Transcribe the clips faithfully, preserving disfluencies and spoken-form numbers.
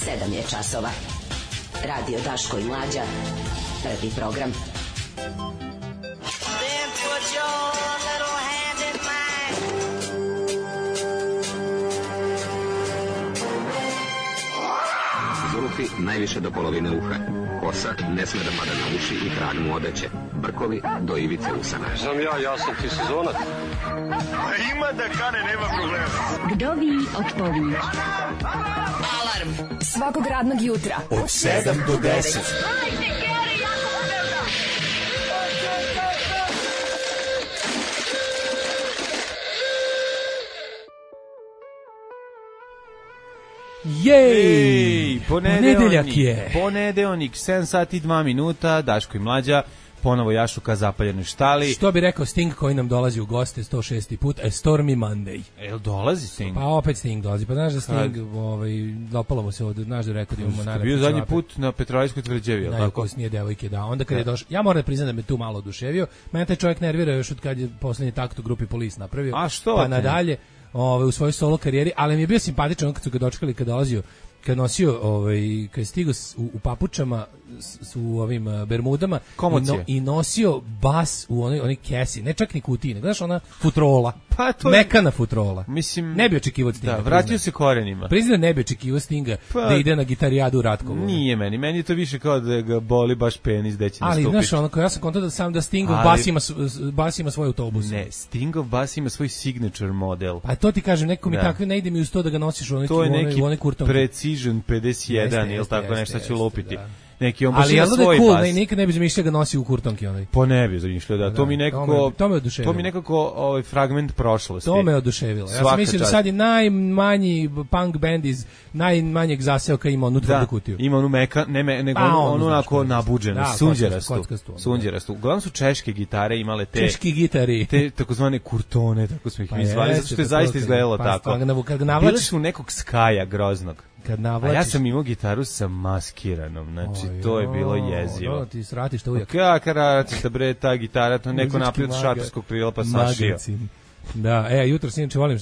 sedam je časova. Radio Daško i Mlađa. Prvi program. Then put your little hand in mine. Zulufi najviše do polovine uha. Kosa ne sme da pada na uši i krag mu odeće. Brkovi do ivice usana. Znam ja, ja sam ti sezonac. A ima da kane, nema problema. Vdovi odpovi. Alarm svakog radnog jutra od sedam do deset. Jej, ponedeljak je. Ponedeljak, sedam sati i dva minuta, Daško i Mlađa, ponovo jašuka zapaljenoj štali. Što bi rekao Sting koji nam dolazi u goste sto šesti put, a Stormy Monday. Jel dolazi Sting? Pa opet Sting dolazi, pa znaš da Sting, ovaj, dopalo mu se od, znaš da rekao da imamo naravno. Bio zadnji put na Petrojskoj tvrđavi, jel tako? Najukosnije devojke, da. Onda kad je došao, ja moram da priznam da me tu malo oduševio, mene taj čovjek nervira još od kad je poslednji takt u grupi Police napravio. A što? Pa nadalje, ovaj, u svojoj solo karijeri, ali mi je bio simpatičan kad su ga dočekali, kad dolazio, kad nosio, ovaj, kad je stigao u, u papučama, s, u ovim uh, bermudama i, no, i nosio bas u onoj, onoj kesi, ne čak ni kutiji, nego znaš ona futrola, pa to mekana futrola. Mislim, ne bi očekivao Stinga. Da, vratio priznam. se korenima. Priznam, ne bi očekivao Stinga pa, da ide na gitarijadu u Ratkovu. Nije meni, meni je to više kao da ga boli baš penis gde će nastupiti. Ali znaš, ono, ja sam kontao da sam da Stingov ali, bas, ima, bas ima svoj autobus. Ne, Stingov bas ima svoj signature model. Pa to ti kažem, neko mi da. Takve ne ide mi uz to da ga nosiš u onoj to je neki onoj kurtonki. Precision pedeset jedan ili tako nešto ću lupiti. Da. Neki on baš ali ima svoj cool, bas. Ne, nikad ne bi zamišljao ga nosi u kurtonki onaj. Po ne bi zamišljao, da. da. To mi nekako to me, to me, to mi nekako ovaj fragment prošlosti. To me oduševilo. Ja sam mislio da sad je najmanji punk band iz najmanjeg zaseoka ima onu tvrdu kutiju. Ima onu meka, ne me, nego pa, onu onako nabuđenu, sunđerastu. Sunđerastu. Uglavnom su češke gitare imale te češki gitari. Te takozvane kurtone, tako smo ih mi zvali, zato što je zaista izgledalo tako. Bili su nekog skaja groznog. Kad navlačiš... A ja sam imao gitaru sa maskiranom, znači o, to je bilo jezivo. No, ti sratiš to ujak. Kako ratiš da bre ta gitara, to neko naprijed šatorskog krila pa sašio. Da, e, jutro sinoć volim,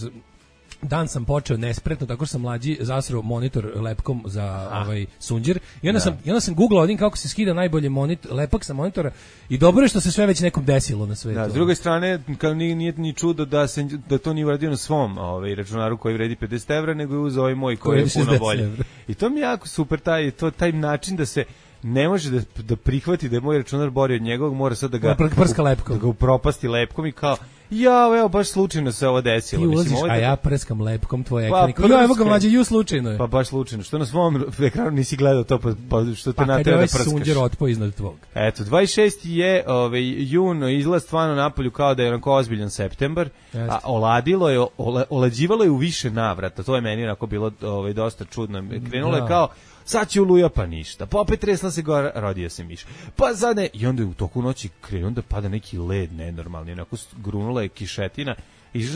dan sam počeo nespretno, tako što sam mlađi zasrao monitor lepkom za ah. ovaj sunđer i onda da. sam i onda sam googlao odim kako se skida najbolje monitor, lepak sa monitora i dobro je što se sve već nekom desilo na svetu. Da, s druge strane, kao nije, nije ni čudo da se da to nije uradio na svom ovaj računaru koji vredi pedeset evra, nego je uzeo ovaj moj koji je puno bolji. I to mi je jako super taj to taj način da se ne može da, da prihvati da je moj računar bolji od njegovog, mora sad da ga prska lepkom, da ga upropasti lepkom i kao ja, evo, baš slučajno se ovo desilo. Ti ulaziš, mislim, a ja prskam lepkom tvoj ekran. Pa, ja, evo ga mlađe, ju slučajno je. Pa baš slučajno. Što na svom ekranu nisi gledao to, pa, pa što te pa, natera da prskaš. Pa kad je ovaj sunđer otpo iznad tvog. Eto, dvadeset šesti je ovaj, jun, izlaz stvarno napolju kao da je onako ozbiljan septembar, Jeste. a oladilo je, ola, olađivalo je u više navrata. To je meni onako bilo ovaj, dosta čudno. Krenulo da. je kao sad će uluja pa ništa, pa opet tresla se gore, rodio se miš, pa sad ne, i onda je u toku noći krenuo da pada neki led nenormalni, onako grunula je kišetina,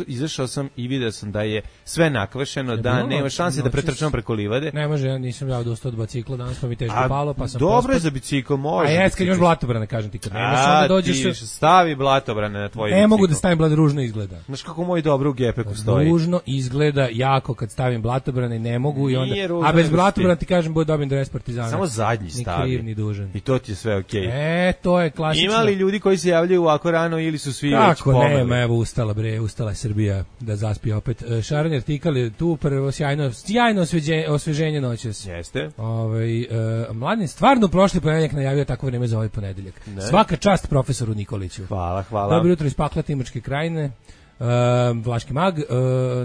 izašao sam i vidio sam da je sve nakvašeno, da bilo, nema šanse da pretrčam preko livade. Ne može, ja nisam ja dostao od bicikla danas, pa mi teško a, palo, pa sam dobro je za bicikl, može. A jes, kad imaš blatobrane, kažem ti, kad nemaš, onda dođeš... A, ti stavi blatobrane na tvoj bicikl. Ne mogu da stavim blad, ružno izgleda. Znaš kako moj dobro u gepeku stoji. Ružno izgleda jako kad stavim blatobrane, ne mogu i onda... A bez blatobrana ti kažem, bude dobijem dres Partizana. Samo zadnji stavi. Ni kriv, ni dužan. I to ti je sve okej. E, to je klasično. Ima li ljudi koji se javljaju ovako rano ili su svi već Kako nema, evo ustala bre, ustala Srbija da zaspi opet. Šaran artikal je tu prvo sjajno, sjajno osveženje, osveženje noćas. Jeste. Ovaj uh, Mladen stvarno prošli ponedeljak najavio takvo vreme za ovaj ponedeljak. Ne. Svaka čast profesoru Nikoliću. Hvala, hvala. Dobro jutro iz pakla Timočke krajine. Uh, Vlaški mag, uh,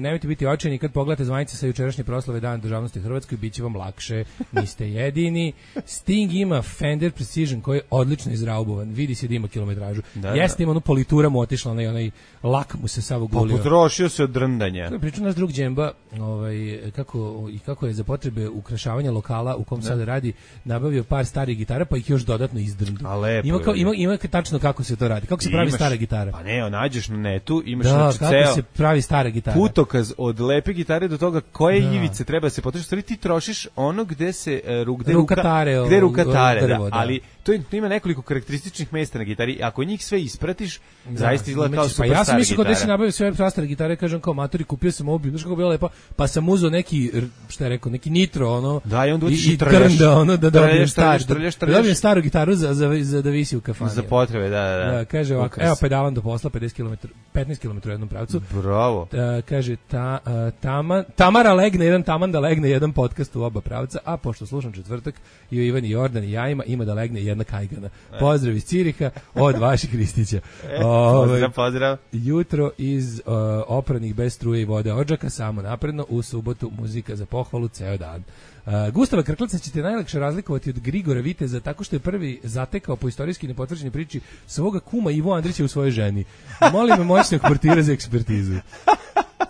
nemojte biti očajni kad pogledate zvanice sa jučerašnje proslave Dana državnosti Hrvatskoj, bit će vam lakše, niste jedini. Sting ima Fender Precision koji je odlično izraubovan, vidi se da ima kilometražu. Da, Jeste da. Ima onu politura mu otišla, onaj, onaj lak mu se sav ogulio. Pa potrošio se od drndanja. Pričao naš drug Džemba, ovaj, kako, i kako je za potrebe ukrašavanja lokala u kom da. Sada radi, nabavio par starih gitara pa ih još dodatno izdrndu. A lepo ima, kao, ima, ima tačno kako se to radi, kako se pravi imaš, stara gitara. Pa ne, nađeš na netu, imaš da, Znači, kako ceo se pravi stara gitara. Putokaz od lepe gitare do toga koje da. ivice treba se potroši. Stvari ti trošiš ono gde se uh, gde ruka, tare, gde ruka tare, drvo, da. da. Ali to ima nekoliko karakterističnih mesta na gitari. Ako njih sve ispratiš, da. zaista izgleda kao super pa ja sam mislio gitara. Da se nabavio sve prastare gitare, kažem kao matori, kupio sam ovu, znaš kako bilo lepo, pa sam uzeo neki, šta je rekao, neki nitro, ono, da, i onda i, i trnda, ono, da dobijem star, da dobijem staru gitaru za, za, za da visi u kafani. Za potrebe, da, da. da kaže ovako, evo pedalan do posla, pedeset kilometara, petnaest kilometara u jednom pravcu. Bravo. Da, kaže, ta, uh, tama, Tamara legne jedan taman da legne jedan podcast u oba pravca, a pošto slušam četvrtak i o Ivani Jordan i ja ima, ima da legne jedna kajgana. Pozdrav iz Ciriha od vaših Kristića. Ove, pozdrav, pozdrav. Jutro iz uh, opranih bez struje i vode odžaka, samo napredno, u subotu muzika za pohvalu ceo dan. Uh, Gustava Krklaca ćete najlakše razlikovati od Grigora Viteza tako što je prvi zatekao po istorijski nepotvrđenoj priči svoga kuma Ivo Andrića u svojoj ženi. Molim me moćnog portira za ekspertizu.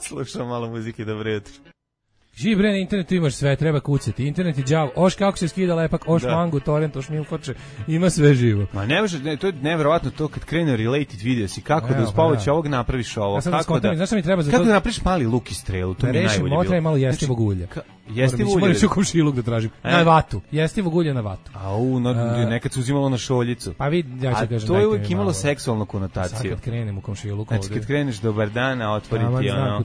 Slušam malo muzike, dobro jutro. Živi bre, na internetu imaš sve, treba kucati. Internet je đavo, oš kako se skida lepak, oš da. mangu, torrent, oš milfoče, ima sve živo. Ma ne može, ne, to je neverovatno to kad krene related video si, kako evo, da uz pomoć ovog napraviš ovo, ja kako da, znaš šta mi treba za kako to? da napraviš mali luk i strelu, to da mi je najbolje bilo. Motra je malo jestivog ulja. Ka, jestivog ulja? Moram ću komšiluk da tražim. E? Na vatu, jestivog ulja na vatu. Au, no, uh, nekad se uzimalo na šoljicu. Pa vidi, ja ću kažem. A to je uvijek imalo seksualnu konotaciju. Sad kad krenem u komšiluk. Znači kad kreneš dobar dan, a otvoriti ono,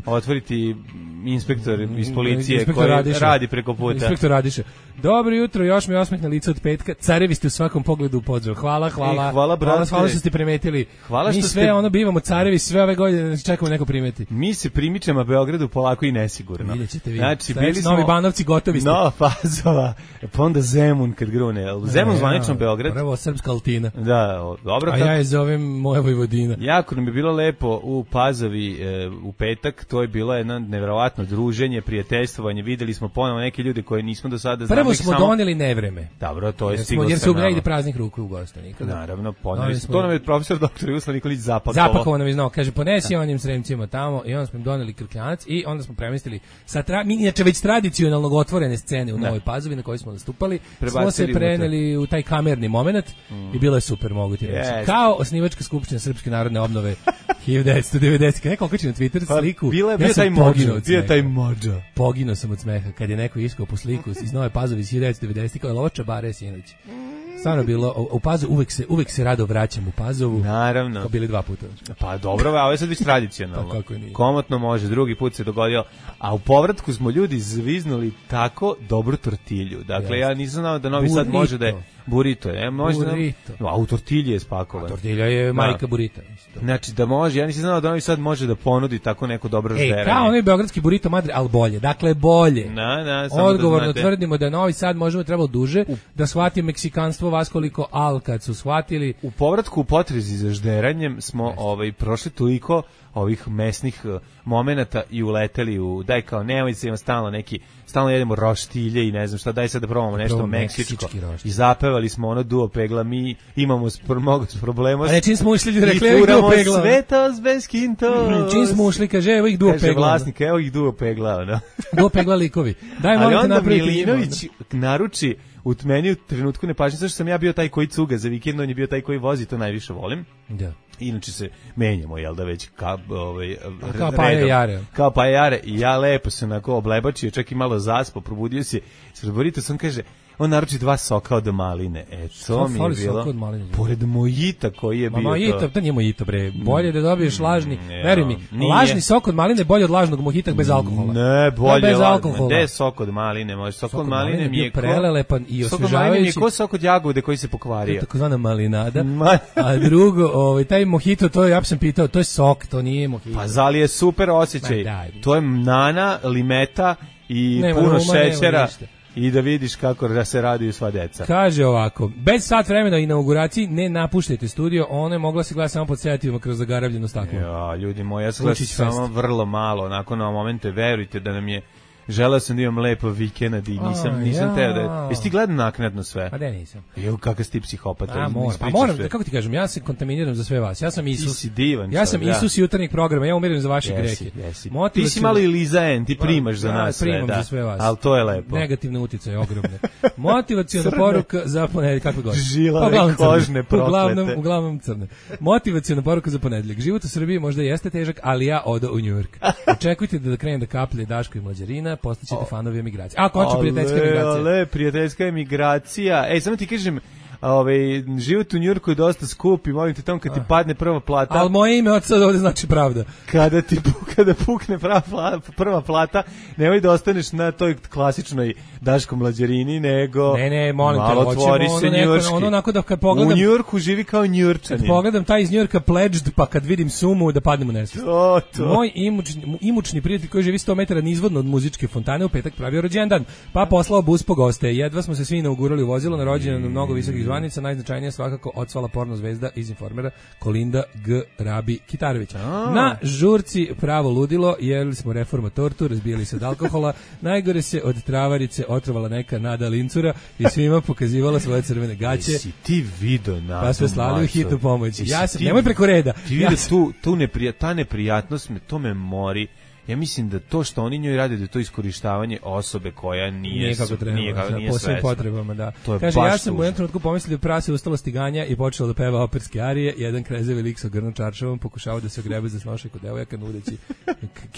otvoriti inspektor iz policije koji Radiša. radi preko puta. Inspektor Radiša. Dobro jutro, još mi osmeh na lice od petka. Carevi ste u svakom pogledu u pozdrav. Hvala, hvala. E, hvala, hvala, hvala što ste primetili. Hvala što mi sve ste... ono bivamo carevi sve ove godine, čekamo neko primeti. Mi se primičemo Beogradu polako i nesigurno. Vidjet ćete vi. Znači, bili smo... Novi Banovci gotovi ste. Nova Pazova. Pa onda Zemun kad grune. Zemun e, zvanično ja, Beograd. Prvo srpska Altina. Da, dobro. A kako... ja je zovem moja Vojvodina. Jako nam je bilo lepo u Pazovi e, u petak. To je bilo jedno neverovatno druženje, prijateljstvovanje. Videli smo ponovo neke ljude koje nismo do sada znali. Prvo smo samo... doneli nevreme. Dobro, to je jer stiglo. Jer se ugrejde praznih ruku u gosta nikada. Naravno, poneli smo. To nam je profesor doktor Jugoslav Nikolić zapakovao. Zapakovao nam je znao, kaže ponesi onim sremcima tamo i onda smo im doneli krkljanac i onda smo premestili sa tra... mi inače već tradicionalno otvorene scene u Novoj Pazovi na kojoj smo nastupali. Prebacili smo se preneli u taj kamerni momenat mm. i bilo je super, mogu ti reći. Yes. Kao osnivačka skupština Srpske narodne obnove hiljadu devetsto devedeset. Neko okači na Twitter pa, sliku. Bila je ja taj mođo, bio taj mođo. Poginuo sam od smeha kad je neko iskao po sliku iz Nove Pazove iz hiljadu devetsto devedeset kao lovača bare sinoć. Stvarno bilo u, u Pazovu uvek se uvek se rado vraćam u Pazovu. Naravno. Kao bili dva puta. Pa dobro, a ovo je sad već tradicionalno. Pa kako nije. Komotno može, drugi put se dogodio. A u povratku smo ljudi zviznuli tako dobru tortilju. Dakle, yes. ja nisam znao da Novi Sad može da je burrito, je, može burrito. Da, no, a u tortilji je spakovan. A tortilja je majka burita. Isto. Znači da može, ja nisam znao da Novi Sad može da ponudi tako neko dobro žderanje. E, kao onaj beogradski burito madre, al bolje. Dakle, bolje. Na, na, samo odgovorno da tvrdimo da Novi Sad možemo trebalo duže u... da shvati meksikanstvo vas koliko al kad su shvatili. U povratku u potrezi za žderanjem smo ovaj prošli toliko ovih mesnih uh, momenata i uleteli u daj kao nemoj se ima stalno neki stalno jedemo roštilje i ne znam šta, daj sad da probamo nešto Prvo meksičko i zapevali smo ono duo pegla, mi imamo spr- mnogo problema a ne čim smo ušli rekli evo ih duo pegla svetos bez kinto čim smo ušli kaže evo ih duo kaže pegla vlasnik evo ih duo pegla no? duo pegla likovi daj molim te napraviti Milinović naruči u meni u trenutku nepažnje zašto sam ja bio taj koji cuga za vikend, on je bio taj koji vozi, to najviše volim. Da. Inače se menjamo, jel da već ka, ovaj, kao pa je jare. Kao pa je jare i ja lepo se onako oblebačio, čak i malo zaspo, probudio se. Sreborito sam kaže, on naruči dva soka od maline. E, to mi je bilo. Pored mojita koji je bio to. Mojita, to nije mojito, bre. Bolje da dobiješ lažni, mm, veruj mi, nije. Lažni sok od maline bolje od lažnog mojita bez alkohola. Ne, bolje bez alkohola. Gde sok od maline? Može sok, sok od maline, maline mi je prelelepan i osvežavajući. Sok od maline mi je ko sok od jagode koji se pokvario. Takozvana malinada. A drugo, ovaj taj mojito, to ja sam pitao, to je sok, to nije mojito. Pa zali je super osjećaj. To je nana, limeta i nema, puno nema, šećera. I da vidiš kako da se radiju sva deca. Kaže ovako, bez sat vremena o inauguraciji ne napuštajte studio, ono je mogla se gledati samo pod sedativima kroz zagaravljeno staklo. Ja, ljudi moji, ja se gledam samo vrlo malo, onako na momente, verujte da nam je želeo sam da imam lepo vikend i nisam, nisam teo da... Jesi ti gledao naknadno sve? Pa da, nisam. Jo, kakav si ti psihopata. A, moram, pa moram, kako ti kažem, ja se kontaminiram za sve vas. Ja sam Isus. Ti si divan. Ja sam da. Isus jutarnjeg programa, ja umiram za vaše grehe. Ti si malo i Lizaen, ti primaš za nas sve. Primam za sve vas. Ali to je lepo. Negativne uticaje, ogromne. Motivaciona poruka za ponedeljak, kako god. Žilave kožne proklete. Uglavnom, uglavnom crne. Motivaciona poruka za ponedeljak. Život u Srbiji možda jeste težak, ali ja odo u New York. Očekujte da krenem da kaplje Daško i Mlađarina, postaćete fanovi emigracije. A, končno prijateljska emigracija. Ale, prijateljska emigracija. Ej, samo ti kažem, ovaj život u Njujorku je dosta skup i molim te tamo kad ti padne prva plata. Al moje ime od sada ovde znači pravda. Kada ti kada pukne prva plata, prva plata, nemoj da ostaneš na toj klasičnoj Daško Mlađarini, nego ne, ne, molim te, otvori se njujorški. Ono onako da kad pogledam u Njujorku živi kao Njujorčanin. Kad pogledam taj iz Njujorka Pledged, pa kad vidim sumu da padnem u nesvest. To, to. Moj imućni, imućni prijatelj koji živi sto metara nizvodno od muzičke fontane u petak pravio rođendan, pa poslao bus po goste. Jedva smo se svi inaugurali u vozilo na rođendan mnogo visokih zvanica, najznačajnija svakako odsvala porno zvezda iz Informera Kolinda G. Rabi Kitarović. A. Na žurci pravo ludilo, jeli smo reforma tortu, razbijali se od alkohola, najgore se od travarice otrovala neka Nada Lincura i svima pokazivala svoje crvene gaće. Jesi ti video Nadu? Pa sve slali u hitnu pomoć. Ja sam, nemoj preko reda. Ti vidi ja tu, tu neprija, ta neprijatnost me, to me mori. Ja mislim da to što oni njoj rade da je to iskorištavanje osobe koja nije nije kako treba, nije, kako, nije po svim potrebama, da. Kaže, ja sam u jednom trenutku pomislio da prase ustalo stiganja i počelo da peva operske arije, jedan krezevi lik sa grnom čaršavom pokušavao da se ogrebe za snošaj kod devojaka nudeći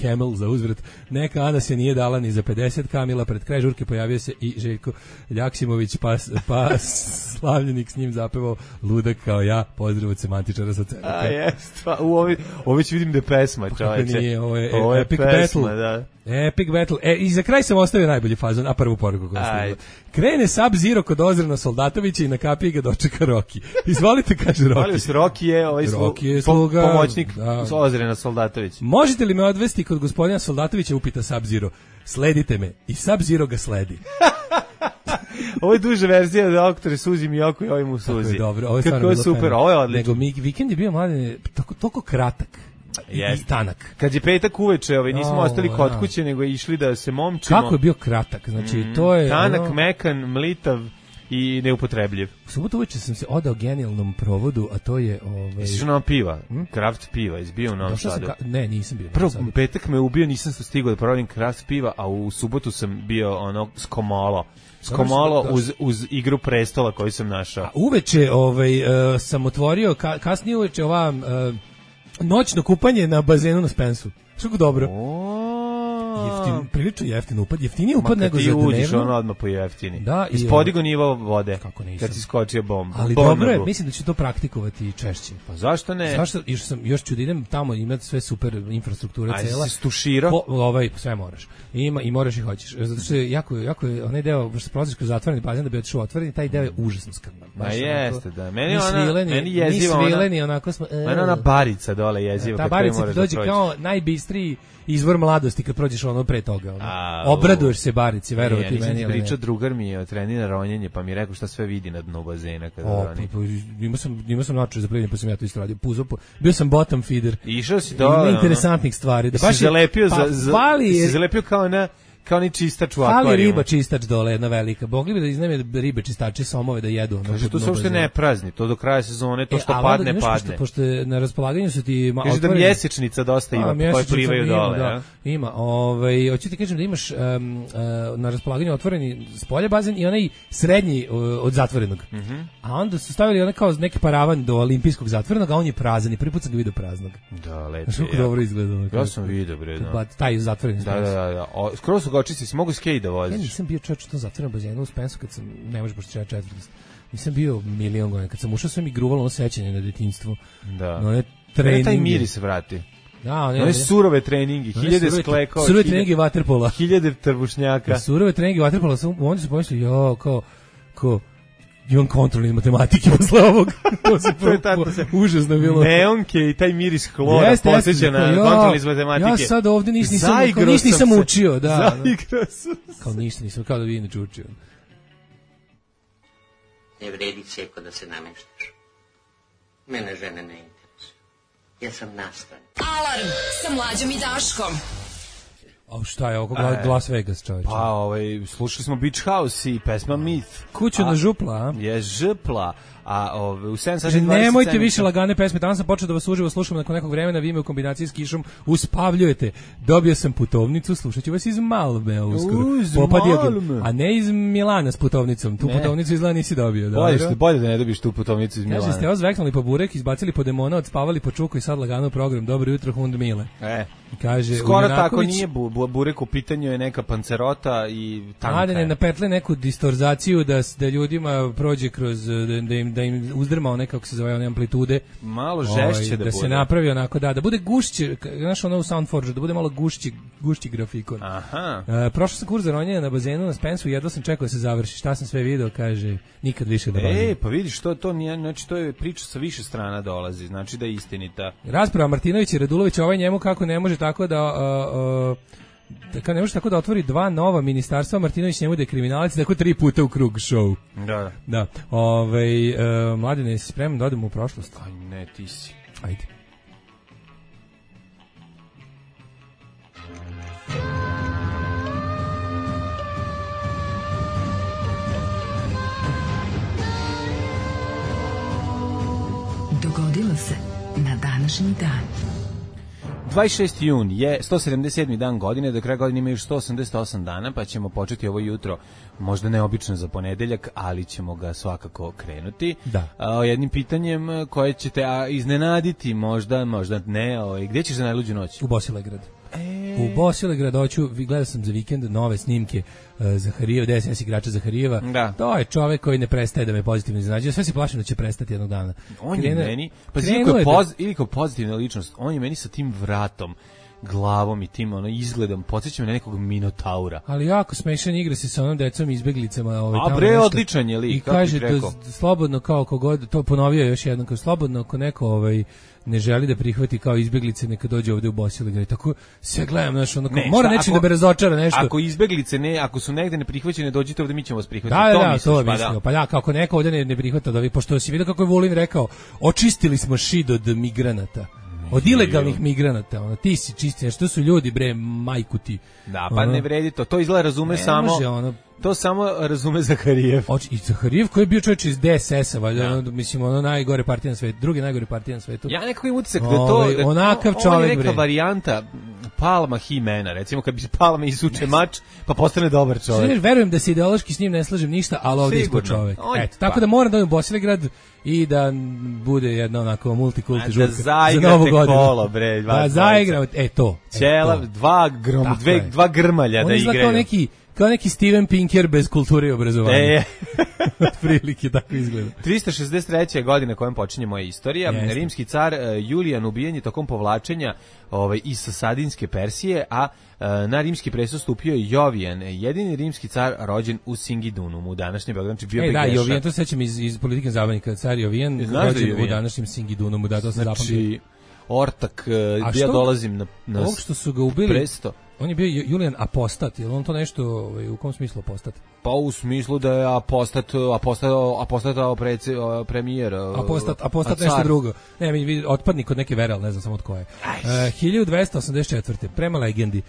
Camel za uzvrat. Neka Ana se nije dala ni za pedeset kamila, pred kraj žurke pojavio se i Željko Ljaksimović, pa, pa slavljenik s njim zapevao Ludak kao ja, pozdrav od semantičara sa cene. A jest, u ovi, ovi ću vidim da je pesma, čoveče. Nije, ovo je, ovo je Epic pesma, Battle. Da. Epic Battle. E, i za kraj sam ostavio najbolji fazon, a prvu poruku koju sam. Krene Sub-Zero kod Ozrena Soldatovića i na kapiji ga dočeka Rocky. Izvolite, kaže Rocky. Molim se, Rocky je, ovaj Rocky je sluga, po, pomoćnik da. Ozrena Soldatovića. Možete li me odvesti kod gospodina Soldatovića, upita Sub-Zero. Sledite me. I Sub-Zero ga sledi. Ovo je duža verzija Doktore Suzi Miyoko i ovim mu Suzi. Kako je dobro, ovo je stvarno bilo super, fajno. Ovo je odlično. Nego mi, vikend je bio mladen, toliko, toliko kratak. Yes. I tanak. Kad je petak uveče, ovaj nismo oh, ostali kod kuće, nego išli da se momčimo. Kako je bio kratak, znači mm, to je tanak, ono... mekan, mlitav i neupotrebljiv. U subotu uveče sam se odao genijalnom provodu, a to je ovaj Jesi što piva, hm? Kraft piva, izbio u Novom Sadu. Ka... Ne, nisam bio. Prvo petak me ubio, nisam se stigao da probam kraft piva, a u subotu sam bio ono skomolo. Skomolo uz, uz Igru prestola koju sam našao. A uveče ovaj, uh, sam otvorio, ka, kasnije uveče ova uh, noćno kupanje na bazenu na Spensu. Što dobro. Jeftin, prilično jeftin upad, jeftiniji upad nego za dnevno. Ti uđeš ono odmah po jeftini. Da, ispodigo nivo vode. Kako nisam. Kad si skočio bombu. Ali Bombu. Dobro je, mislim da ću to praktikovati češće. Pa zašto ne? Zašto? Još sam još ću da idem tamo, imati sve super infrastruktura Ajde, cela. Ajde, si stuširao? Po, ovaj, sve moraš. Ima i moraš i hoćeš. Zato što je jako, jako je onaj deo, što se prolaziš kroz zatvoreni bazen da bi otišao otvoreni, taj deo je užasno skrnav. Ma jeste, da. Meni ona, svileni, meni jeziva ona. Svileni, onako smo. Meni ona barica dole jeziva. Ta barica ti dođe kao najbistriji izvor mladosti kad prođeš ono pre toga. Ono. A, obraduješ se barici, verovati ja, meni. Ja pričao, drugar mi je trenira ronjenje, pa mi je rekao šta sve vidi na dnu bazena. Kada o, pa, pa, imao sam, imao sam način za plivanje, pa sam ja to isto radio. Puzo, po, bio sam bottom feeder. Išao si dole. Ima interesantnih stvari. Da baš si zalepio, pa, za, za, si zalepio kao na... kao ni čistač u akvarijuma. Fali riba čistač dole, jedna velika. Mogli bi da iznajme ribe čistače, somove da jedu. Kaže, to se uopšte ne prazni, to do kraja sezone, to što e, padne, da, padne. Pošto, pošto na raspolaganju su ti... Kaže otvoreni, da mjesečnica dosta ima, a, koje plivaju ima, dole. Da, ima. Ovaj, hoću ti kažem da imaš um, uh, na raspolaganju otvoreni spolje bazen i onaj srednji uh, od zatvorenog. Mm -hmm. A onda su stavili onaj kao neki paravan do olimpijskog zatvorenog, a on je prazan i prvi put sam ga vidio praznog. Da, lepo. Znaš kako dobro izgleda. Ja sam vidio, bre. Da. Taj zatvoreni. Da, da, da. O, skoro su ga očistili, si mogu skej da voziš. Ja nisam bio čovječ u tom zatvorenom bazenu u Spensu kad sam, ne možeš pošto četvrti. Nisam bio milion godina. Kad sam ušao sve mi gruvalo ono sećanje na detinjstvu. Da. No, ne treningi. Taj miris se vrati. Da, ne, one surove treningi, hiljade sklekova, surove treningi vaterpola, hiljade trbušnjaka. Surove treningi vaterpola, oni su pomislili, jo, kao, kao, imam kontrolni matematike posle ovog. To se užasno bilo. Neonke i taj miris hlora posjeća na kontrolni iz matematike. Ja sad ovdje ništa nisam, kao, ništa nisam učio. Da, zaigrao sam se. Kao ništa nisam, kao da vi inače učio. Ne vredi Ceko da se nameštaš. Mene žene ne interesuju. Ja sam nastan. Alarm sa Mlađom i Daškom. A šta je oko Las Vegas, čovječe? Pa, ovaj, slušali smo Beach House i pesma Myth. Kuću na župla, a? Je župla. A ove, u sedam sati dvadeset nemojte više lagane pesme, danas sam počeo da vas uživo slušam nakon nekog vremena, vi me u kombinaciji s kišom uspavljujete. Dobio sam putovnicu, slušat ću vas iz Malme uskoro. Malme. A ne iz Milana s putovnicom, tu ne. Putovnicu izgleda nisi dobio. Bolje, što, bolje da ne dobiš tu putovnicu iz Milana. Kaže, ste ozveknuli po burek, izbacili po demona, odspavali po čuku i sad lagano program. Dobro jutro, Hund Mile. E. Kaže, skoro tako nije bu, bu, burek u pitanju je neka pancerota i tanka. Mladene napetle neku distorzaciju da, da ljudima prođe kroz, da, da im da im uzdrma one, kako se zove, one amplitude. Malo žešće ovaj, da, da bude. se napravi onako, da, da bude gušće, znaš ono u Soundforge, da bude malo gušći, gušći grafikon. Aha. Uh, prošao sam kurs za ronjenje na bazenu na Spensu, jedva sam čekao da se završi. Šta sam sve video, kaže, nikad više da ronjem. E, pa vidiš, to, to, nije, znači, to je priča sa više strana dolazi, znači da je istinita. Rasprava Martinović i Radulović, ovaj njemu kako ne može tako da... Uh, uh, Tako ne može tako da otvori dva nova ministarstva, Martinović njemu da je kriminalac, tako tri puta u krug show. Da. Da. Ovaj uh, Mladene, si spreman da odemo u prošlost? Aj ne, ti si. Ajde. Dogodilo se na današnji dan. dvadeset šesti jun je sto sedamdeset sedmi dan godine, do kraja godine ima još sto osamdeset osam dana, pa ćemo početi ovo jutro, možda neobično za ponedeljak, ali ćemo ga svakako krenuti. Da. A, jednim pitanjem koje ćete a, iznenaditi, možda, možda ne, o, gdje ćeš za najluđu noć? U Bosilegrad. E... U Bosilegrad hoću, gledao sam za vikend nove snimke uh, Zaharijeva, D S S igrača Zaharijeva. Da. To je čovek koji ne prestaje da me pozitivno iznenađuje. Sve se plašim da će prestati jednog dana. On je meni, pa ili poz, da... kao pozitivna ličnost, on je meni sa tim vratom, glavom i tim ono izgledom podsjeća me na nekog minotaura. Ali jako smešan, igra se sa onom decom izbeglicama, ovaj tamo. A bre, odličan je lik, i kaže da slobodno kao kogod, to ponovio još jednom, kao slobodno ako neko ovaj ne želi da prihvati kao izbeglice, neka dođe ovde u Bosilegrad. Tako se gledam, znači ono ne, mora nečim da me razočara nešto. Ako izbeglice ne, ako su negde ne prihvaćene, dođite ovde, mi ćemo vas prihvatiti. Da, to da, misliš, to pa mislio. Da. Pa ja, kako neko ovde ne, ne prihvata da vi, pošto si vidio kako je Vulin rekao, očistili smo šid od migranata. Od ilegalnih migranata, ono, ti si čisti, što su ljudi, bre, majku ti. Da, pa ono, ne vredi to, to izgleda razume ne samo, može, ono, to samo razume Zaharijev. Oč, i Zaharijev koji je bio čovječ iz D S S-a, valjda, da. ono, mislim, ono najgore partija na svetu, drugi najgore partija na svetu. Ja nekako imam utisak da to, Ove, da, onakav on, čovjek, on je neka bre. varijanta Palma Himena, recimo kad bi Palma isuče mač, pa postane dobar čovjek. Sve, verujem da se ideološki s njim ne slažem ništa, ali ovdje ispod čovjek. Eto, tako pa. Da moram da odem u Bosilegrad i da bude jedna onako multikulti žurka za Novu godinu. Kolo, bre, da zaigramo, e to. Ćela, dva, grom, dve, dva grmalja on da igraju. Kao neki, kao neki Steven Pinker bez kulture i obrazovanja. E. Otprilike tako izgleda. trista šezdeset treća godina kojom počinje moja istorija. Jeste. Rimski car uh, Julijan ubijen je tokom povlačenja ovaj, iz Sasadinske Persije, a uh, na rimski presto stupio je Jovijan, jedini rimski car rođen u Singidunu, u današnjem Beogradu, znači bio e, da, Begeša. Jovijan, to sećam iz, iz politike zabavnika, car Jovijan, rođen u današnjem Singidunu, da, to se znači, zapamtio. Ortak, uh, ja dolazim na, na ovog što su ga ubili, presto. On je bio Julijan apostat, je li on to nešto, ovaj, u kom smislu apostat? Pa u smislu da je apostat, apostat, apostatao preci, premijer. Apostat, apostat nešto drugo. Ne, mi vidi otpadnik od neke vere, al ne znam samo od koje. Uh, hiljadu dvesta osamdeset četvrte prema legendi.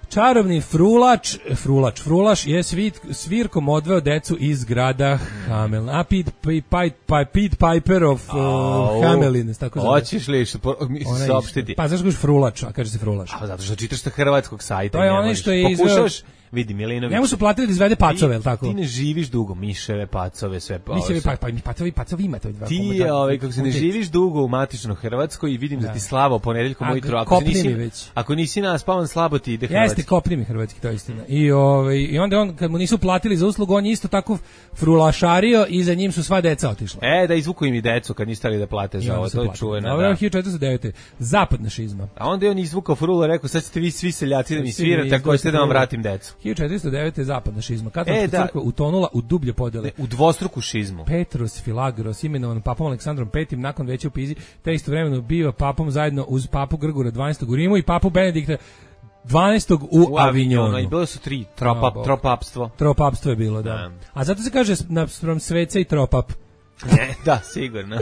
Čarobni frulač, frulač, frulaš je svit, svirkom odveo decu iz grada Hamelin. A Pete, Pete, Pete Piper of uh, Hamelin, tako zove. Hoćeš li mi saopštiti? Pa zašto kažeš frulač, a kaže se frulaš? A zato što čitaš sa hrvatskog sajta. To je onaj što je izveo... Vidi Milinović. Njemu su platili da izvede pacove, el tako? Ti ne živiš dugo, miševe, pacove, sve pa. Miševe, pa, pa pacovi, pacovi ima to dva. Ti ovaj kako se ne živiš dugo u matičnoj Hrvatskoj i vidim da, da ti slabo ponedeljkom ujutro, ako nisi ako nisi naspavan slabo ti ide hrvatski. Jeste, kopni mi hrvatski, to je istina. I ovaj i onda on kad mu nisu platili za uslugu, on je isto tako frulašario i za njim su sva deca otišla. E, da izvuku im i decu kad niste stali da plate za ovo, to je čuveno. Ovo je hiljadu četiristo devete zapadna šizma. A onda je on izvukao frula, rekao sad ćete vi svi seljaci da mi svirate, ako hoćete da vam vratim decu. hiljadu četiristo devete zapadna šizma. Katolička e, da. crkva utonula u dublje podele. U dvostruku šizmu. Petrus Filagros, imenovan papom Aleksandrom petim nakon veća u Pizi, te istovremeno biva papom zajedno uz papu Grgora dvanaestog u Rimu i papu Benedikta dvanaestog u, u Avignonu. I bilo su tri, tropap, no, tropapstvo. Tropapstvo je bilo, da. A zato se kaže naspram sveca i tropap. Ne, da, sigurno.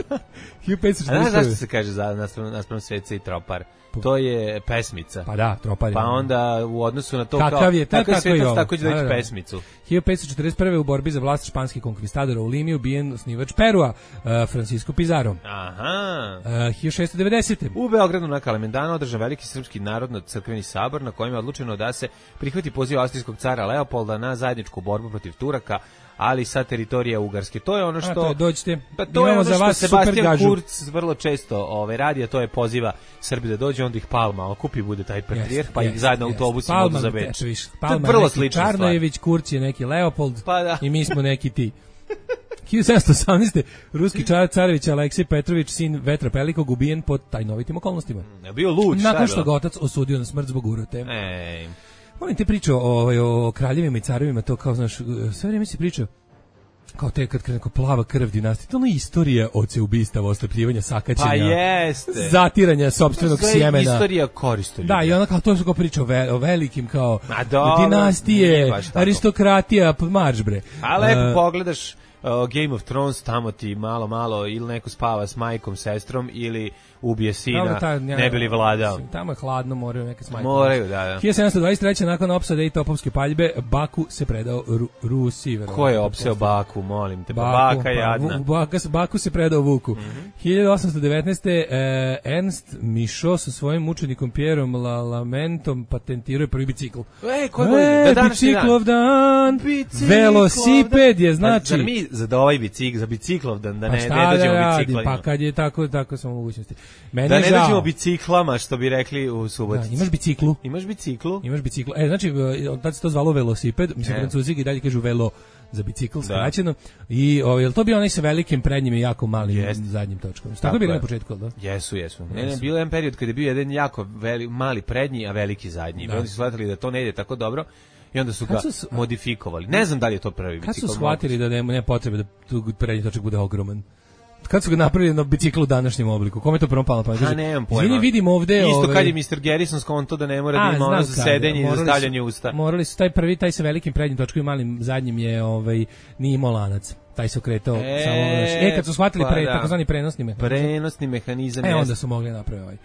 hiljadu petsto četrdeset prve. A znaš zašto se kaže za naspram, naspram Sveca i Tropar? To je pesmica. Pa da, Tropar je. Pa onda u odnosu na to kakav kao... je, Kakav je Svetac, tako će da reći pesmicu. hiljadu petsto četrdeset prve. u borbi za vlast španskih konkvistadora u Limi ubijen osnivač Perua, uh, Francisco Pizarro. Aha. Uh, hiljadu šessto devedesete. U Beogradu na Kalemendanu održan veliki srpski narodno-crkveni sabor na kojem je odlučeno da se prihvati poziv austrijskog cara Leopolda na zajedničku borbu protiv Turaka, ali sa teritorija Ugarske. To je ono što... A, to je, dođite, pa to je ono za što vas Sebastian Kurz vrlo često ove, radi, a to je poziva Srbi da dođe, onda ih Palma okupi, bude taj patrijarh, pa ih zajedno autobusima odu za Beč. Palma je neki Čarnojević, Kurz je neki Leopold pa da. I mi smo neki ti. hiljadu sedamsto osamnaeste. ruski car carević Aleksej Petrović, sin Vetra Pelikog, ubijen pod tajnovitim okolnostima. Je bio lud, šta je nakon što ga otac osudio na smrt zbog urote. Ej. Volim te priču o, o kraljevima i carevima, to kao, znaš, sve vrijeme si pričao kao te kad krene plava krv dinastije, to je istorija oceubistava, oslepljivanja, sakaćenja, pa jeste, zatiranja sopstvenog sjemena. Istorija koristoljublja. Da, i ona kao to su kao priča o, ve, o velikim kao dobro, dinastije, aristokratija, marš bre. A lepo uh, pogledaš uh, Game of Thrones, tamo ti malo, malo ili neko spava s majkom, sestrom ili ubije sina, ta, ja, ne bi li vladao. Tamo je hladno, moraju neke s majkom. Moraju, da, da. hiljadu sedamsto dvadeset treće. nakon opsade i topovske paljbe, Baku se predao Ru, Rusiji. Ko je opseo Baku, molim te? Baku, Baka jadna. Pa, Baka, Baku se predao Vuku. Mm-hmm. hiljadu osamsto devetnaeste. Eh, Ernst Michaud sa svojim učenikom Pierom Lamentom patentirao prvi bicikl. E, koji je da biciklov dan? dan. Velosiped je, znači. Zar mi za ovaj bicikl, za biciklov dan, da pa ne, ne dođemo da biciklima? Pa kad je tako, tako smo mogućnosti. Meni da ne dođemo biciklama, što bi rekli u Subotici. Da, imaš biciklu. Imaš biciklu? Imaš biciklu. E, znači, tad se to zvalo velosiped, mislim, e. Francuzi i dalje kažu velo za bicikl, skraćeno. I o, je to bio onaj sa velikim prednjim i jako malim yes. zadnjim točkom. Tako, tako je bilo na početku, da? Jesu, jesu. Ne, ne, bilo je jedan period kada je bio jedan jako veli, mali prednji, a veliki zadnji. Da. I onda su shvatili da to ne ide tako dobro. I onda su ga su, modifikovali. Ne znam da li je to prvi bicikl. Kad su shvatili da nema, nema potrebe da tu prednji točak bude ogroman? Kad su ga napravili na biciklu u današnjem obliku? Kome je to prvo palo na pamet? Ha, nemam pojma. Izvini, vidim ovde... Isto ove... kad je mister Garrison skonto da ne mora da ima ono za sedenje i za stavljanje usta. Morali su taj prvi, taj sa velikim prednjim točkom i malim zadnjim je ovaj, nije imao lanac. Taj se okretao e, samo... E, kad su shvatili pa pre, da. takozvani prenosni mehanizam. Prenosni mehanizam. E, onda su mogli napraviti ovaj.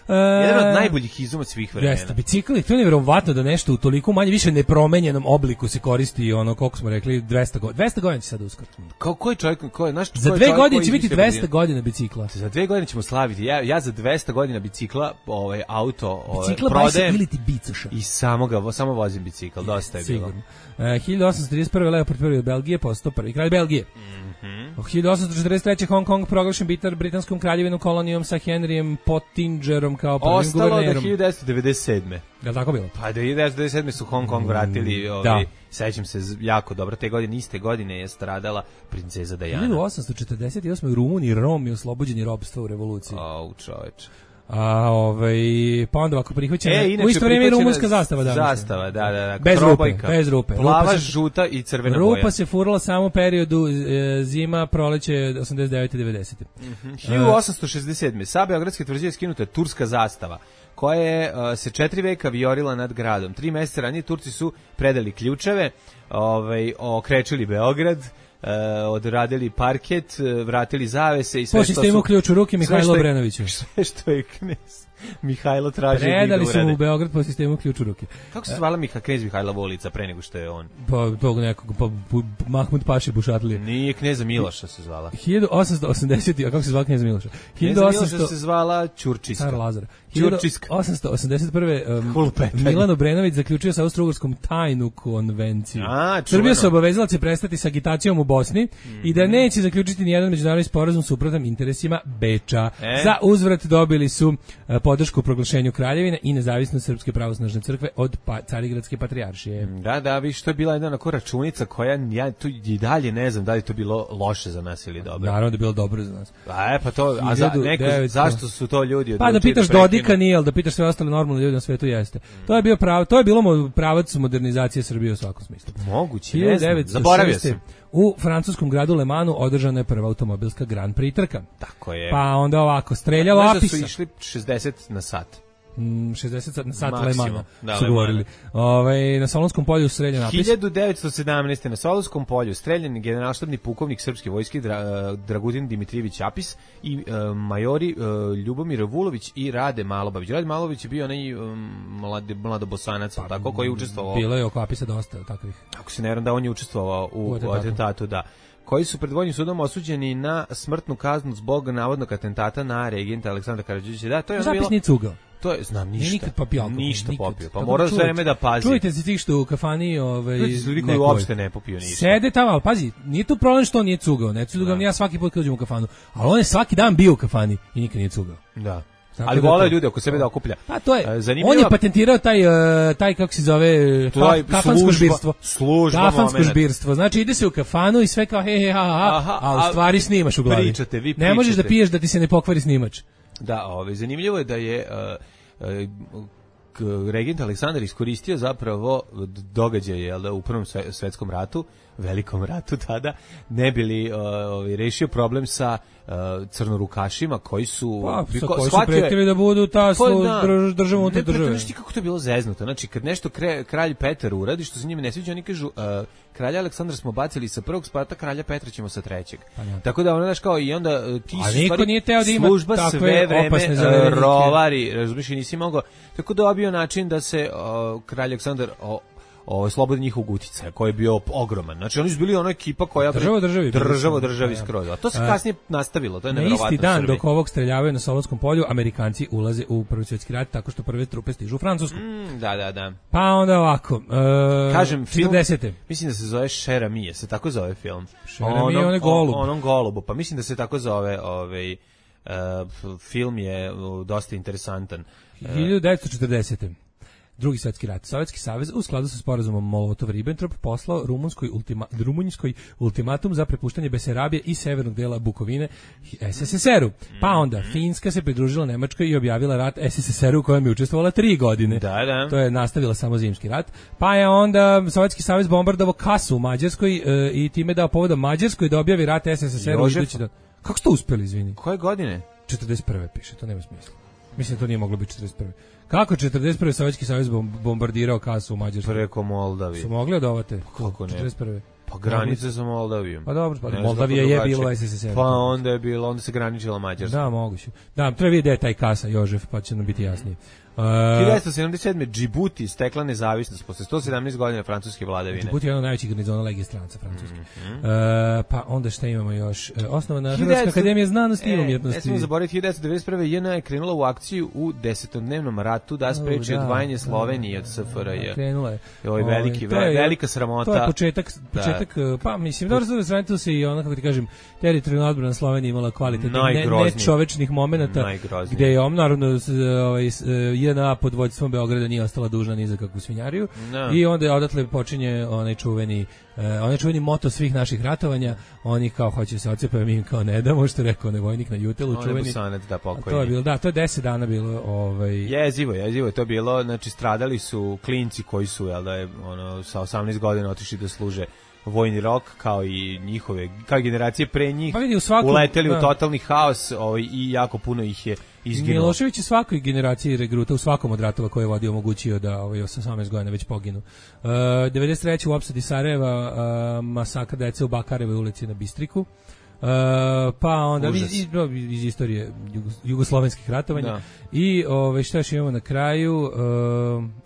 Uh, jedan od najboljih izuma svih vremena. Jeste, bicikli, to je nevjerovatno da nešto u toliko manje više nepromenjenom obliku se koristi ono, koliko smo rekli, dvesta godina. dvesta godina će sad uskoro. Kao koji čovjek, koji, naš, za dve godine će biti dvesta godina bicikla. Za dve godine ćemo slaviti. Ja, ja za dvesta godina bicikla, ovaj auto, bicikla prodajem ili ti bicaša. I samo ga, samo vozim bicikl, dosta je bilo. Uh, hiljadu osamsto trideset prve. Leopold prvi od Belgije postao prvi kralj Belgije. Mm-hmm. hiljadu osamsto četrdeset treće. Hong Kong proglašen bitar britanskom kraljevinom kolonijom sa Henryjem Pottingerom kao prvim Ostalo guvernerom. Ostalo do hiljadu devetsto devedeset sedme. Je li tako bilo? Pa do hiljadu devetsto devedeset sedme su Hong Kong vratili, mm, ovaj, sećam se jako dobro, te godine, iste godine je stradala princeza Diana. hiljadu osamsto četrdeset osme. u Rumuniji Rom je oslobođen i robstva u revoluciji. Au, čoveče. A ovaj pa onda ako prihvaćena e, u isto vrijeme rumunska zastava danas. Zastava, da, da, da. Bez rupe, bez rupe. Plava, žuta i crvena rupa boja. Rupa se furala samo u periodu e, zima, proleće osamdeset devete devedesete. Mm-hmm. hiljadu osamsto šezdeset sedme. Sa beogradske tvrđave skinuta je turska zastava, koja je uh, se četiri veka vijorila nad gradom. Tri mjeseca ranije Turci su predali ključeve, ovaj, okrečili Beograd, Uh, odradili parket, vratili zavese i sve po što su... Po sistemu ključ u ruke Mihajlo Obrenoviću. Sve što je knez Mihajlo tražio. Predali su u Beograd po sistemu ključ u ruke. Kako se zvala Miha, knez Mihajlova ulica pre nego što je on? Pa tog nekog, pa Mahmud Paši Bušatlije. Nije, kneza Miloša se zvala. hiljadu osamsto osamdeset. A kako se zvala kneza Miloša? Kneza Miloša se zvala Ćurčiska. Car Lazar. Ćurčiska. hiljadu osamsto osamdeset prve. Um, Milan Obrenović zaključio sa Austro-Ugarskom tajnu konvenciju. A, Srbija se obavezala će prestati sa agitacijom u Bosni mm-hmm. i da neće zaključiti nijedan međunarodni sporazum suprotan interesima Beča. E? Za uzvrat dobili su uh, podršku u proglašenju kraljevine i nezavisnost Srpske pravoslavne crkve od pa, Carigradske patrijaršije. Da, da, viš, to je bila jedna onako računica koja ja tu i dalje ne znam da li to bilo loše za nas ili dobro. Naravno da je bilo dobro za nas. A, e, pa to, a za, neko, zašto su to ljudi pa da pitaš da Dodika nije, ali da pitaš sve ostale normalne ljudi na svetu jeste. Mm. To je bio pravo, to je bilo pravac modernizacije Srbije u svakom smislu. Moguće, ne znam, zaboravio sam. U francuskom gradu Le Mansu održana je prva automobilska Grand Prix trka. Tako je. Pa onda ovako, streljao Apisa. Znaš da su išli šezdeset na sat? šezdeset sat, sat Lemana da, su govorili. Ovaj na Solunskom polju streljan napis. hiljadu devetsto sedamnaeste na Solunskom polju streljan generalštabni pukovnik srpske vojske Dra, Dragutin Dimitrijević Apis i uh, majori uh, Ljubomir Vulović i Rade Malobavić. Rade Malobavić je bio onaj um, mladi mladobosanac, pa, tako koji je učestvovao. Bilo je oko Apisa dosta takvih. Ako se ne varam da on je učestvovao u, u atentatu, atentatu da. Koji su pred vojnim sudom osuđeni na smrtnu kaznu zbog navodnog atentata na regenta Aleksandra Karađorđevića. Da, to je bilo. Zapisni cugao. To je, znam, ništa. Nikad popio alkohol. Ništa nikad. popio. Pa mora sve vreme da pazi. Čujte se ti što u kafani... Ovaj, čujte se ljudi koji uopšte ne popio ništa. Sede tamo, ali pazi, nije to problem što on nije cugao. Ne cugao ni ja svaki put kad uđem u kafanu. Ali on je svaki dan bio u kafani i nikad nije cugao. Da. Tako ali vole ljudi oko sebe da okuplja. Pa to je. Zanimljiva... On je patentirao taj taj kako se zove kafansko žbirstvo. Služba kafansko žbirstvo. Znači ide se u kafanu i sve kao he he ha ha, Aha, a u stvari snimaš u glavi. Pričate, vi pričate. Ne možeš da piješ da ti se ne pokvari snimač. Da, ovaj zanimljivo je da je uh, uh, regent Aleksandar iskoristio zapravo događaje jel da u Prvom svetskom ratu, velikom ratu tada, ne bili uh, ovaj rešio problem sa uh, crnorukašima koji su pa, biko, koji su pretili da budu ta slu, da, drž, država unutar države. Ne, kako to je bilo zeznuto. Znači kad nešto kre, kralj Petar uradi što se njime ne sviđa, oni kažu uh, kralja Aleksandra smo bacili sa prvog sprata, kralja Petra ćemo sa trećeg. Pa, tako da ono znaš kao i onda uh, ti su stvari nije teo da ima služba sve vreme uh, rovari, razumiješ, i nisi mogao. Tako dobio način da se uh, kralj Aleksandar uh, ovo slobodni njihovog uticaja koji je bio ogroman. Znači oni su bili ona ekipa koja država državi država državi skroz. A to se kasnije nastavilo, to je neverovatno. Na isti dan dok ovog streljavaju na Solunskom polju, Amerikanci ulaze u Prvi svjetski rat tako što prve trupe stižu u Francusku. Mm, da, da, da. Pa onda ovako, uh, kažem film, četrdesete mislim da se zove Šera Mije, se tako zove film. Šera Mije, on je golub. Onom golubu, pa mislim da se tako zove, ovaj uh, film je uh, dosta interesantan. hiljadu devetsto četrdesete Drugi svjetski rat. Sovjetski savez u skladu sa sporazumom Molotov-Ribbentrop poslao rumunskoj ultima, rumunjskoj ultimatum za prepuštanje Besarabije i severnog dela Bukovine es es es er-u. Pa onda Finska se pridružila Nemačkoj i objavila rat es es es er-u u kojem je učestvovala tri godine. Da, da. To je nastavila samo zimski rat. Pa je onda Sovjetski savez bombardovao Kasu u Mađarskoj e, i time dao povoda Mađarskoj da objavi rat es es es er-u. Kako ste uspeli, izvini? Koje godine? četrdeset prve piše, to nema smisla. Mislim da to nije moglo biti četrdeset prve Kako četrdeset prve Sovjetski savez bombardirao Kasu u Mađarskoj? Preko Moldavije. Su mogli odovate? Kako ne? četrdeset prve Pa granice sa Moldavijom. Pa dobro, pa Moldavija je bilo u es es es er-u. Pa onda je bilo, onda se graničila Mađarska. Da, moguće. Da, treba vidjeti da je taj Kasa, Jožef, pa će nam biti jasnije. Uh, hiljadu devetsto sedamdeset sedme Džibuti stekla nezavisnost posle sto sedamnaest godina francuske vladavine. Džibuti je jedan od najvećih garnizona Legije stranca francuske. Mm-hmm. uh, pa onda šta imamo još? Uh, osnovana Hrvatska akademija znanosti i umjetnosti. Ne smemo zaboraviti, hiljadu devetsto devedeset prve J N A je krenula u akciju u desetodnevnom ratu da spreči oh, odvajanje Slovenije od S F R J. Krenula je. Ovo je veliki, to je, velika sramota. To je početak, početak da. Pa mislim, dobro se sramotilo se i ono, kako ti kažem, teritorijalna odbrana Slovenije imala kvalitetnih, nečovečnih momenata, gde je on, naravno, ovaj, J N A pod vođstvom Beograda nije ostala dužna ni za kakvu svinjariju. No. I onda je odatle počinje onaj čuveni uh, onaj čuveni moto svih naših ratovanja, oni kao hoće se odcepaju, mi im kao ne damo, što rekao onaj vojnik na Jutelu, čuveni. Busanac, da, pokojni. To je bilo, da, to je deset dana bilo, ovaj jezivo, jezivo je to bilo, znači stradali su klinci koji su, jel da je, ono, sa osamnaest godina otišli da služe vojni rok, kao i njihove, kao i generacije pre njih, pa vidi, u svakom, uleteli da. u totalni haos, ovaj, i jako puno ih je izginulo. Milošević je svakoj generaciji regruta u svakom od ratova koje je vodio omogućio da ovaj osamnaest godina već poginu. Uh, devedeset treće u opsadi Sarajeva uh, masakr dece u Bakarevoj ulici na Bistriku. Uh, pa onda iz, iz, iz istorije jugoslovenskih ratovanja. Da. I ove, šta još imamo na kraju? Uh,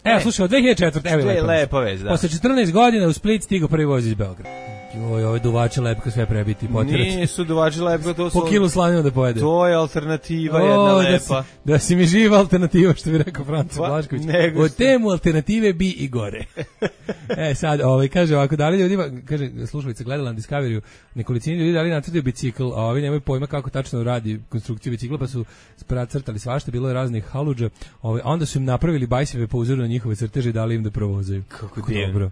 evo, e, slušaj, od dve hiljade četvrte Evo je lepa vez, da. Posle četrnaest godina u Split stigao prvi voz iz Beograda. Joj, ove duvače lepko sve prebiti, potirati. Nisu duvače lepko, to su... Po kilu slanina da pojede. To je alternativa, o, jedna lepa. Da si, da si mi živa alternativa, što bi rekao Franco Blašković. O temu alternative bi i gore. E, sad, ovaj, kaže ovako, da li ljudima, kaže, slušalica gledala na Discoveryu, nekolicini ljudi da li nacrtaju bicikl, a ovi nemaju pojma kako tačno radi konstrukciju bicikla, pa su crtali svašta, bilo je raznih haludža, ovaj, onda su im napravili bajseve po uzoru na njihove crteže i dali im da provozaju. Kako divno. Dobro.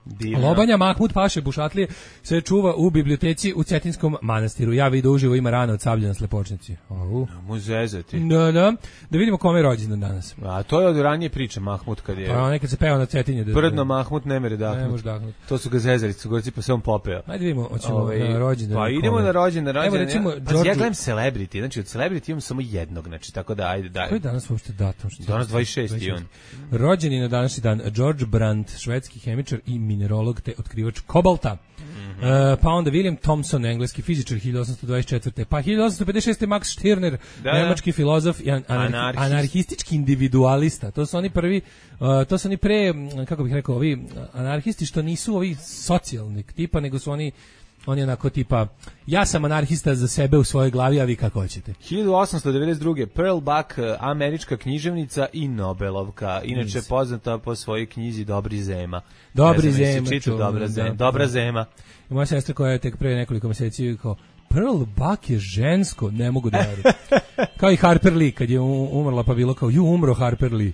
Divno. Lobanja Mahmud Paše Bušatlije se čuva u biblioteci u Cetinskom manastiru. Ja vidim uživo, ima rana od sablje na slepočnici. Au. Muzezati. Da, da. Da vidimo kome je rođendan danas. A to je od ranije priče Mahmud kad je... Pa nekad se peo na Cetinje. Da, Brdno Mahmud ne mere dahnut. Ne može dahnut. To su ga zezali, su gorci pa se on popeo. Ajde vidimo, hoćemo Ove, na rođendan. Pa idemo kome. na rođendan, na rođendan. Evo recimo, ja, George... ja gledam Celebrity, znači od Celebrity imam samo jednog, znači tako da ajde daj. Koji je danas uopšte datum? Danas dvadeset šesti je on. Rođeni na današnji dan George Brandt, švedski hemičar i minerolog te otkrivač kobalta. Mm -hmm. uh, pa onda William Thomson, engleski fizičar, hiljadu osamsto dvadeset četvrte Pa hiljadu osamsto pedeset šeste Max Stirner, da, nemački filozof i an anarhi Anarhist. anarhistički individualista. To su oni prvi, uh, to su oni pre, kako bih rekao, ovi anarhisti što nisu ovi socijalnih tipa, nego su oni oni onako tipa, ja sam anarhista za sebe u svojoj glavi, a vi kako hoćete. hiljadu osamsto devedeset druge Pearl Buck, američka književnica i Nobelovka, inače Nice. poznata po svojoj knjizi Dobri zema. Dobri zema. Čitu, dobra, zema. Da, dobra zema. I moja sestra koja je tek pre nekoliko meseci kao, Pearl Buck je žensko, ne mogu da verujem. Kao i Harper Lee, kad je umrla pa bilo kao, ju umro Harper Lee.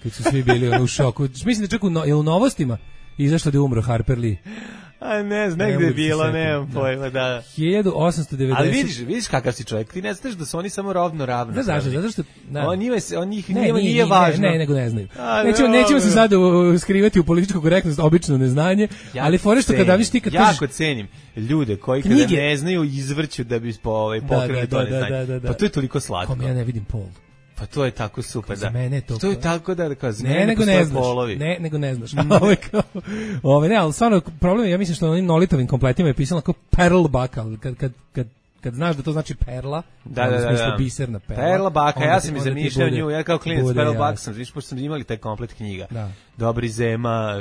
Kad su svi bili ono, u šoku. Mislim da čak u, no, je u novostima izašlo da je umro Harper Lee. A ne znam, negde je bilo, nemam pojma, da. hiljadu osamsto devedeset Ali vidiš, vidiš kakav si čovjek, ti ne znaš da su oni samo rovno ravno. Da, zašto, zato što... Da. On, njima, on njih ne, nije, nije važno. Ne, ne, nego ne znaju. A, nećemo, ne, nećemo se sad skrivati u političku korektnost, obično neznanje, ja ali fore što kada viš ti kad jako kažeš... cenim ljude koji kada knjige. ne znaju izvrću da bi po, ovaj, pokrili da, da, to neznanje. Da, da, da, da. Pa to je toliko slatko. Kom ja ne vidim pol. Pa to je tako super, da. Mene to, to je tako da, kao za ne, mene nego ne znaš, polovi. Ne, nego ne znaš. Ove, kao, ove, ne, ali stvarno, problem je, ja mislim što na onim nolitovim kompletima je pisalo kao Pearl Buck, ali kad, kad, kad, kad znaš da to znači perla, da, da, da, da. biserna perla. Perla Baka, ja sam mi zamišljao nju, ja kao klinac Pearl Buck sam, viš, pošto sam imali taj komplet knjiga. Da. Dobri zema,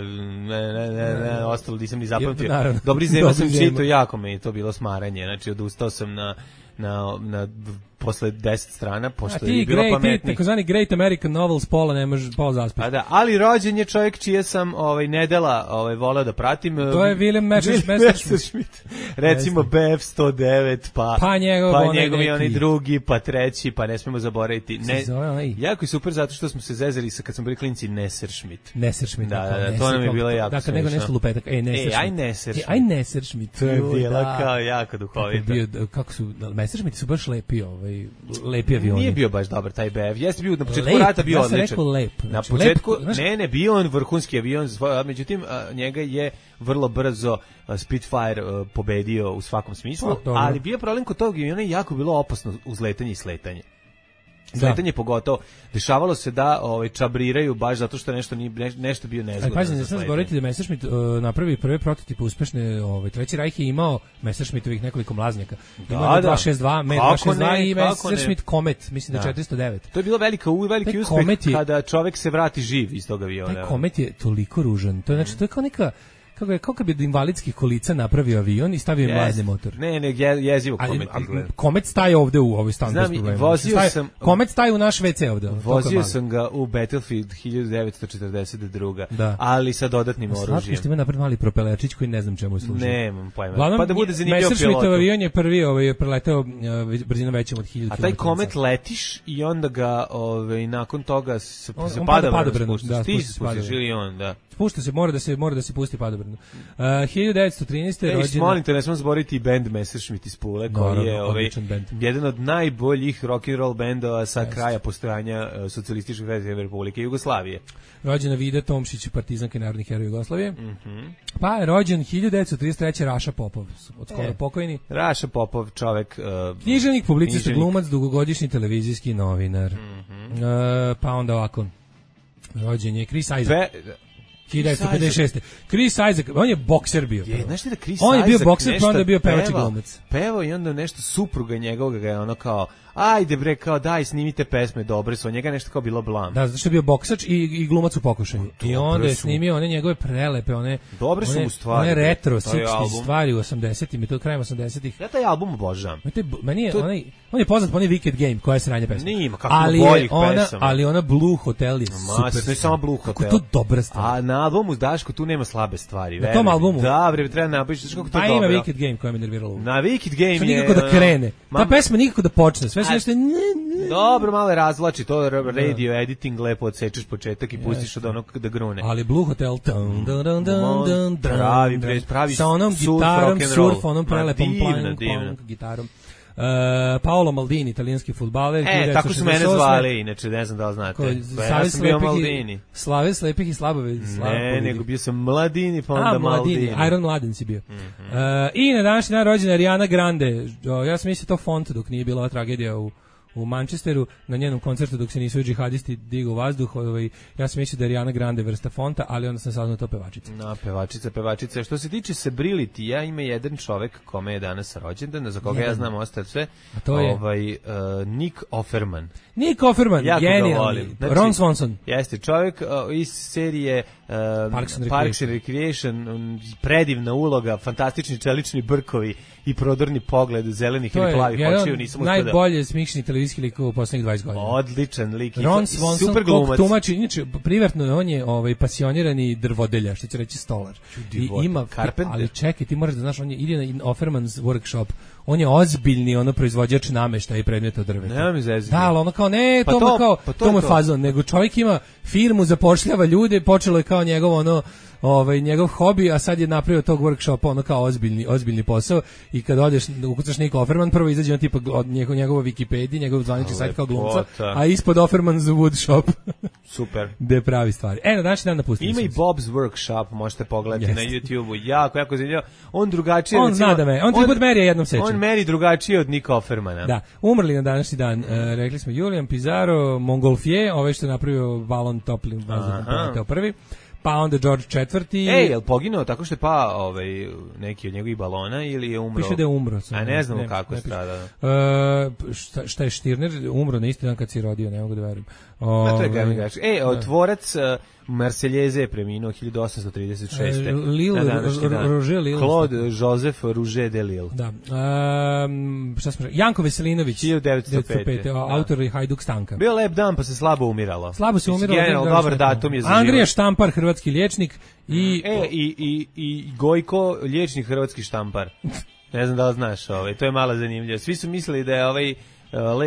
ne, ne, ne, ne, ostalo nisam ni zapamtio. Naravno. Dobri zema sam čitao, jako mi je to bilo smaranje, znači odustao sam na, na, na posle deset strana, pošto je bilo pametnih. Ti takozvani Great American Novels pola ne možeš pola zaspiti. A da, ali rođen je čovjek čije sam ovaj nedela ovaj voleo da pratim. To je William Messerschmitt. Recimo B F sto devet, pa pa njegov, pa njegov i oni drugi, pa treći, pa ne smemo zaboraviti. Ne, jako je super zato što smo se zezali sa kad smo bili klinci Messerschmitt. Messerschmitt. Da, da, da, to nam je bilo jako. Dakle, nego nešto lupetak. Ej, Messerschmitt. Ej, aj Messerschmitt. Aj Messerschmitt. To je bila kao jako duhovito. Kako su Messerschmitt su baš lepi, ovaj lepi avioni. Nije bio baš dobar taj B F. Jeste bio na početku lep, rata bio ja odličan. Rekao lep. Na znači, početku lep, znači, ne, ne, bio on vrhunski avion, međutim njega je vrlo brzo Spitfire pobedio u svakom smislu, oh, ali bio problem kod tog aviona je jako bilo opasno uzletanje i sletanje. Sletanje pogotovo. Dešavalo se da ovaj čabriraju baš zato što nešto ni ne, nešto bio nezgodno. Ali pazi, ne smiješ govoriti da Messerschmitt uh, napravi prve prototipe uspešne, ovaj Treći Rajh je imao Messerschmittovih nekoliko mlaznjaka. Imao da, dva šezdeset dva, Med dva šezdeset dva i Messerschmitt Comet, mislim da, da četiristo devet. To je bilo velika u veliki uspeh kada čovjek se vrati živ iz tog aviona. Taj Comet je toliko ružan. To je znači to je kao neka kako je kako bi od invalidskih kolica napravio avion i stavio yes. mlazni motor. Ne, ne, je, jezivo Comet izgleda. Comet staje ovde u ovoj stanu bez problema. Vozio staje, sam Comet staje u naš ve ce ovde. Vozio sam ga u Battlefield hiljadu devetsto četrdeset druga, da. ali sa dodatnim oružjem. Slatko što ima napred mali propelerčić koji ne znam čemu služi. Nemam pojma. Glavnom, pa da bude zanimljivo pilot. Messerschmittov avion je prvi ovaj preleteo brzinom većom od hiljadu kilometara. A taj Comet letiš i onda ga ovaj nakon toga se, on, se on pada padobrano. Da, ti se spustiš ili on, da. Spušta se, mora da se mora da se pusti padobrano. Uh, hiljadu devetsto trinaeste. Ej, rođena... molim te, ne smemo zaboraviti i band Messerschmitt iz Pule, koji no, je ovaj, jedan od najboljih rock and roll bendova sa yes. kraja postojanja uh, Socijalističke federativne republike Jugoslavije. Rođena Vida Tomšić, partizanka i narodni heroj Jugoslavije. Mm -hmm. Pa je rođen hiljadu devetsto trideset treće. Raša Popov, od skoro e, pokojni. Raša Popov, čovek... Uh, književnik, publicista, glumac, dugogodišnji televizijski novinar. Mm -hmm. uh, pa onda ovako, rođen je Chris Isaac. Pe, hiljadu devetsto pedeset šeste. Chris Isaac, on je bokser bio. Je, znaš ti da Chris on je bio bokser, pa onda je bio pevač i glumac. Pevao i onda nešto supruga njegovog ga je ono kao, ajde bre, kao daj snimite pesme dobre su, njega nešto kao bilo blam. Da, zato što je bio boksač i, i glumac u pokušaju. I onda je snimio one njegove prelepe, one dobre su mu stvari. One retro šezdesetih stvari u osamdesetim i to krajem osamdesetih. Ja taj album obožavam. Meni je, to... onaj, on je poznat po onaj Wicked Game, koja je sranje pesma. Nima, kako ali boljih ona, pesama. Ali ona Blue Hotel je Ma, super. Ne samo Blue Hotel. Kako to dobra stvar. A na albumu Daško tu nema slabe stvari. Na tom albumu? Da, bre, treba napišeš kako to pa dobro. Pa ima Wicked Game koja me nervirala. Na Wicked Game je... Nikako da krene. Ta pesma nikako da počne. Sve se nešto... Dobro, malo razvlači, to radio editing, lepo odsečeš početak i pustiš od onog da grune. Ali Blue Hotel, pravi, pravi sa onom gitarom, surf, onom prelepom punk gitarom. Uh, Paolo Maldini, italijanski fudbaler. E, tako su mene zvali, inače ne znam da li znate. Ja sam bio Maldini. Slave slepih i slabove. Ne, nego bio sam Mladini, pa onda Maldini. Iron Mladen si bio. Mm-hmm. Uh, I na današnji dan rođena Ariana Grande. Ja sam mislio to font dok nije bila tragedija u u Manchesteru na njenom koncertu dok se nisu džihadisti digu u vazduh, ovaj, ja sam mislio da je Ariana Grande vrsta fonta, ali onda sam saznao to pevačica. No, pevačica, pevačica. Što se tiče Celebrity, ima jedan čovek kome je danas rođendan, za koga jedan. Ja znam ostalo sve, a to je ovaj, uh, Nick Offerman. Nick Offerman, genijalni. Znači, Ron Swanson. Jeste, čovek uh, iz serije uh, Parks and Parks and Recreation, um, predivna uloga, fantastični čelični brkovi i prodorni pogled zelenih ili plavih očiju, nisam uspio da... najbolje smišni televizijski lik u poslednjih dvadeset godina. Odličan lik. Ron Swanson, super glumac. Tumači, inače, privatno on je ovaj, pasionirani drvodelja, što će reći stolar. I ima, ali čekaj, ti moraš da znaš, on je ide na Offerman's workshop, on je ozbiljni ono proizvođač nameštaja i predmeta od drveta. Nema mi zezati. Da, ali ono kao, ne, pa to, to, kao, pa to, to mu je fazon, nego čovjek ima firmu, zapošljava ljude, počelo je kao njegov ono, ovaj njegov hobi, a sad je napravio tog workshopa ono kao ozbiljni ozbiljni posao i kad odeš ukucaš Nick Offerman, prvo izađe on tipa od njegov njegova Wikipedija, njegov zvanični sajt kao glumca, a ispod Offerman's Wood Shop. Super. Gde pravi stvari. E, na današnji dan napustili. Ima i Bob's Workshop, možete pogledati na YouTubeu. Jako, jako zanimljivo. On drugačije, on zna da me, on ti put meri jednom seče. On meri drugačije od Nick Offermana. Da. Umrli na današnji dan. E, rekli smo Julian Pizarro, Montgolfier, ovaj što je napravio balon toplim vazduhom, poleteo prvi. Pa onda George četvrti. Ej, je li poginuo tako što je pa ovaj, neki od njegovih balona ili je umro? Piše da je umro. Sam, a ne znamo ne, kako je stradao. Uh, šta, šta je Stirner? Umro na isti dan kad si rodio, ne mogu da verujem. O, to je Gami E, tvorac uh, Marseljeze je preminuo hiljadu osamsto trideset šeste. Uh, Lille, Roger Lille. Claude Joseph Rouget de Lille. Da. Um, šta smo Janko Veselinović. hiljadu devetsto pete. Autor i Hajduk Stanka. Bio lep dan pa se slabo umiralo. Slabo se umiralo. General, dobar datum je za život. Andrija Štampar, hrvatski liječnik. I, e, i, i, i Gojko, liječnik hrvatski štampar. Ne znam da li znaš, ovaj, to je malo zanimljivo. Svi su mislili da je ovaj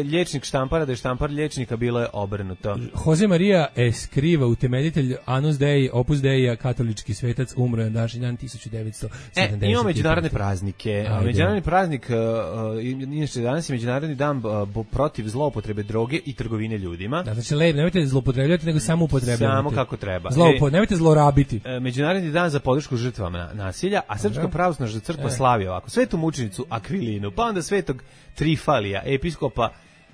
liječnik štampara, da je štampar liječnika, bilo je obrnuto. Jose Maria Escriva, utemeljitelj Anus Dei, Opus Dei, katolički svetac, umro je današnji dan tisuću devetsto sedamdeset. E, imamo međunarodne praznike. Ajde. Međunarodni praznik, uh, inače danas je međunarodni dan uh, protiv zloupotrebe droge i trgovine ljudima. Da, znači lep, nemojte zloupotrebljavati, nego samo upotrebljavati. Samo kako treba. Zloupo, e, nemojte zlorabiti. Uh, međunarodni dan za podršku žrtvama nasilja, a Srpska pravoslavna crkva e. slavi ovako. Svetu mučenicu Akvilinu, pa onda svetog Trifalija, episkopa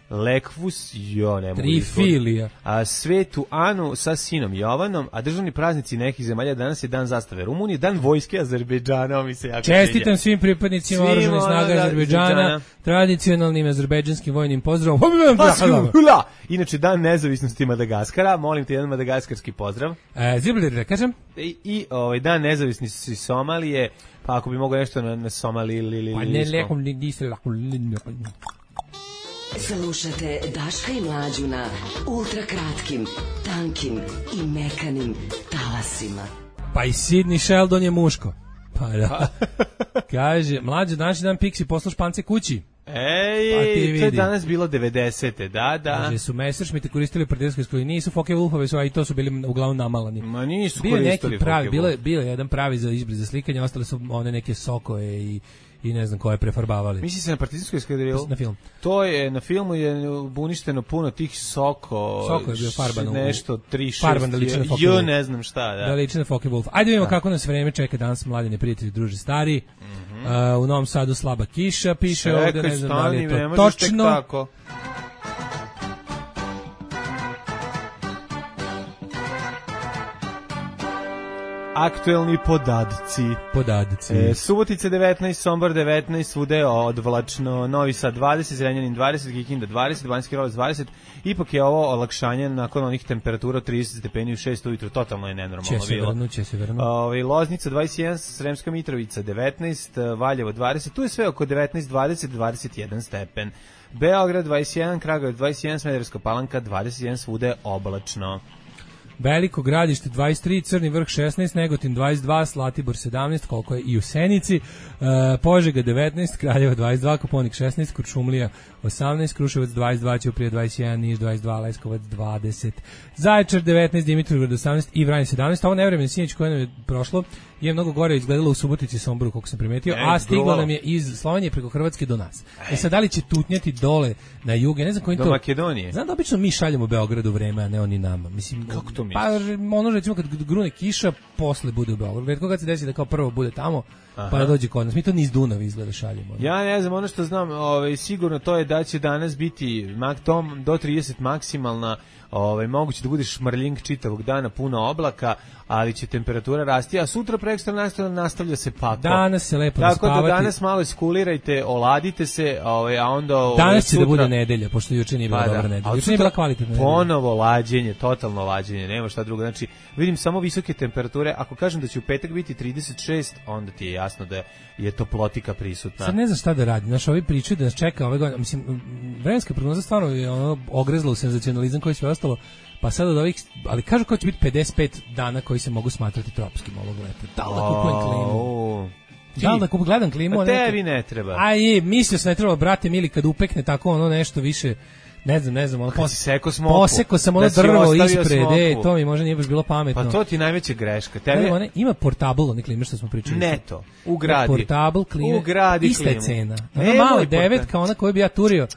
Lekvus, jo, ne mogu Trifilija. A svetu Anu sa sinom Jovanom, a državni praznici nekih zemalja danas je dan zastave Rumunije, dan vojske Azerbejdžana, mi se jako čestitam svim pripadnicima oružanih snaga Azerbejdžana, tradicionalnim azerbejdžanskim vojnim pozdravom. Inače, dan nezavisnosti Madagaskara, molim te jedan madagaskarski pozdrav. E, Ziblir, kažem? I, i ovaj, dan nezavisnosti Somalije, pa ako bi mogao nešto na, na Somali ili... Pa ne, lekom, niste lako... Slušate Daška i Mlađu na ultrakratkim, tankim i mekanim talasima. Pa i Sidney Sheldon je muško. Pa da. Kaže, Mlađa, današnji dan Pixi posla Špance kući. Ej, pa to je danas bilo devedesete, da, da. Kaže, su Messerschmitte koristili u prijateljskoj školi, nisu Focke Wulfove, su, a i to su bili uglavnom namalani. Ma nisu bio koristili pravi, bilo je bio jedan pravi za izbri za slikanje, ostale su one neke sokoje i i ne znam koje prefarbavali. Misli se na partizanskoj eskadrilu? Na film. To je, na filmu je uništeno puno tih soko. Soko je bio farban. Nešto, tri, šest. Farban da liči na Focke Wulf. Ne znam šta, da. Da liči na Focke Wulf. Ajde vidimo kako nas vreme čeka danas, mladine prijatelji, druži stari. Mm -hmm. uh, u Novom Sadu slaba kiša, piše Čekaj, ovde, ne znam stani, da li je to ne točno. Tako. Aktuelni podadci. Podadci. E, Subotica devetnaest, Sombor devetnaest, svude odvlačno, Novi Sad dvadeset, Zrenjanin dvadeset, Kikinda dvadeset, Banjski Karlovac dvadeset. Ipak je ovo olakšanje nakon onih temperatura trideset stepeni u šest ujutru, totalno je nenormalno će se bilo. Vrnu, će se vrnu. Ove, Loznica dvadeset jedan, Sremska Mitrovica devetnaest, Valjevo dvadeset, tu je sve oko devetnaest, dvadeset, dvadeset jedan stepen. Beograd dvadeset jedan, Kragujevac dvadeset jedan, Smederevska Palanka dvadeset jedan, svude oblačno. Veliko Gradište dvadeset tri, Crni Vrh šesnaest, Negotin dvadeset dva, Zlatibor sedamnaest, koliko je i u Senici, uh, Požega devetnaest, Kraljeva dvadeset dva, Koponik šesnaest, Kuršumlija osamnaest, Kruševac dvadeset dva, Ćuprija dvadeset jedan, Niš dvadeset dva, Leskovac dvadeset, Zaječar devetnaest, Dimitrovgrad osamnaest i Vranje sedamnaest. Ovo nevremeno sinoć koje nam je prošlo je mnogo gore izgledalo u Subotici i Somboru, koliko sam primetio, e, a stiglo nam je iz Slovenije preko Hrvatske do nas. E sad, da li će tutnjati dole na jug, ja ne znam kojim do to... Do Makedonije. Znam da obično mi šaljemo Beogradu vreme, a ne oni nama. Mislim, kako to misliš? Pa ono recimo kad grune kiša, posle bude u Beogradu. Retko kad se desi da kao prvo bude tamo, aha, pa da dođe kod nas. Mi to niz Dunav izgleda šaljemo. Ja ne znam, ono što znam, ovaj, sigurno to je da će danas biti mak tom do trideset maksimalna, ovaj, moguće da bude šmrljing čitavog dana, puno oblaka, ali će temperatura rasti, a sutra prekstra nastavlja, nastavlja se pakao. Danas se lepo tako naspavati. Tako da danas malo iskulirajte, oladite se, ovaj, a onda... Ovaj, danas će sutra... da bude nedelja, pošto juče nije bila pa, dobra da. nedelja. Juče nije bila kvalitetna nedelja. Ponovo lađenje, totalno lađenje, nema šta drugo. Znači, vidim samo visoke temperature. Ako kažem da će u petak biti trideset šest, onda ti je jasno da je toplotika prisutna. Sad ne znam šta da radi. Znaš, ovi pričaju da nas čeka ove godine. Mislim, vremenska prognoza stvarno je ono ogrezla u senzacionalizam koji sve ostalo. Pa sad od ovih, ali kažu kao će biti pedeset pet dana koji se mogu smatrati tropskim ovog leta. Da li da kupujem klimu? Da li da kupujem, gledam klimu? A tebi ne treba. Aj, mislio sam ne treba, brate mili, kad upekne tako ono nešto više, ne znam, ne znam, ono pos... seko smoku, poseko sam ono da drvo ispred, e, to mi možda nije baš bilo pametno. Pa to ti je najveća greška. Tebi... Ne, one, ima portable, one klime što smo pričali. Neto, ugradi. Portable klime, ugradi ista je cena. Ona e, mala devetka, ona koju bi ja turio.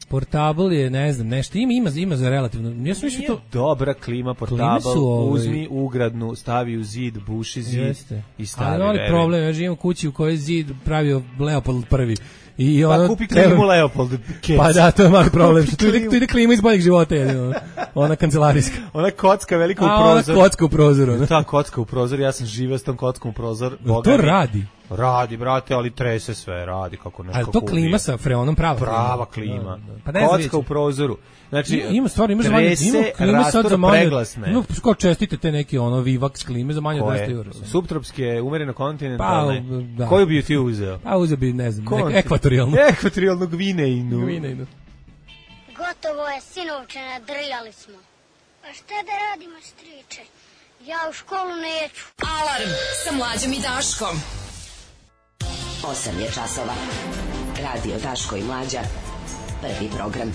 Portable je, ne znam, nešto ima, ima, ima za relativno. Ja sam mislio to dobra klima portable, ovaj... uzmi ugradnu, stavi u zid, buši zid. Jeste. I stavi. Ali je problem, ja živim u kući u kojoj je zid pravio Leopold prvi. I pa ono, kupi klimu treba... Leopold. Kec. Pa da, to je mali problem. Što tu ide, tu ide klima iz boljeg života. Je, ona kancelarijska. Ona kocka velika u a, prozoru. Ona kocka u prozoru. Ne? Ta kocka u prozoru, ja sam živio s tom kockom u prozor. To radi. Radi, brate, ali trese sve, radi kako nešto. Ali to klima ubije. Sa freonom prava. Prava klima. Da, da. Pa ne kocka u prozoru. Znači, ima, ima stvarno, ima za manje, ima klime sad za manje. Ima, kao čestite te neki ono Vivax klime za manje od dvesta eura. Subtropske, umereno kontinentalne. Pa, da. Koju bi ti uzeo? Pa uzeo bi, ne znam, nek, ekvatorijalnu. Ekvatorijalnu Gvineinu. Gvineinu. Gotovo je, sinovče, nadrljali smo. A šta da radimo, striče? Ja u školu neću. Alarm sa Mlađom i Daškom. osam je časova. Radio Daško i Mlađa. Prvi program.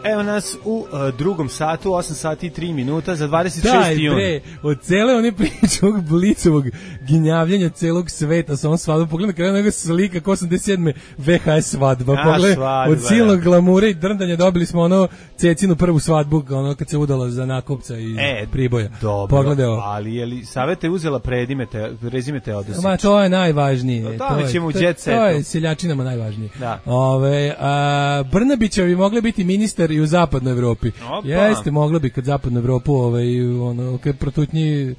Evo nas u uh, drugom satu, osam sati i tri minuta za dvadeset šesti jun. Daj bre, od cele one priče ovog Blicovog ginjavljenja celog sveta sa ovom svadbom, pogledaj kada nego slika ko osamdeset sedme ve ha es svadba, pogledaj, od silnog glamura i drndanja dobili smo ono Cecinu prvu svadbu, ono kad se udala za nakupca iz e, Priboja. Dobro, pogledaj ovo. Ali je li Saveta je uzela predimete, prezime Teodosić? Ma to je najvažnije. No, to, to, je, ćemo to, jet to je seljačinama najvažnije. Da. Ove, a, Brnabićevi mogli biti ministar i u zapadnoj Evropi. Opa. Jeste, moglo bi kad zapadnu Evropu ovaj ono kad protutnji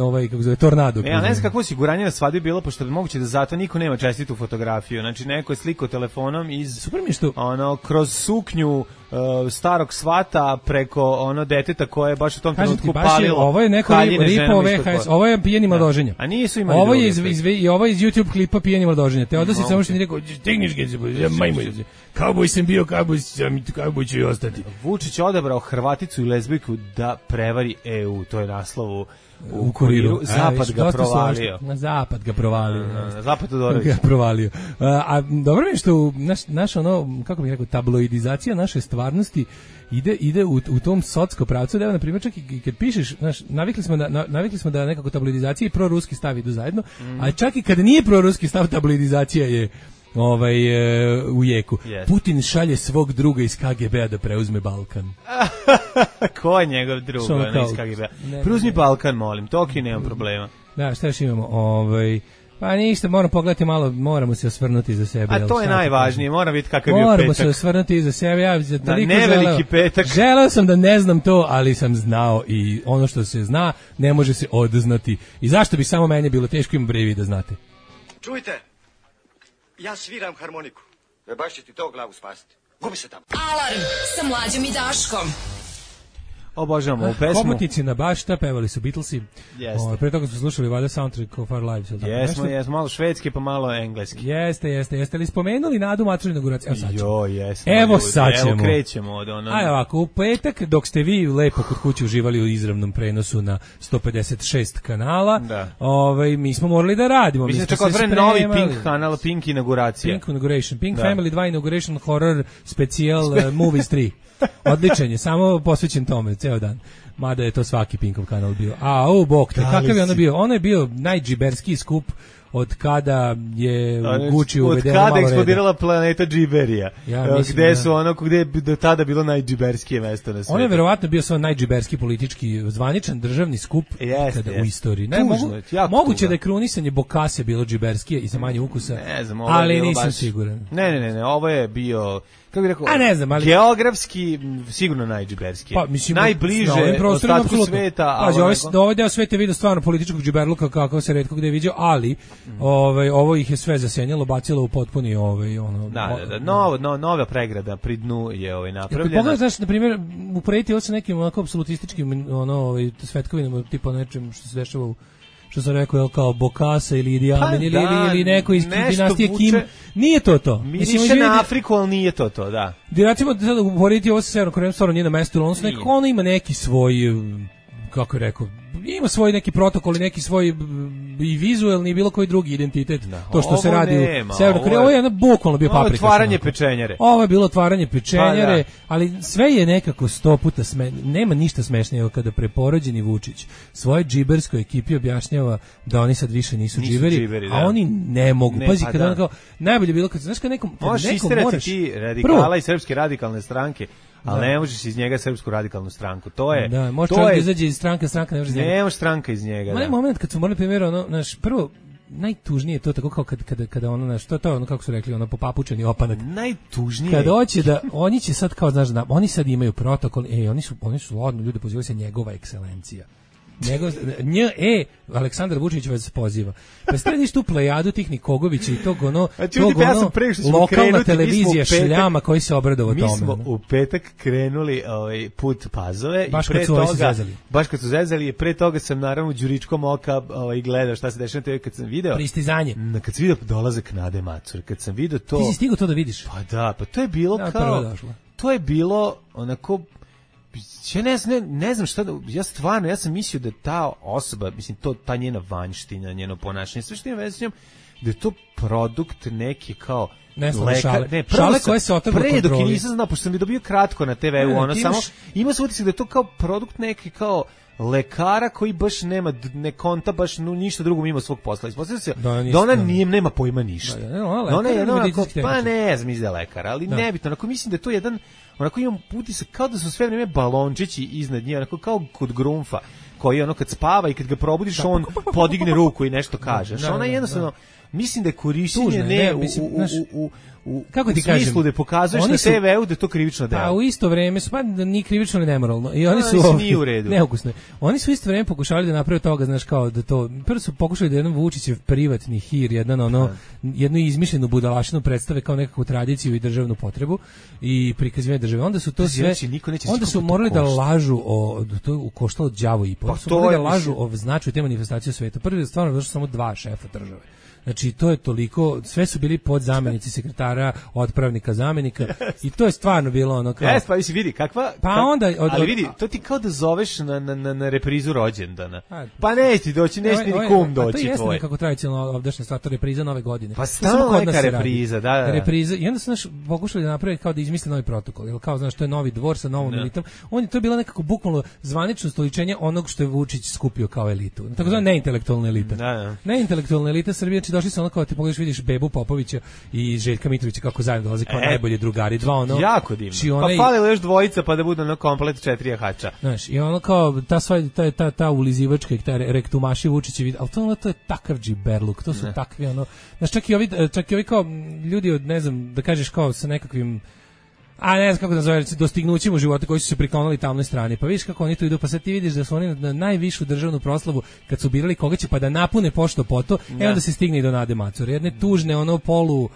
ovaj kako zove tornado. Ja ne znam kakvo osiguranje na svadbi bilo, pošto je moguće da zato niko nema čestitu fotografiju. Znači neko je slikao telefonom iz super mi što ono kroz suknju uh, starog svata preko ono deteta koje je baš u tom trenutku palilo. Ovo je neko ripo ve ha es, ovo je pijeni mladoženja. A nisu imali. Ovo je iz, iz, i ovo je iz YouTube klipa pijeni mladoženja. Teodosić samo što mi rekao, "Stigniš ga, ja majmo." Kauboj sam bio, kauboj sam, kauboj ću i ostati. Vučić odabrao Hrvaticu i lezbijku da prevari e u, to je naslov u, u kuriru. Zapad ga provalio. Na zapad ga provalio. Na zapad Todorović ga provalio. A, a dobro mi je što naš, naš ono, kako bih rekao, tabloidizacija naše stvarnosti ide ide u, u tom socsko pravcu, da evo na primjer čak i kad pišeš, znaš, navikli smo da na, navikli smo da nekako tabloidizacija i proruski stav idu zajedno, mm. a čak i kada nije proruski stav, tabloidizacija je ovaj e, u jeku. Yes. Putin šalje svog druga iz ka ge be a da preuzme Balkan. Ko je njegov drug kao, iz ka ge be a? Preuzmi Balkan, molim, toki nemam problema. Da, šta još imamo? Ovaj pa ništa, moramo pogledati malo, moramo se osvrnuti za sebe. A to je najvažnije, mora biti kakav je petak. Moramo se osvrnuti za sebe, ja za da, ne veliki petak. Želeo sam da ne znam to, ali sam znao i ono što se zna ne može se odznati. I zašto bi samo meni bilo teško im brevi da znate? Čujte, ja sviram harmoniku. E baš će ti to glavu spasiti. Gubi se tamo. Alarm sa Mlađom i Daškom. Obožavamo ovu pesmu. Hobotnici na bašta, pevali su Beatlesi. Jeste. Pre toga smo slušali valjda soundtrack of Our Lives. Jesmo, jesmo, malo švedski pa malo engleski. Jeste, jeste, jeste li spomenuli Nadu Mačur inauguraciju? Evo sad ćemo. Jo, jesmo. Evo sad ćemo. Evo krećemo od ono. Ajde ovako, u petak dok ste vi lepo kod kuće uživali u izravnom prenosu na sto pedeset šest kanala, da. Ovaj, mi smo morali da radimo. Mislim, čak otvoren novi Pink kanal, Pink inauguracija. Pink inauguration, Pink da. Family dva inauguration horror specijal uh, movies tri. Odličan je, samo posvećen tome, ceo dan. Mada je to svaki Pinkov kanal bio. A, o, bok te, kakav je ono bio? Ono je bio najdžiberskiji skup od kada je u Gucci uvedeno malo reda. Od kada eksplodirala planeta Džiberija. Ja, mislim, gde su ono, gde je do tada bilo najdžiberskije mesto na svijetu. Ono je verovatno bio svoj najdžiberski politički zvaničan državni skup jest, kada jest. u istoriji. Ne, tužno, mogu, moguće tužno. da je krunisanje Bokase bilo džiberskije i sa manje ukusa, ne znam, ali nisam baš, siguran. Ne, ne, ne, ne, ovo je bio... Kako bih rekao, a ne znam, ali geografski sigurno najdžiberski. Pa mislim najbliže ostatku sveta, a ovaj ovaj deo sveta vidi stvarno političkog džiberluka kako se retko gde viđao, ali mm. ovaj ovo ih je sve zasenjalo, bacilo u potpuni ovaj ono. Da, da, da, novo, no, nova pregrada pri dnu je ovaj napravljena. Pogledaj, znaš, na primjer, uporediti ovo sa nekim onako apsolutističkim ono ovaj svetkovinama, tipa nečem što se dešava u što sam rekao, kao Bokasa ili Idi Amin pa, ili, da, ili neko iz dinastije vuče, Kim. Nije to to. Mislim, više na Afriku, ali nije to to, da. Recimo, da sada uporediti ovo sa Severnom Korejom, stvarno nije na mestu, on nekako, ono ima neki svoj, kako je rekao, ima svoj neki protokol i neki svoj i vizuelni i bilo koji drugi identitet. No, to što se radi nema, u Severnoj Koreji, ovo je jedno bukvalno bio paprika. Ovo je otvaranje pečenjere. Ovo je bilo otvaranje pečenjere, pa, da. ali sve je nekako sto puta sme, nema ništa smešnije kada preporođeni Vučić svoje džiberskoj ekipi objašnjava da oni sad više nisu, nisu džiberi, džiberi a oni ne mogu. Ne, Pazi, pa kada da. on kao, najbolje bilo kad, znaš kad nekom, kad možeš nekom moraš... ti radikala i srpske radikalne stranke, ali da. ne možeš iz njega srpsku radikalnu stranku. To je da, može to je, da izađe iz stranke, stranka ne može iz njega. Ne može stranka iz njega. Ma da. moment kad smo morali primjer, ono, naš, prvo, najtužnije je to tako kao kad, kada, kada ono, naš, to, to ono, kako su rekli, ono, popapučeni opanak. Najtužnije. Kad hoće da, oni će sad kao, znaš, da, oni sad imaju protokol, ej, oni su, oni su ladno, ljudi pozivaju se njegova ekscelencija. Njegov, nj, e, Aleksandar Vučić vas poziva. Pa središ tu plejadu tih Nikogovića i tog ono, tog ono, ja lokalna krenuti, televizija petak, šljama koji se obradova tome. Mi smo u petak krenuli ovaj, put Pazove. Baš i pre kad su toga, zezali. Baš kad su zezali i pre toga sam naravno đuričkom oka ovaj, gledao šta se dešava na te ve kad sam video. Pristizanje. Na, kad sam video dolazak Nade Macur, kad sam video to... Ti si stigao to da vidiš? Pa da, pa to je bilo da, kao... To je bilo onako... Ja ne, ne, ne znam šta da, ja stvarno, ja sam mislio da ta osoba, mislim, to, ta njena vanjština, njeno ponašanje, sve što ima veze s njom, da je to produkt neki kao ne znam, lekar, šale, ne, šale koje se otrgla pre kontroli. Dok je nisam znao, pošto sam je dobio kratko na te veu, ono, samo, ima se utisak da je to kao produkt neki kao lekara koji baš nema, ne konta baš no, ništa drugo mimo svog posla. Ispostavlja se da, da ona nije, nema pojma ništa. Da, da, ona, da ona je jednako, pa ne znam, izda lekar, ali da. nebitno, onako mislim da je to jedan, onako imam utisak kao da su sve vreme balončići iznad nje, onako kao kod Grunfa, koji ono kad spava i kad ga probudiš, da. on podigne ruku i nešto kaže. Da, da, ona jednostavno, da. mislim da je korišćenje ne, ne u, mislim, u, u, u U, kako ti u smislu kažem, da pokazuješ na te veu da je to krivično delo. A u isto vreme su, pa da ni krivično ni nemoralno. I oni no, su nije u redu. Neukusne. Oni su u isto vreme pokušali da naprave toga, znaš, kao da to, prvo su pokušali da jedan Vučićev privatni hir, jedan ono, jednu izmišljenu budalaštinu predstave kao nekakvu tradiciju i državnu potrebu i prikazivanje države. Onda su to sve, onda su morali da lažu o, to je koštalo đavo i po. Pa su morali da lažu o značaju te manifestacije u svetu. Prvi je stvarno došlo samo dva šefa države. Znači, to je toliko, sve su bili podzamenici sekretara, otpravnika, zamenika i to je stvarno bilo ono kao... Jes, pa visi, vidi, kakva... Pa onda... Od, od, ali vidi, to ti kao da zoveš na, na, na, na reprizu rođendana. Pa neće ti doći, neće ti ni kum doći tvoj. A to jeste nekako tradicionalno ovdašnja stvar, to je repriza nove godine. Pa stalno neka repriza, da, da. Repriza, i onda su naš pokušali da naprave kao da izmisle novi protokol, jer kao, znaš, to je novi dvor sa novom elitom. On je to bilo nekako bukvalno zvanično stoličenje onog što je Vučić skupio kao elitu. Tako zove neintelektualna elita. Da, da. Neintelektualna elita Srbije, znači došli su ono kao ti pogledaš, vidiš Bebu Popovića i Željka Mitrovića kako zajedno dolaze kao e, najbolji drugari, dva ono. Jako divno. Onaj, pa falilo još dvojica pa da bude ono komplet četiri jahača. Znaš, i ono kao ta sva ta ta ta ulizivačka i ta rektumaši Vučićevi, al to ono to je takav džiberluk, to su ne. takvi ono. Znaš, čak i ovi čak i ovi kao ljudi od ne znam, da kažeš kao sa nekakvim a ne znam kako da zove, dostignućima u životu koji su se priklonili tamnoj strani. Pa vidiš kako oni tu idu, pa sad ti vidiš da su oni na najvišu državnu proslavu kad su birali koga će pa da napune pošto poto, e onda se stigne i do Nade Macur. Jedne tužne ono polu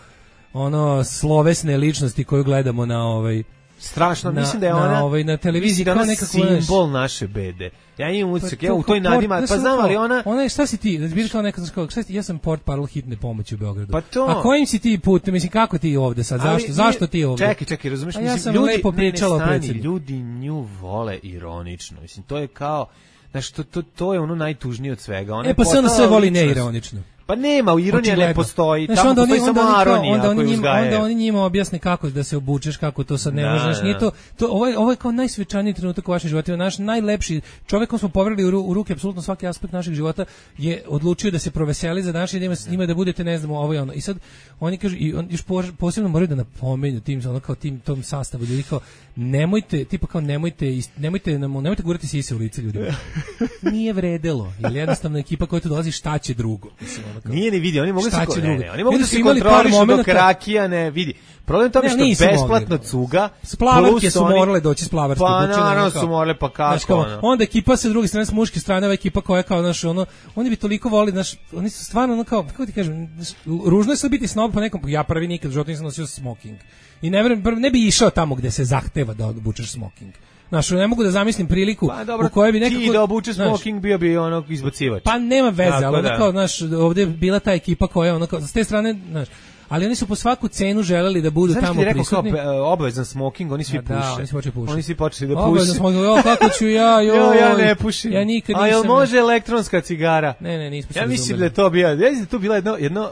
ono slovesne ličnosti koju gledamo na ovaj Strašno, na, mislim da je ona na, ovaj, na televiziji kao nekako simbol naše bede. Ja imam utisak, pa, ja u toj nadima, pa znam ali ona... Ona je, šta si ti, da bili kao neka, znaš šta si ti, ja sam port parol hitne pomoći u Beogradu. Pa to... A kojim si ti put, mislim, kako ti ovde sad, zašto, ali, zašto ti ovde? Čekaj, čekaj, razumiješ, mislim, ja sam ljudi, lepo pričala ne, o predsjedniku. Ljudi nju vole ironično, mislim, to je kao, znaš, to, to, to je ono najtužnije od svega. Ona e, pa se ona sve voli neironično. Pa nema, ironija očigledno. Ne postoji, znaš, tamo onda postoji oni, samo onda aronija onda, koju uzgaje. Onda oni njima objasne kako da se obučeš, kako to sad ne da, možeš. Nije da. to, to, ovo, je, ovo je kao najsvečaniji trenutak u vašim životima, naš najlepši čovjek kom smo poverili u, u ruke apsolutno svaki aspekt našeg života je odlučio da se proveseli za današnji dan s njima da budete, ne znamo, ovo i ono. I sad oni kažu, i on još posebno moraju da napomenju tim, ono kao tim, tom sastavu ljudi kao, nemojte, tipa kao nemojte, nemojte, nemojte gurati sise u lice ljudima. Nije vredelo, jer jednostavno ekipa koja tu dolazi šta će drugo. Mislim, ono kao, nije ni vidi, oni mogu se ko, ne, ne, oni mogu da se kontrolišu dok rakija ne vidi. Problem tome što besplatno cuga. Splavarke su morale doći splavarske. Pa naravno su morale, pa kako znaš, kao, ono. Onda ekipa sa druge strane, s muške strane, ova ekipa koja je kao, znaš, ono, oni bi toliko volili, znaš, oni su stvarno, ono, kao, kako ti kažem, ružno je sad biti snob po nekom, ja prvi nikad u životu nisam nosio smoking. I ne, ne bi išao tamo gde se zahteva da obučeš smoking. Znaš, ne mogu da zamislim priliku pa, dobro, u kojoj bi nekako... ti da obučeš smoking bio bi ono izbacivač. Pa nema veze, tako ali da. ono kao, znaš, ovdje je bila ta ekipa koja, ono kao, s te strane, znaš, ali oni su po svaku cenu želeli da budu znaš tamo prisutni. Znaš ti rekao kao obavezan smoking, oni svi puše. Da, oni svi počeli pušiti. Oni svi počeli da puše. Obavezan smoking, jo, kako ću ja, joj. Jo, ja ne pušim. Ja nikad nisam. A jel može elektronska cigara? Ne, ne, nismo se ja mislim da je to bio, ja mislim da to bila jedno, jedno,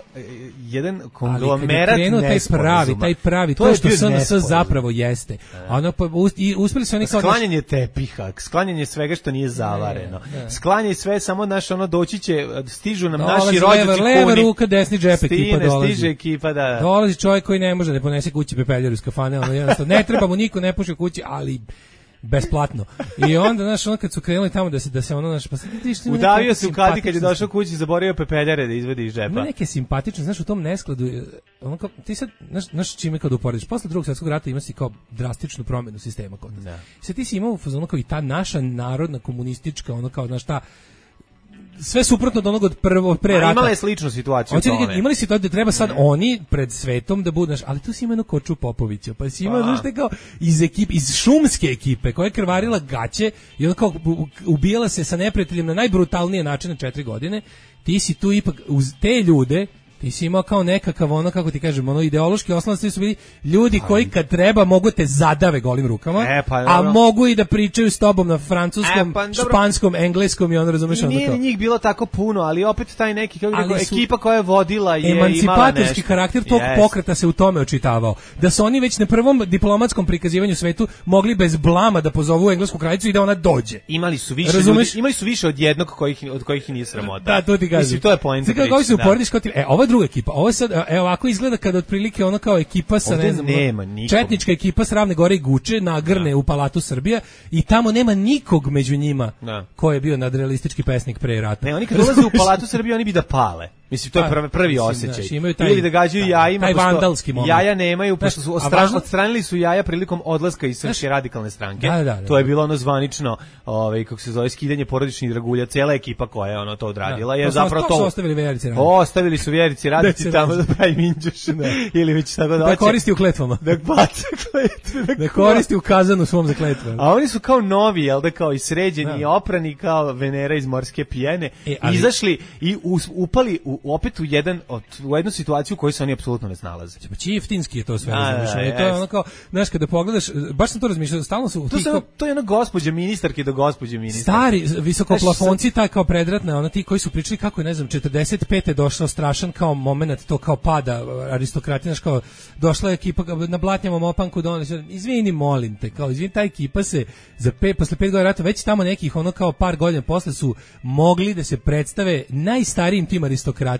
jedan konglomerat nesporazuma. taj pravi, taj pravi, to, to što S N S zapravo jeste. Ono, pa, i uspeli su oni kao... Sklanjanje tepiha, sklanjanje svega što nije zavareno. Sklanjanje sve, samo naš, ono, doći će, stižu nam naši rođaci kuni. Leva ruka, desni džep ekipa dolazi. Stiže ekipa, da. Dolazi čovjek koji ne može da ponese kući pepeljaru iz kafane, ono jednostavno, ne treba mu niko ne puši u kući, ali besplatno. I onda, znaš, ono kad su krenuli tamo da se, da se ono, znaš, pa sad ti što... Udavio se u kadi kad je došao kući, zaboravio pepeljare da izvedi iz džepa. Ima neke simpatične, znaš, u tom neskladu, ono kao, ti sad, znaš, znaš čime kad uporediš, posle drugog svjetskog rata ima si kao drastičnu promjenu sistema kod nas. Sad ti si imao ono kao i ta naša narodna komunistička, ono kao, znaš, ta sve suprotno od onog od prvo pre rata. Imala je sličnu situaciju. Hoće li imali su to da treba sad oni pred svetom da budu, ali tu si ima jednu Koču Popovića, pa si ima znaš kao iz ekipe, iz šumske ekipe koja je krvarila gaće i ona kao ubijala se sa neprijateljem na najbrutalnije načine četiri godine. Ti si tu ipak uz te ljude ti si imao kao nekakav ono, kako ti kažem, ono ideološki oslonac, su bili ljudi koji kad treba mogu te zadave golim rukama, e, pa, a mogu i da pričaju s tobom na francuskom, e, pa, španskom, engleskom i ono razumeš ono to. Nije njih bilo tako puno, ali opet taj neki, kako rekao, ekipa koja je vodila je imala nešto. Emancipatorski karakter tog yes. pokreta se u tome očitavao. Da su oni već na prvom diplomatskom prikazivanju svetu mogli bez blama da pozovu englesku kraljicu i da ona dođe. Imali su više ljudi, imali su više od jednog kojih, od kojih i nije sramota. Da, to ti kažem. Mislim, to je poenta priče. Kako se uporediš kao ti, e, ova druga ekipa, ovo sad, e, ovako izgleda kada otprilike ono kao ekipa sa, ovdje ne znam, nema četnička ekipa s Ravne Gore i Guče nagrne da. u Palatu Srbija i tamo nema nikog među njima da. ko je bio nadrealistički pesnik pre rata. Ne, oni kad ulaze u Palatu Srbije, oni bi da pale. Mislim, to je prvi, prvi osjećaj. Znači, taj, ili da gađaju jajima, taj vandalski moment. Jaja nemaju, pošto su ostran, odstranili su jaja prilikom odlaska iz Srpske radikalne stranke. Da, da, da, to je bilo ono zvanično, ovaj, kako se zove, skidanje porodičnih dragulja, cijela ekipa koja je ono to odradila. Da, je to zapravo to. Su ostavili Vjerici raditi. Ostavili su Vjerici raditi tamo da pravi minđuš. Ili već tako da, da koristi u kletvama. Da baca kletve. Da, da koristi u kazanu svom za kletve. A oni su kao novi, jel da, kao i sređeni, i oprani kao Venera iz Morske pjene. E, ali... Izašli i us, upali u, opet u jedan od, u jednu situaciju u kojoj se oni apsolutno ne snalaze. Pa čiftinski je to sve, razumiješ. To je ono kao, znaš, kada pogledaš, baš sam to razmišljao, stalno su... To, kao, to je ono gospođa ministarke do gospođe ministarke. Stari, visokoplafonci, taj kao predratna, ono ti koji su pričali kako je, ne znam, četrdeset pete došao strašan kao moment, to kao pada aristokratija, znaš, kao došla je ekipa na blatnjavom opanku, donali, izvini, molim te, kao, izvini, ta ekipa se za pet, posle pet godina rata, već tamo nekih, ono kao par godina posle su mogli da se predstave najstarijim tim aristokratijama,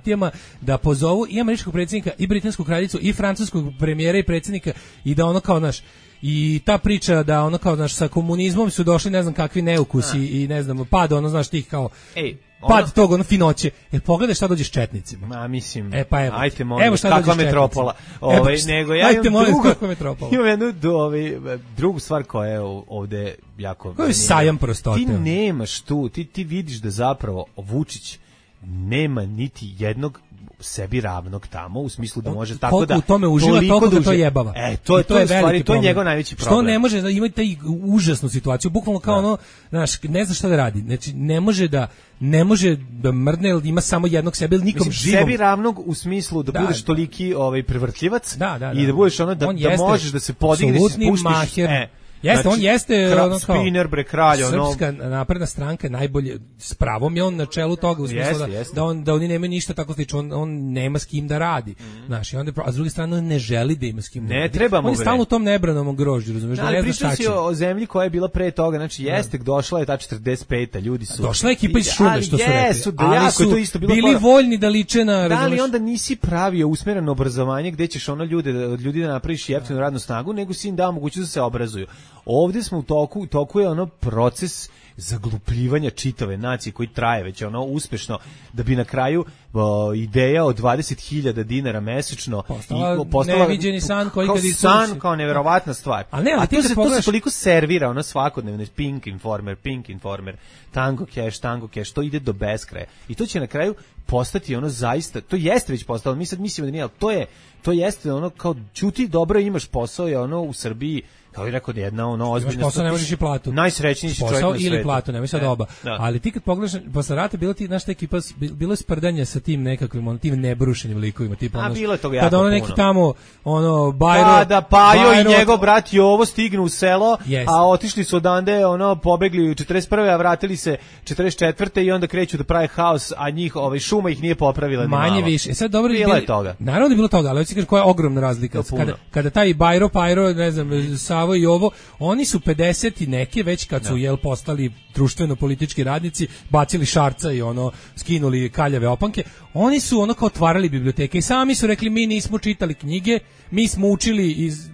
da pozovu i američkog predsjednika, i britansku kraljicu, i francuskog premijera i predsjednika, i da ono kao, naš, i ta priča da ono kao, znaš, sa komunizmom su došli ne znam kakvi neukusi i ne znam, pad, ono, znaš, tih kao... Ej. Ono, pad tog, ono, finoće. Jer pogledaj šta dođe s četnicima. Ma, mislim, e, pa evo, ajte, molim, evo kakva metropola. Ove, nego ja ajte, imam drugu, kakva metropola. Imam jednu ove, drugu stvar koja je ovde jako... Koji je sajam prostote. Ti nemaš tu, ti, ti vidiš da zapravo Vučić nema niti jednog sebi ravnog tamo, u smislu da može tako koliko da... u tome uživa, toliko da to jebava. E, to je, to, to je, stvari, to je njegov najveći problem. Što ne može da ima taj užasnu situaciju, bukvalno kao da. ono, znaš, ne zna šta da radi. Znači, ne može da ne može da mrdne, jer ima samo jednog sebe, ili nikom Mislim, živom. Sebi ravnog u smislu da, da budeš toliki ovaj, prevrtljivac da, da, da. i da budeš ono, da, da možeš da se podigneš, spuštiš... Maher. E, Jeste, znači, on jeste kra, ono kao spinner, bre, kralj, ono... Srpska napredna stranka najbolje, s pravom je on na čelu toga, u smislu jest, da, jest. da, on, da oni nemaju ništa tako slično, on, on nema s kim da radi. Mm. Znaš, i onda, a s druge strane on ne želi da ima s kim da ne radi. Treba mu, on je stalno u tom nebranom grožđu, razumiješ, da, da ne zna šta će. Ali pričao si o, o zemlji koja je bila pre toga, znači jeste, da. došla je ta četrdeset peta, ljudi su... Došla je ekipa iz šume, što su jesu, rekli, ali jako, su to isto bilo bili para. voljni da liče na... Da, ali onda nisi pravio usmereno obrazovanje gde ćeš ono ljude, od ljudi da napraviš jeftinu radnu snagu, nego si im dao mogućnost da se obrazuju. Ovdje smo u toku, toku je ono proces zaglupljivanja čitave nacije koji traje već ono uspešno, da bi na kraju o, ideja od dvadeset hiljada dinara mesečno postala, postala neviđeni san koji kao kad san, kao neverovatna stvar. A, ne, a to, se, pogledaš... to se toliko servira, ono svakodnevno, Pink Informer, Pink Informer, Tango Cash, Tango Cash, to ide do beskraja. I to će na kraju postati ono zaista, to jeste već postalo, mi sad mislimo da nije, ali to je, to jeste ono kao ćuti dobro imaš posao, je ono u Srbiji kao i rekao jedna ono ozbiljna posao, ne možeš i platu. Najsrećniji si čovjek na svetu. Ili platu, nemoj sad oba. Da. Ali ti kad pogledaš, posle rata bilo ti, znaš, ekipa, bilo je sprdanje sa tim nekakvim, on, tim nebrušenim likovima. Tipa, a ono, bilo je toga jako kada ono neki puno. Tamo, ono, Bajro... Kada Pajo Bajro, i njegov brat Jovo stignu u selo, yes. a otišli su odande, ono, pobegli u četrdeset prve, a vratili se četrdeset četvrte i onda kreću da prave haos, a njih, ovaj, šuma ih nije popravila ni malo. Manje više. E sad dobro bilo je toga. Naravno da je bilo toga, ali hoćeš kažeš koja je ogromna razlika. Kada, kada taj Bajro, Pajro, ne znam, Savo i Jovo, oni su pedeset i neke već kad su, jel, postali društveno-politički radnici, bacili šarca i ono, skinuli kaljave opanke, oni su ono kao otvarali biblioteke i sami su rekli mi nismo čitali knjige, mi smo učili iz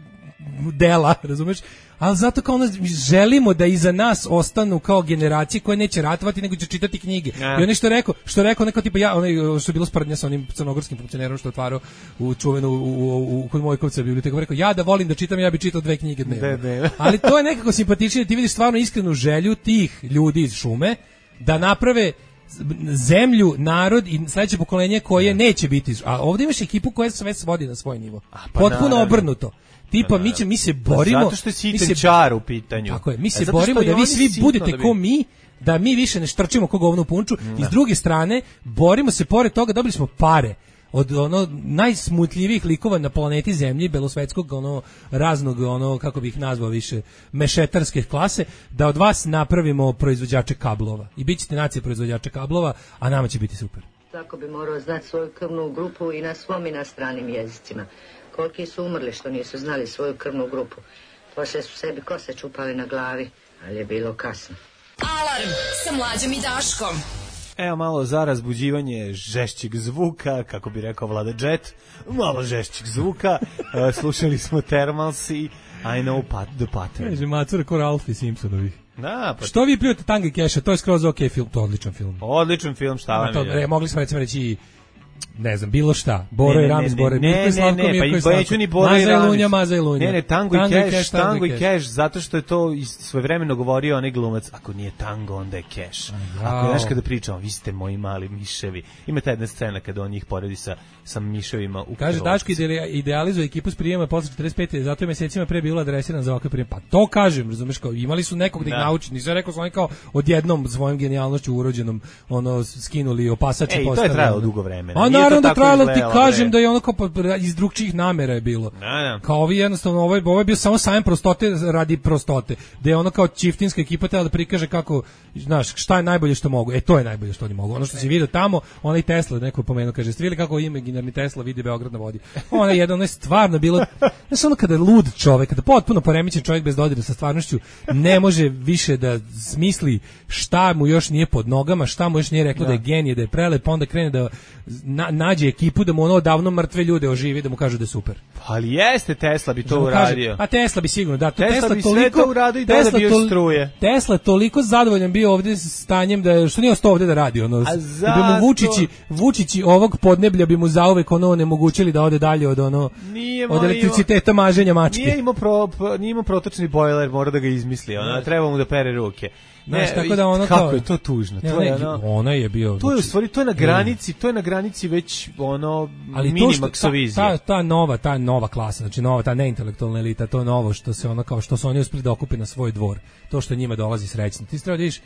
dela, razumeš? Ali zato kao ono, želimo da iza nas ostanu kao generacije koje neće ratovati, nego će čitati knjige. Ja. I ono što je rekao, što je rekao neko tipa ja, onaj što je bilo sprdnja sa onim crnogorskim funkcionerom što je otvarao u čuvenu u, u, u kod Mojkovca biblioteku, rekao ja da volim da čitam, ja bih čitao dve knjige dnevno. De, de. Ali to je nekako simpatičnije, ti vidiš stvarno iskrenu želju tih ljudi iz šume da naprave zemlju, narod i sledeće pokolenje koje neće biti, a ovdje imaš ekipu koja sve svodi na svoj nivo. A, pa potpuno naravno. Obrnuto. Tipa mi će mi se borimo zato što je sitan čar u pitanju. Tako je, mi se borimo da vi svi budete da ko mi, da mi više ne štrčimo ko govno u punču. I s druge strane borimo se pored toga, dobili smo pare od ono najsmutljivijih likova na planeti Zemlji, belosvetskog ono raznog ono kako bih ih nazvao više mešetarske klase, da od vas napravimo proizvođače kablova. I bićete nacija proizvođača kablova, a nama će biti super. Tako bi morao znati svoju krvnu grupu i na svom i na stranim jezicima. Koliki su umrli što nisu znali svoju krvnu grupu. Poslije su sebi kose čupali na glavi, ali je bilo kasno. Alarm sa Mlađom i Daškom. Evo malo za razbuđivanje žešćeg zvuka, kako bi rekao Vlada Jet, malo žešćeg zvuka. uh, slušali smo Thermals i I know pat, the pattern. Kaže, macura ko Ralph i Simpsonovi. Da, pa... Što vi prijete Tango i Cash-a, to je skroz ok film, to je odličan film. Odličan film, šta vam je? Mogli smo recimo reći ne znam, bilo šta. Boro i Rams, Boro i Mirko i Slavko, Mirko i Slavko. Neću ni Boro i Rams. Maza i Lunja, Maza i Lunja. Ne, ne, Tango i Cash, Tango i Cash, zato što je to svojevremeno govorio onaj glumac, ako nije tango, onda je Cash. Ako je, znaš, kada pričamo, vi ste moji mali miševi. Ima ta jedna scena kada on njih poredi sa, sa miševima u kaže, Daško idealizuje ekipu s prijema posle četrdeset pete, zato je mesecima pre bilo adresiran za ovakve prijeme. Pa to kažem, razumeš, kao imali su nekog da ih nauči, nisam rekao su oni kao odjednom svojom genijalnošću urođenom ono skinuli opasač i postavili. Ej, to je trajalo dugo vremena. A naravno da trajalo, ti kažem da je ono kao iz drugčijih namera je bilo. Da, da. Kao ovi jednostavno, ovo je, ovo je bio samo sajam prostote radi prostote. Da je ono kao čiftinska ekipa tela da prikaže kako, znaš, šta je najbolje što mogu. E, to je najbolje što oni mogu. Ono što si vidio tamo, onaj Tesla, neko pomenuo, kaže, ste vidjeli kako imaginarni Tesla vidi Beograd na vodi. Ona je jedno, ono je stvarno bilo, znaš, ono kada je lud čovek, kada potpuno poremećen čovjek bez dodira sa stvarnošću, ne može više da smisli šta mu još nije pod nogama, šta mu još nije reklo da, da je genije, da je prelep, pa onda krene da na, nađe ekipu da mu ono davno mrtve ljude oživi, da mu kažu da je super. Ali jeste, Tesla bi to da uradio. Kaže, a Tesla bi sigurno, da. Tesla, Tesla bi toliko, sve to uradio i da da bio struje. Tesla toliko zadovoljan bio ovdje s stanjem da što nije ostao ovdje da radi. Ono, da bi mu Vučići, Vučići ovog podneblja bi mu zauvek ono onemogućili da ode dalje od ono nije od elektriciteta maženja mačke. Nije imao, pro, nije imao protočni bojler, mora da ga izmisli. Ona, treba mu da pere ruke. Znaš, tako da ono kako kao, je to tužno. Ne, to je ne, ono, ona je bio. To je u stvari to je na granici, to je na granici već ono minimaksovizija. Ta, ta nova, ta nova klasa, znači nova ta neintelektualna elita, to novo što se ono kao što su oni uspeli da okupe na svoj dvor. To što njima dolazi srećno. Ti treba da vidiš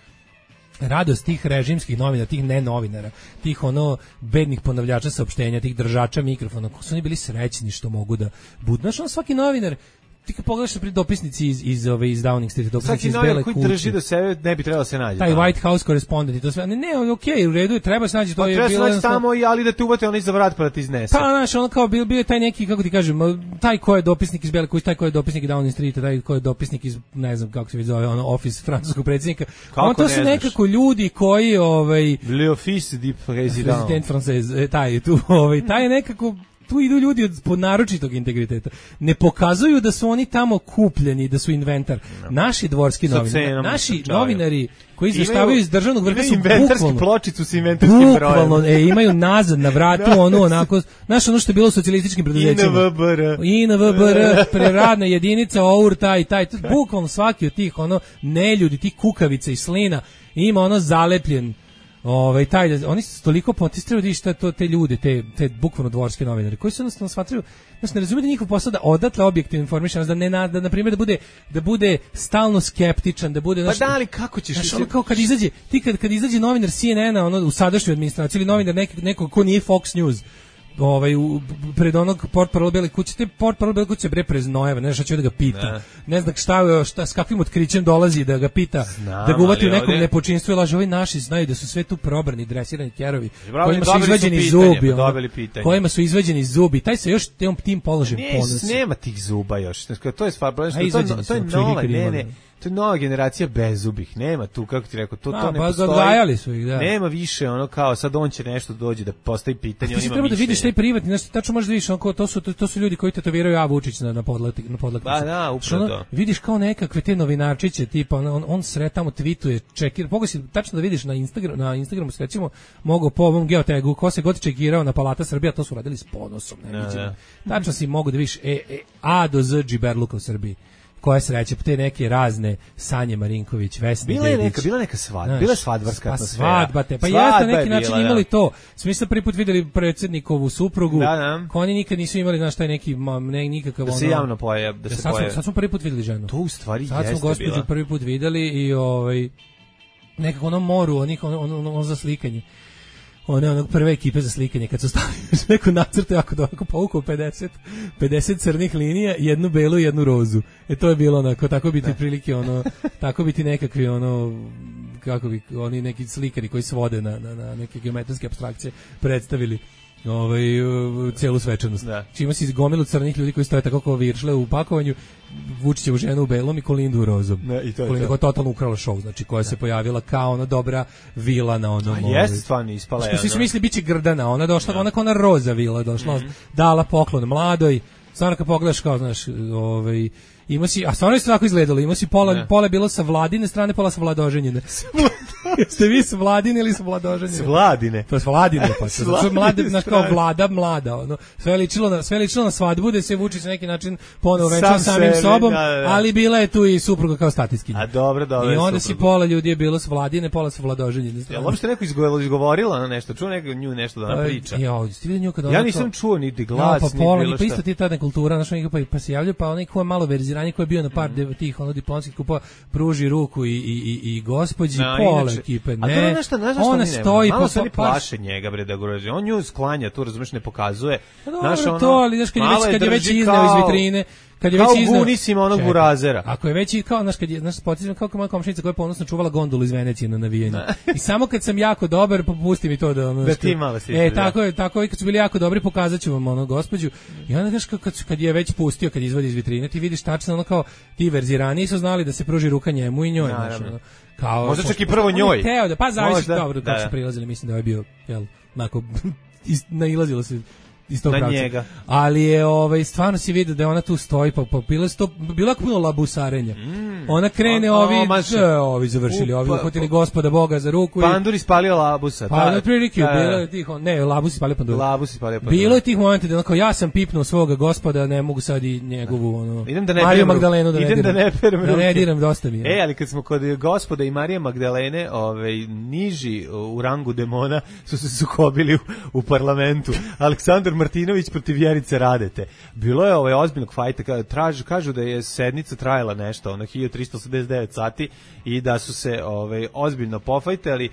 radost tih režimskih novina, tih ne novinara, tih ono bednih ponavljača saopštenja, tih držača mikrofona, ko su oni bili srećni što mogu da budu. Znaš, on svaki novinar, ti kad pogledaš pri dopisnici iz iz ove iz Downing Street, dopisnici iz Bele kuće, koji drži do sebe, ne bi trebalo da se nađe. Taj White House korespondent i to sve. Ne, ne, okej, okay, u redu je, treba se naći, to pa je bilo. Treba se naći tamo i ali da te uvate onaj za vrat pa da ti iznese. Pa, znaš, on kao bio bio je taj neki, kako ti kažem, taj ko je dopisnik iz Bele kuće, taj ko je dopisnik iz Downing Street, taj ko je dopisnik iz, ne znam kako se već zove, ono office francuskog predsjednika. On to su nekako ljudi koji ovaj Le office du président. President français, taj tu, ovaj taj nekako tu idu ljudi od naročitog integriteta. Ne pokazuju da su oni tamo kupljeni, da su inventar. Naši dvorski novinari, naši novinari koji izveštavaju iz državnog vrha su bukvalno pločicu sa inventarskim brojem. Bukvalno, e, imaju nazad na vratu ono onako, znaš ono što je bilo u socijalističkim preduzećima. I N V B R. I N V B R, preradna jedinica, O U R, taj, taj. Bukvalno svaki od tih ono neljudi, tih kukavica i slina ima ono zalepljen. Ovaj taj oni su toliko potistrali da šta to te ljude, te te bukvalno dvorske novinare koji su jednostavno smatraju, znači ne razumiju da njihov posao da odatle objektivno informišan, da ne da, da na primjer da bude da bude stalno skeptičan, da bude znači, pa da li kako ćeš znaš, ono kao kad izađe ti kad kad izađe novinar C N N-a ono u sadašnjoj administraciji ili novinar nekog nekog ko nije Fox News ovaj u, pred onog portparol Bele kuće, te portparol Bele kuće bre preznojeva, ne znaš šta će da ga pita. Ne, ne znam šta, šta s kakvim otkrićem dolazi da ga pita, znam, da ga uvati u nekom ovdje nepočinstvu i laže. Ovi naši znaju da su sve tu probrani, dresirani kerovi, kojima su izvađeni su pitanje, zubi, ono, kojima su izvađeni zubi. Taj se još tim, tim položajem ponosi. Nema tih zuba još. To je stvar, to, to, to je nova, ne, ne. To je nova generacija bezubih, nema tu, kako ti rekao, to, to ne postoji. Odgajali su ih, da. Nema više, ono kao, sad on će nešto dođi da postavi pitanje, on ima treba da vidiš taj privatni, znači, tačno možeš da vidiš, ono, to, su, to, to su ljudi koji tetoviraju A Vučić na, na podlak, na podlaknicu. Ba, da, upravo to. Vidiš kao nekakve te novinarčiće, tipa, on, on, on sre tamo tweetuje, čekira, mogu si tačno da vidiš na, Instagram, na Instagramu, se recimo, mogu po ovom geotegu, ko se god čekirao na Palata Srbija, to su radili s ponosom, ne, ne, ne. Tačno si mogu da vidiš e, e, A do Z džiberluka u Srbiji. Koja sreće, te neke razne Sanje Marinković, Vesna bila je neka, bila neka svadba, bila je svadbarska pa atmosfera. Svadba te, pa jeste na neki način bila, imali to. Smo se prvi put videli predsjednikovu suprugu, da, da. Ko oni nikad nisu imali znaš taj neki ne, nikakav da se ono, javno pojav, da, da se sad pojav. Smo, sad smo prvi put videli ženu. To u stvari sad jeste smo gospođu bila. Prvi put videli i ovaj nekako ono moru, onih ono, ono, ono, ono za slikanje. One onog prve ekipe za slikanje kad su stavili neko nacrte jako dobro povukao pedeset, pedeset crnih linija, jednu belu i jednu rozu. E to je bilo onako, tako biti ne. Prilike ono, tako biti nekakvi ono, kako bi oni neki slikari koji svode na, na, na neke geometrijske apstrakcije predstavili ovaj celu svečanost. Čima si izgomilu crnih ljudi koji stoje tako kao viršle u pakovanju, Vučićevu ženu u belom i Kolindu u rozom. Ne, i to je Kolinda koja totalno ukrala show, znači koja ne. Se pojavila kao ona dobra vila na onom. A jeste stvarno ispala. Što svi su mislili biće Grdana, ona došla, ona kao ona roza vila došla, mm-hmm. dala poklon mladoj. Stvarno kad pogledaš kao, znaš, ovaj ima si, a stvarno je tako izgledalo, ima si pola, ne. Pola je bilo sa Vladine strane, pola sa Vladoženjine. Jeste vi s Vladine ili sa Vladoženjine? S Vladine. To je s Vladine, pa se znači mlade, znaš kao Vlada, mlada, ono, sve ličilo na, sve ličilo na svadbu, da se Vučić na neki način ponovo venčao Sam samim sebe, sobom, da, da. Ali bila je tu i supruga kao statiskinja. A dobro, dobro. I onda si pola ljudi je bilo s Vladine, pola sa Vladoženjine. Jel uopšte neko izgovorila na nešto, čuo neko nju nešto da nam priča? Ja, ste videli nju kad ja nisam čuo niti glas, no, pa pola, ni bilo šta. Pa isto ti ta nekultura, znaš, pa, pa se javljaju, pa onaj ko je malo verzirani, ko je bio na par mm. tih ono diplomatskih kupova, pruži ruku i, i, i, i gospođi no, pola inače, ekipe, ne. A nešto, ne znaš ona stoji malo po se plaše njega bre da grozi. On nju sklanja, tu razumeš, ne pokazuje. Naša ono, to, ali znaš kad je već, kad je već izneo iz vitrine, kad je već izneo. Kao gunisima onog burazera. Ako je već i kao, znaš, kad je, znaš, potičem kao moja komšinica koja je ponosno čuvala gondolu iz Venecije na navijenju. I samo kad sam jako dobar, popusti mi to da ono. Da ti malo si. E, tako je, tako je, kad su bili jako dobri, pokazaću vam ono gospođu. I onda znaš kad kad je već pustio, kad izvadi iz vitrine, ti vidiš tačno ono kao ti verzirani su znali da se pruži ruka njemu i njoj, znaš, ono. Kao možda čak i prvo njoj. Teo da pa zavisi dobro kako su prilazili, mislim da je bio jel, onako nailazilo se iz tog na pravca. Njega. Ali je ovaj stvarno se vidi da ona tu stoji, pa, pa bilo je sto, bilo je puno labusarenja. Mm. Ona krene o, ovi, o, ovi završili, ovi uhvatili Gospoda Boga za ruku. Pandur ispalio labusa. Pa na prilike bilo je tih, ne, labus ispalio Pandur. Labus ispalio Pandur. Bilo je tih momenta da onako ja sam pipnuo svoga Gospoda, ne mogu sad i njegovu ono. Idem da ne Mariju Magdalenu da ne idem diram. Da ne perem da ne diram, dosta mi je. E, ali kad smo kod Gospoda i Marije Magdalene, ovaj niži u rangu demona su se sukobili u, u parlamentu. Aleksandar Martinović protiv Vjerice Radete. Bilo je ovaj ozbiljnog fajta, tražu, kažu da je sednica trajala nešto, ono hiljadu trista osamdeset devet sati i da su se ovaj ozbiljno pofajtali.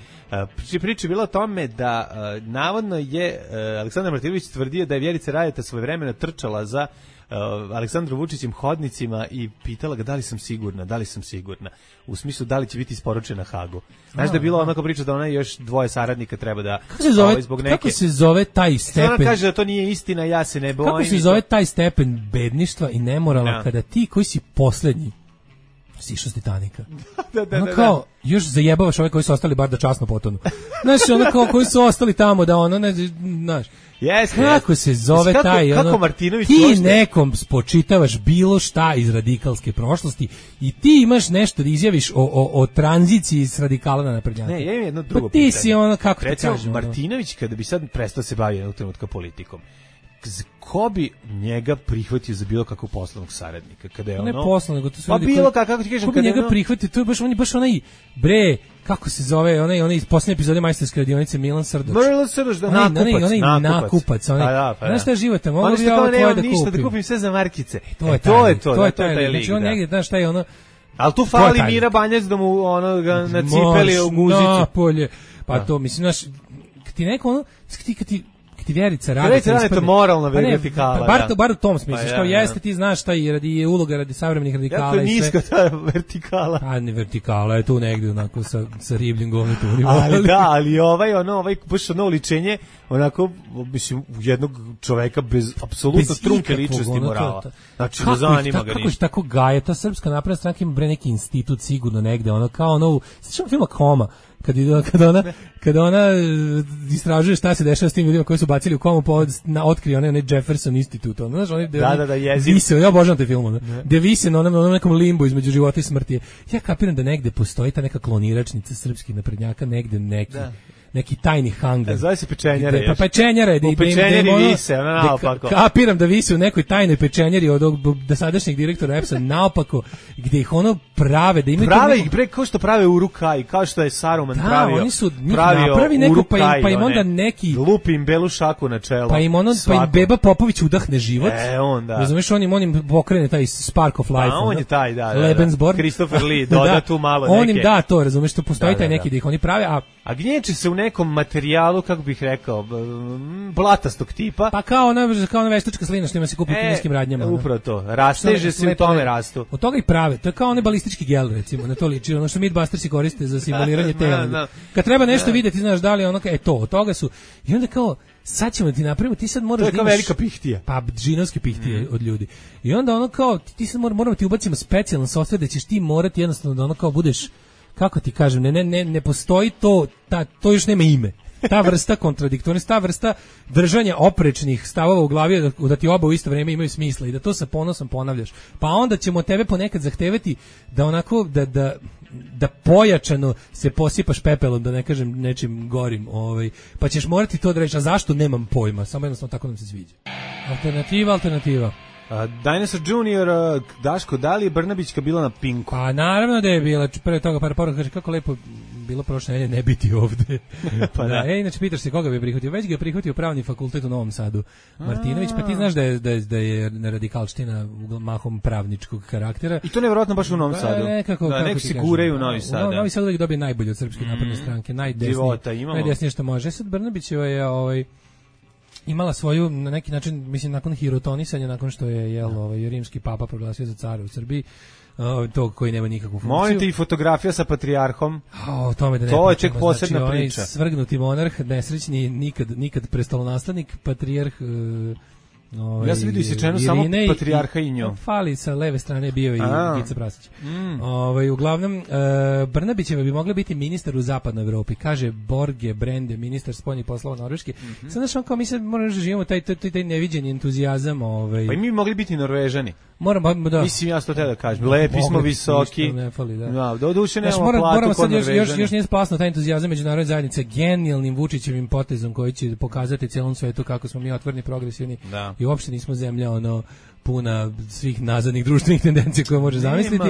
Priča priča bila o tome da navodno je Aleksandar Martinović tvrdio da je Vjerica Radeta svojevremeno trčala za Uh, Aleksandru Vučićem hodnicima i pitala ga da li sam sigurna, da li sam sigurna. U smislu da li će biti isporučena Hagu. Znaš da je bilo onako priča da ona i još dvoje saradnika treba da kako se zove, ovaj, zbog neke... kako se zove taj stepen? Ona kaže da to nije istina, ja se ne bojim. Kako se zove taj stepen bedništva i nemorala no. kada ti koji si poslednji sišao s Titanika. da, da, ono da, kao, da. još zajebavaš ove koji su ostali bar da časno potonu. Znaš, ono kao koji su ostali tamo da ono, ne, znaš, Yes, kako yes. se zove kako, taj kako ono, Martinović ti ošte... nekom spočitavaš bilo šta iz radikalske prošlosti i ti imaš nešto da izjaviš o, o, o tranziciji s radikala na naprednjaka. Ne, ja imam jedno drugo pa ti pitanje. si ono, kako recimo, ti kažem, Martinović kada bi sad prestao se baviti jednog trenutka politikom, ko bi njega prihvatio za bilo kakvog poslovnog saradnika kada je ono ne poslovno, nego to su pa ljudi bilo koji, kako ti kažem ko bi kada njega ono... prihvatio, to je baš on je baš onaj bre kako se zove onaj onaj iz poslednje epizode Majstorske radionice Milan Srdoč. Milan Srdoč da onaj, nakupac, onaj, onaj nakupac. nakupac, onaj. Pa da, pa da. Znaš šta je života, mogu bi ja ovo tvoje da ništa, kupim. da kupim sve za markice. E, to, je e, to je to, to je to je taj lik. Znači on negdje, znaš šta je ono. Al tu fali Mira Banjac da mu ono ga nacipeli u guzicu. Napolje. Pa to mislim, znaš, kad ti neko ono, ti kad ti ti Vjerica Radeta. Vjerica Radeta je moralna vertikala. Bar, bar, bar u tom smislu, pa što ja, jeste, ti znaš šta je, radi, je uloga radi savremenih radikala. Jako je niska ta vertikala. A ne vertikala, je tu negdje onako sa, sa ribljim govnetom. Ali da, ali ovaj, ono, ovaj, baš ono ličenje, onako, mislim, jednog čoveka bez apsolutno trunke ličnosti morala. Znači, ne zanima ga ništa. Kako je tako gaje, ta Srpska napredna stranka ima bre neki institut sigurno negde, ono kao ono, sjećam filma Koma, kad kada ona kada ona istražuje šta se dešava s tim ljudima koji su bacili u komu povod na otkrije onaj onaj Jefferson Institute, ono znaš, oni da da da jezik. Vise, ja obožavam taj film, ono. Da vise na onom, onom nekom limbu između života i smrti. Ja kapiram da negde postoji ta neka kloniračnica srpskih naprednjaka, negde neki da. neki tajni hangar. Zove se pečenjare. Pa pečenjare, da u pečenjari vise, ona naopako. Kapiram da vise u nekoj tajnoj pečenjari od dosadašnjeg direktora E P S-a naopako, gde ih ono prave, da imaju prave ih bre kao što prave Uruk-hai, kao što je Saruman da, pravio. Da, oni su napravi neko pa im, pa im onda neki lupi im belu šaku na čelo. Pa im ono pa im Beba Popović udahne život. E onda. Razumeš, on im onim pokrene taj spark of life. A on je taj, da. Lebensborn. Christopher Lee doda tu malo neke. On im da to, razumeš, to postoji taj neki da ih oni prave, a a gnječi se u nekom materijalu, kako bih rekao, blatastog tipa. Pa kao ona, kao ona veštačka slina što ima se kupi u kineskim radnjama. Upravo to, rasteže se u tome rastu. Od toga i prave, to je kao onaj balistički gel, recimo, na to liči, ono što Mythbustersi koriste za simuliranje tela. Kad treba nešto vidjeti, znaš da li ono, e to, od toga su, i onda kao, sad ćemo ti napravimo, ti sad moraš da imaš... To je kao velika pihtija. Pa, džinovske pihtije mm. od ljudi. I onda ono kao, ti sad moramo ti ubacimo specijalan software da ćeš ti morati jednostavno da ono kao budeš, kako ti kažem, ne, ne, ne, ne postoji to, ta, to još nema ime. Ta vrsta kontradiktornosti, ta vrsta držanja oprečnih stavova u glavi da, da ti oba u isto vrijeme imaju smisla i da to sa ponosom ponavljaš. Pa onda ćemo tebe ponekad zahtevati da onako, da, da, da pojačano se posipaš pepelom, da ne kažem nečim gorim, ovaj, pa ćeš morati to da reći, a zašto nemam pojma, samo jednostavno tako nam se sviđa. Alternativa, alternativa. Uh, Dinosaur Junior, uh, Daško, da li je Brnabićka bila na Pinku? Pa naravno da je bila, pre toga par poruka kaže kako lepo bilo prošle nedelje ne biti ovde. Pa da, e, inače pitaš se koga bi prihvatio, već ga je prihvatio Pravni fakultet u Novom Sadu. Martinović, pa ti znaš da je, da je, da je radikalština mahom pravničkog karaktera. I to nevjerojatno baš u Novom Sadu. Pa, nekako, da, nek se guraju u Novi Sad. U Novi Sad uvijek dobije najbolje od Srpske mm. napredne stranke, najdesnije, najdesnije što može. Sad Brnabić je ovaj imala svoju na neki način, mislim, nakon hirotonisanja, nakon što je jel ovaj rimski papa proglasio za cara u Srbiji, uh, to koji nema nikakvu funkciju. Molite i fotografija sa patrijarhom. O, tome da ne to je ček posebna znači, priča. Svrgnuti monarh, nesrećni, nikad, nikad prestolonaslednik, patrijarh, uh, Ovaj, ja sam vidio isečenu samo patrijarha i nju. Fali sa leve strane bio i Gica Prasić. Mm. Ovaj, uglavnom, uh, Brnabićeva bi mogla biti ministar u zapadnoj Evropi, kaže Borge Brende, ministar spoljnih poslova Norveške. Mm -hmm. Sad znaš, on kao mi sad moramo da živimo taj, taj, taj neviđeni entuzijazam. Ovaj. Pa i mi bi mogli biti Norvežani. Moramo, da. Mislim, ja to te da kažem. Lepi smo, visoki. Ne fali, da. Da, do duše nemamo mora, platu moramo kod sad još, još, Norvežani. još nije splasno taj entuzijazam međunarodne zajednice genijalnim Vučićevim potezom koji će pokazati celom svetu kako smo mi otvoreni, progresivni da. I uopšte nismo zemlja ono puna svih nazadnih društvenih tendencija koje može zamisliti.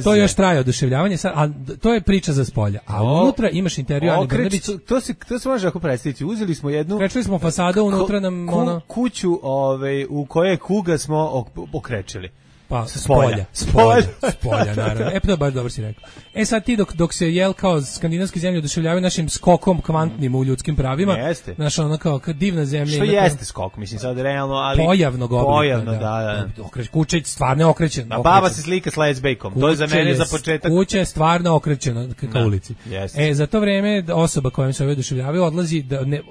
To još traje oduševljavanje, a to je priča za spolja. A o, unutra imaš intervju Ane Brnabić. To se to se može ako predstaviti. Uzeli smo jednu Krečili smo fasadu, unutra nam ku, ono kuću, ovaj u kojoj kuga smo okrečili. Pa spolja, spolja, spolja, naravno. E, to baš dobro si rekao. E sad ti dok, dok se jel kao skandinavske zemlje oduševljavaju našim skokom kvantnim u ljudskim pravima, jeste. Znaš, ono kao divna zemlja. Što jeste skok, mislim sad realno, ali pojavnog oblika. Pojavno, da, da. da. Okreć, kuća je stvarno okrećena. A baba se slika s lesbejkom, to je za mene za početak. Kuća je stvarno okrećena ka da. ulici. Jeste. E, za to vreme osoba kojom se oduševljavaju odlazi, da ne,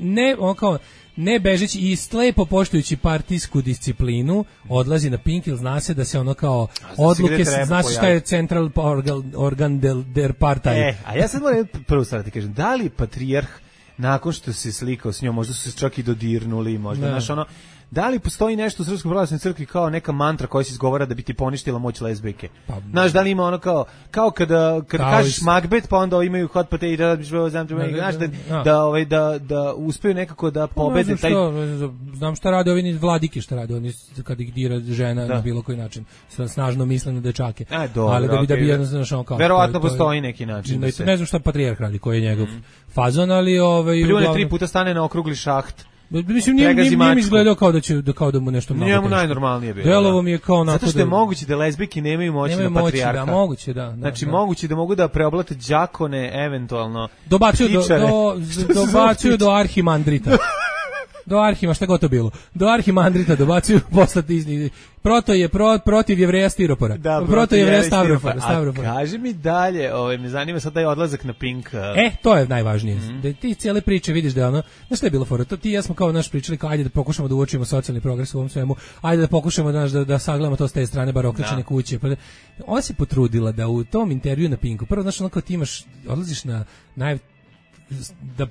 ne on kao, ne bežeći i slepo poštujući partijsku disciplinu, odlazi na Pink, jer zna se da se ono kao odluke, zna se šta je Central Organ, organ del, der Partij. E, a ja sad moram prvo stvar ti kažem, da li patrijarh nakon što se slikao s njom, možda su se čak i dodirnuli, možda, znaš, ono, da li postoji nešto u Srpskoj pravoslavnoj crkvi kao neka mantra koja se izgovara da bi ti poništila moć lezbijke? Pa, znaš, da li ima ono kao, kao kada, kada kao kažeš is... Macbeth, pa onda imaju hot potato, da, znaš, da, da, da, ovaj, da, da uspeju nekako da pobede taj... Šta, znam šta rade ovi vladike, šta rade oni kad ih dira žena da. Na bilo koji način, sa snažno mislene dečake. E, dobro, ali da bi, okay. da bi jednostavno šao kao... Verovatno postoji neki način. Ne, ne znam šta patrijarh radi, koji je njegov mm. fazon, ali... Ovaj, Pljune tri puta stane na okrugli šaht. Mislim, nije, nije, nije mi izgledao kao da, će, da, kao da mu nešto mnogo njemu najnormalnije bilo. Delovo mi je kao onako... Zato što je da, moguće da lezbijke nemaju moći nemaju na patrijarha. Da, moguće, da. da znači, da. moguće da mogu da preoblate đakone, eventualno dobacuju do, do, dobacuju do arhimandrita. Do Arhima, šta god to bilo. Do Arhimandrita dobacuju poslati iz... Proto je pro, protiv Jevreja stiropora. Da, proto je Jevreja stavropora. stavropora. A kaži mi dalje, ovaj, me zanima sad taj odlazak na Pink. Uh... E, to je najvažnije. Mm-hmm. Da ti cijele priče vidiš da je ono... Znaš što je bilo fora? To ti i ja smo kao naš pričali, kao ajde da pokušamo da uočimo socijalni progres u ovom svemu, ajde da pokušamo da, da, da sagledamo to s te strane, bar okrećene kuće. Ona se potrudila da u tom intervju na Pinku, prvo, znaš, ono kao ti imaš, odlaziš na naj... Da,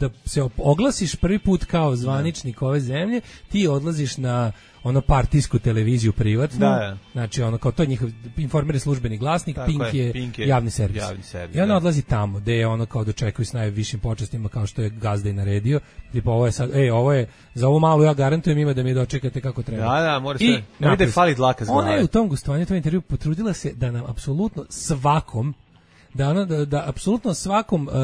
da se oglasiš prvi put kao zvaničnik ove zemlje, ti odlaziš na ono partijsku televiziju privatnu, da, ja. Znači ono kao to je njihov Informer je službeni glasnik, Pink je, je, Pink je javni servis. Javni servis I ona odlazi tamo, gde je ono kao dočekuju s najvišim počastima kao što je gazda i naredio. Tipa ovo je sad, ej, ovo je za ovo malo ja garantujem ima da mi dočekate kako treba. Da, da, mora se. Ne vide fali dlaka z glave. Ona je u tom gostovanju, tom intervju potrudila se da nam apsolutno svakom da ono da, da apsolutno svakom uh,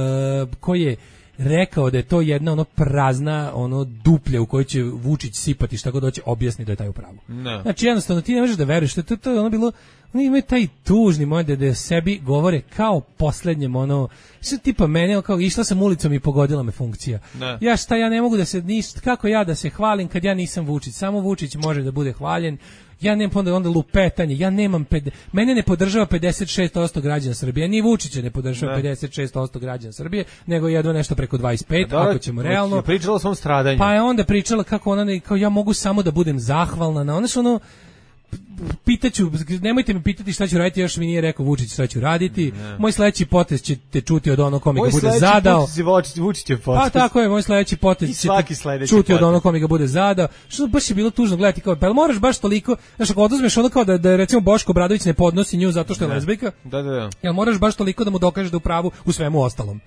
koji je rekao da je to jedna ono prazna ono duplja u kojoj će Vučić sipati šta god hoće objasni da je taj u pravu. No. Znači jednostavno ti ne možeš da veruješ to, to, to je ono bilo oni imaju taj tužni moment da sebi govore kao poslednjem ono što tipa mene kao išla sam ulicom i pogodila me funkcija. No. Ja šta ja ne mogu da se ništa kako ja da se hvalim kad ja nisam Vučić, samo Vučić može da bude hvaljen. Ja nemam onda, onda lupetanje, ja nemam, ped, mene ne podržava pedeset šest posto građana Srbije, ni Vučića ne podržava ne. pedeset šest posto građana Srbije, nego jedno nešto preko dvadeset pet, da, ako ćemo realno. Je pričala o svom stradanju. Pa je onda pričala kako ona, ne, kao ja mogu samo da budem zahvalna na ono što ono, pitaću, nemojte me pitati šta ću raditi, još mi nije rekao Vučić šta ću raditi. Ne. Moj sledeći potez ćete čuti od onog kome ga bude zadao. Moj sledeći Vučićev potez. Pa tako je, moj sledeći potez ćete čuti od onog kome ga bude zadao. Što baš je bilo tužno gledati kao, pa moraš baš toliko, znaš, ako oduzmeš ono kao da, da recimo Boško Obradović ne podnosi nju zato što je lezbijka. Da, da, da. Jel moraš baš toliko da mu dokažeš da u pravu u svemu ostalom.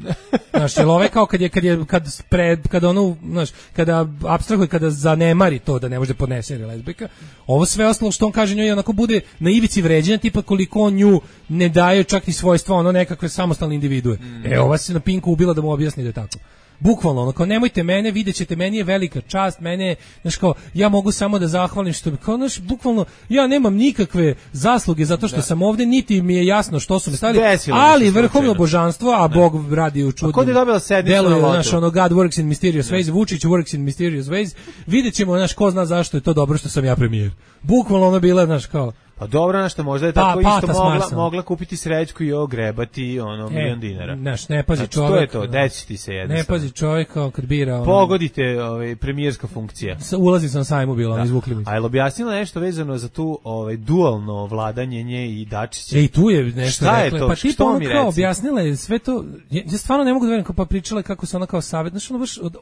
Znaš, jel ovaj kao kad je, kad je, kad pred, kad ono, znaš, kada apstrahuje, kada zanemari to da ne može da podnese jer je lezbijka, ovo sve ostalo što on kaže njoj onako bude na ivici vređanja, tipa koliko on nju ne daje čak ni svojstva, ono nekakve samostalne individue. Mm. E, ova se na Pinku ubila da mu objasni da je tako. Bukvalno, ono, kao nemojte mene, vidjet ćete, meni je velika čast, mene, znaš kao, ja mogu samo da zahvalim što, kao, znaš, bukvalno, ja nemam nikakve zasluge zato što da. sam ovde, niti mi je jasno što su me stavili, Desilo ali vrhovno božanstvo, a ne. Bog radi u čudnim. A kod je dobila sednicu deluje, na lotu? Znaš, ono, God works in mysterious ways, Vučić works in mysterious ways, vidjet ćemo, znaš, ko zna zašto je to dobro što sam ja premijer. Bukvalno ono bila, znaš, kao, Pa dobro, nešto možda je tako pa, isto mogla, mogla kupiti srećku i ogrebati ono e, milion dinara. Znaš, ne pazi znači, čovjek. To je to, deci ti se jednostavno. Ne pazi čovjek kao kad bira... Ono, pogodite ovaj, premijerska funkcija. Ulazi sam sajmu bilo, da. Izvukli mi se. A je li objasnila nešto vezano za tu ovaj, dualno vladanje nje i Dačića? E, i tu je nešto šta rekla. Je to? Pa ti ono kao objasnila je sve to... Ja, ja stvarno ne mogu da verujem kao pa pričala kako se ona kao savjet... Znaš, ono baš... Od,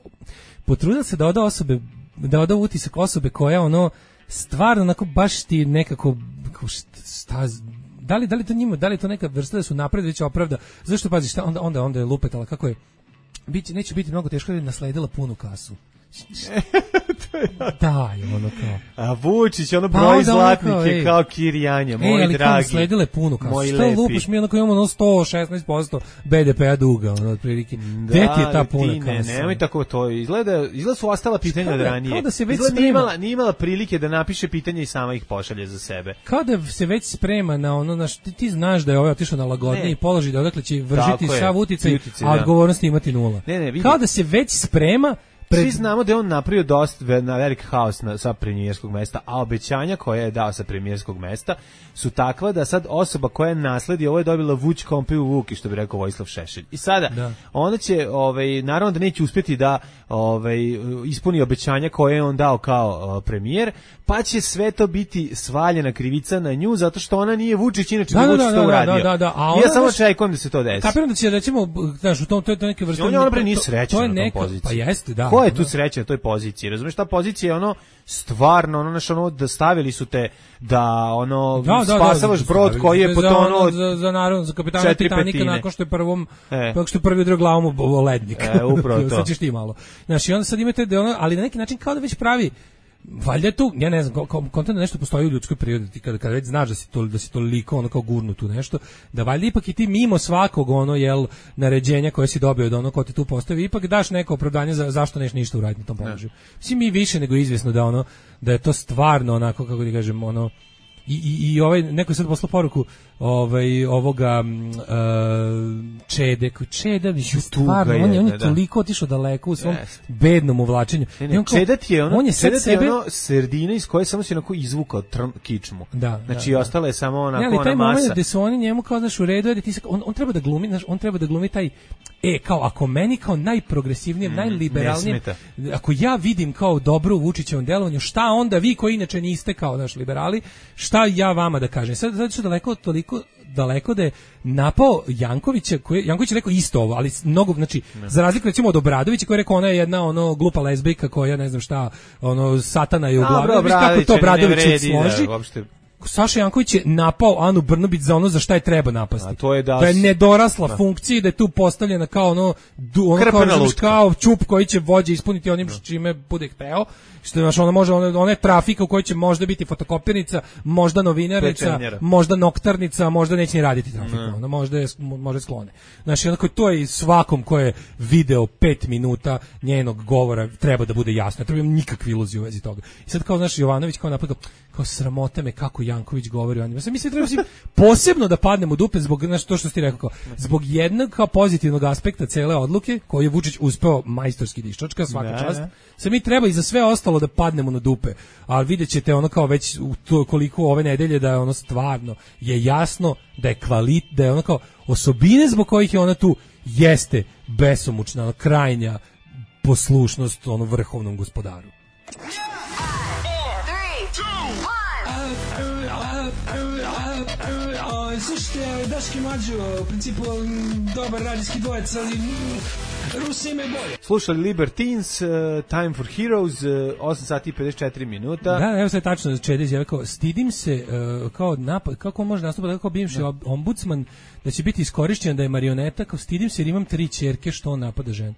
potrudila se da oda osobe... Da oda utisak osobe koja ono... Stvarno, onako, baš ti nekako... Šta... Da li, da li to njima, da li to neka vrsta da su napred već opravda? Zašto pazi, šta onda onda onda je lupetala kako je biće neće biti mnogo teško da je nasledila punu kasu. Da, je ono kao. A Vučić, ono broj pa zlatnike kao, kao Kirjanja, moj e, ali dragi. Nasledile punu kasu. Što lupiš mi onako imamo ono sto šesnaest posto be de pe-a duga, ono otprilike. Gde ti je ta puna kasa? Ne, nemoj tako to. Izgleda, izgleda su ostala pitanja od ranije. Kao da se već izgleda sprema. Nije imala, nije imala prilike da napiše pitanje i sama ih pošalje za sebe. Kao da se već sprema na ono, na ti, ti znaš da je ovaj otišao na lagodniji položaj, da odakle će vršiti sav uticaj, a odgovornosti imati nula. Ne, ne, kao da se već sprema. Pred... Svi znamo da je on napravio dosta na velik haos na, sa premijerskog mesta, a obećanja koje je dao sa premijerskog mesta su takva da sad osoba koja nasledi ovo je dobila Vuč kompiju Vuki, što bi rekao Vojislav Šešelj. I sada, da. Ona će, ovaj, naravno da neće uspjeti da ovaj, ispuni obećanja koje je on dao kao uh, premijer, pa će sve to biti svaljena krivica na nju, zato što ona nije Vučić, inače da, da Vučić da, to uradio. Da, da, da. A ja samo čekam da se to desi. Kapiram da će, recimo, znaš, u tom, to je to neke vrste... On je ona bre nije srećna na tom poziciji. Pa jeste, da. Ko je tu srećan na toj poziciji? Razumeš, ta pozicija je ono stvarno, ono, naš, ono, da stavili su te da, ono, da, spasavaš da, da, brod koji je potonuo za, za, naravno, za kapitana Titanika nakon što je prvom, e. nakon što je prvi udrio glavom u lednik. E, upravo to. Sad ćeš ti malo. Znaš, i onda sad imate da ono, ali na neki način kao da već pravi valjda tu, ja ne znam, kontent da nešto postoji u ljudskoj prirodi, kada kada već znaš da si to da si toliko ono kao gurnu tu nešto, da valjda ipak i ti mimo svakog ono jel naređenja koje si dobio od ono ko te tu postavi, ipak daš neko opravdanje za zašto neš ništa uraditi na tom položaju. Mislim mi više nego izvjesno da ono da je to stvarno onako kako ti kažem ono I, i, i ovaj neko je sad poslao poruku ovaj ovoga uh, Čede Čeda bi stvarno on je on je da, toliko otišao daleko u svom yes. bednom uvlačenju. Ne, ne, Čeda ti je ono on je sad sebe ono sredina iz koje samo se onako izvukao trn, kičmu. Da, znači da, ostala je samo onako ne, ali taj ona masa. Moment gde su oni njemu kao daš u redu da ti on, on treba da glumi, znaš, on treba da glumi taj e kao ako meni kao najprogresivnijem, mm, najliberalnijem, ako ja vidim kao dobro u Vučićevom delovanju, šta onda vi koji inače niste kao naš liberali, šta ja vama da kažem. Sad zato što daleko toliko daleko da je napao Jankovića, koji Janković je rekao isto ovo, ali mnogo, znači ne. Za razliku recimo od Obradovića koji je rekao ona je jedna ono glupa lezbijka koja ne znam šta, ono satana je u glavi, kako to Obradović složi. Da, uopšte Saša Janković je napao Anu Brnabić za ono za šta je treba napasti. A to je da, da je nedorasla da. funkciji, da je tu postavljena kao ono, du, ono kao, kao čup koji će vođe ispuniti onim da. čime bude hteo. Što znaš, ona može ona, ona je trafika u kojoj će možda biti fotokopirnica, možda novinarnica, možda noktarnica, možda neće ni raditi trafiku. Ne. Ona možda je može sklone. Znači onako to je svakom ko je video pet minuta njenog govora treba da bude jasno. Ne treba nikakve iluzije u vezi toga. I sad kao znaš Jovanović kao napadao kao sramota me kako Janković govori o njima. Sad mi se treba posebno da padnemo u dupe zbog znači to što ste rekao, zbog jednog kao pozitivnog aspekta cele odluke koju je Vučić uspeo majstorski da iščačka, svaka čast. Sad mi treba i za sve ostalo da padnemo na dupe, ali vidjet ćete ono kao već u to koliko ove nedelje da je ono stvarno je jasno da je kvalit, da je ono kao osobine zbog kojih je ona tu jeste besomučna, ono, krajnja poslušnost ono vrhovnom gospodaru. Slušajte, Daški Mađo, u principu dobar radijski dvojec, ali Rusi imaju bolje. Slušali Libertines, uh, Time for Heroes, uh, osam sati i pedeset četiri minuta. Da, evo sad tačno Čedić, ja kao, stidim se uh, kao napad, kako on može nastupati kao bivši da. ombudsman, da će biti iskorišćen da je marioneta, kao stidim se jer imam tri ćerke što on napada ženu.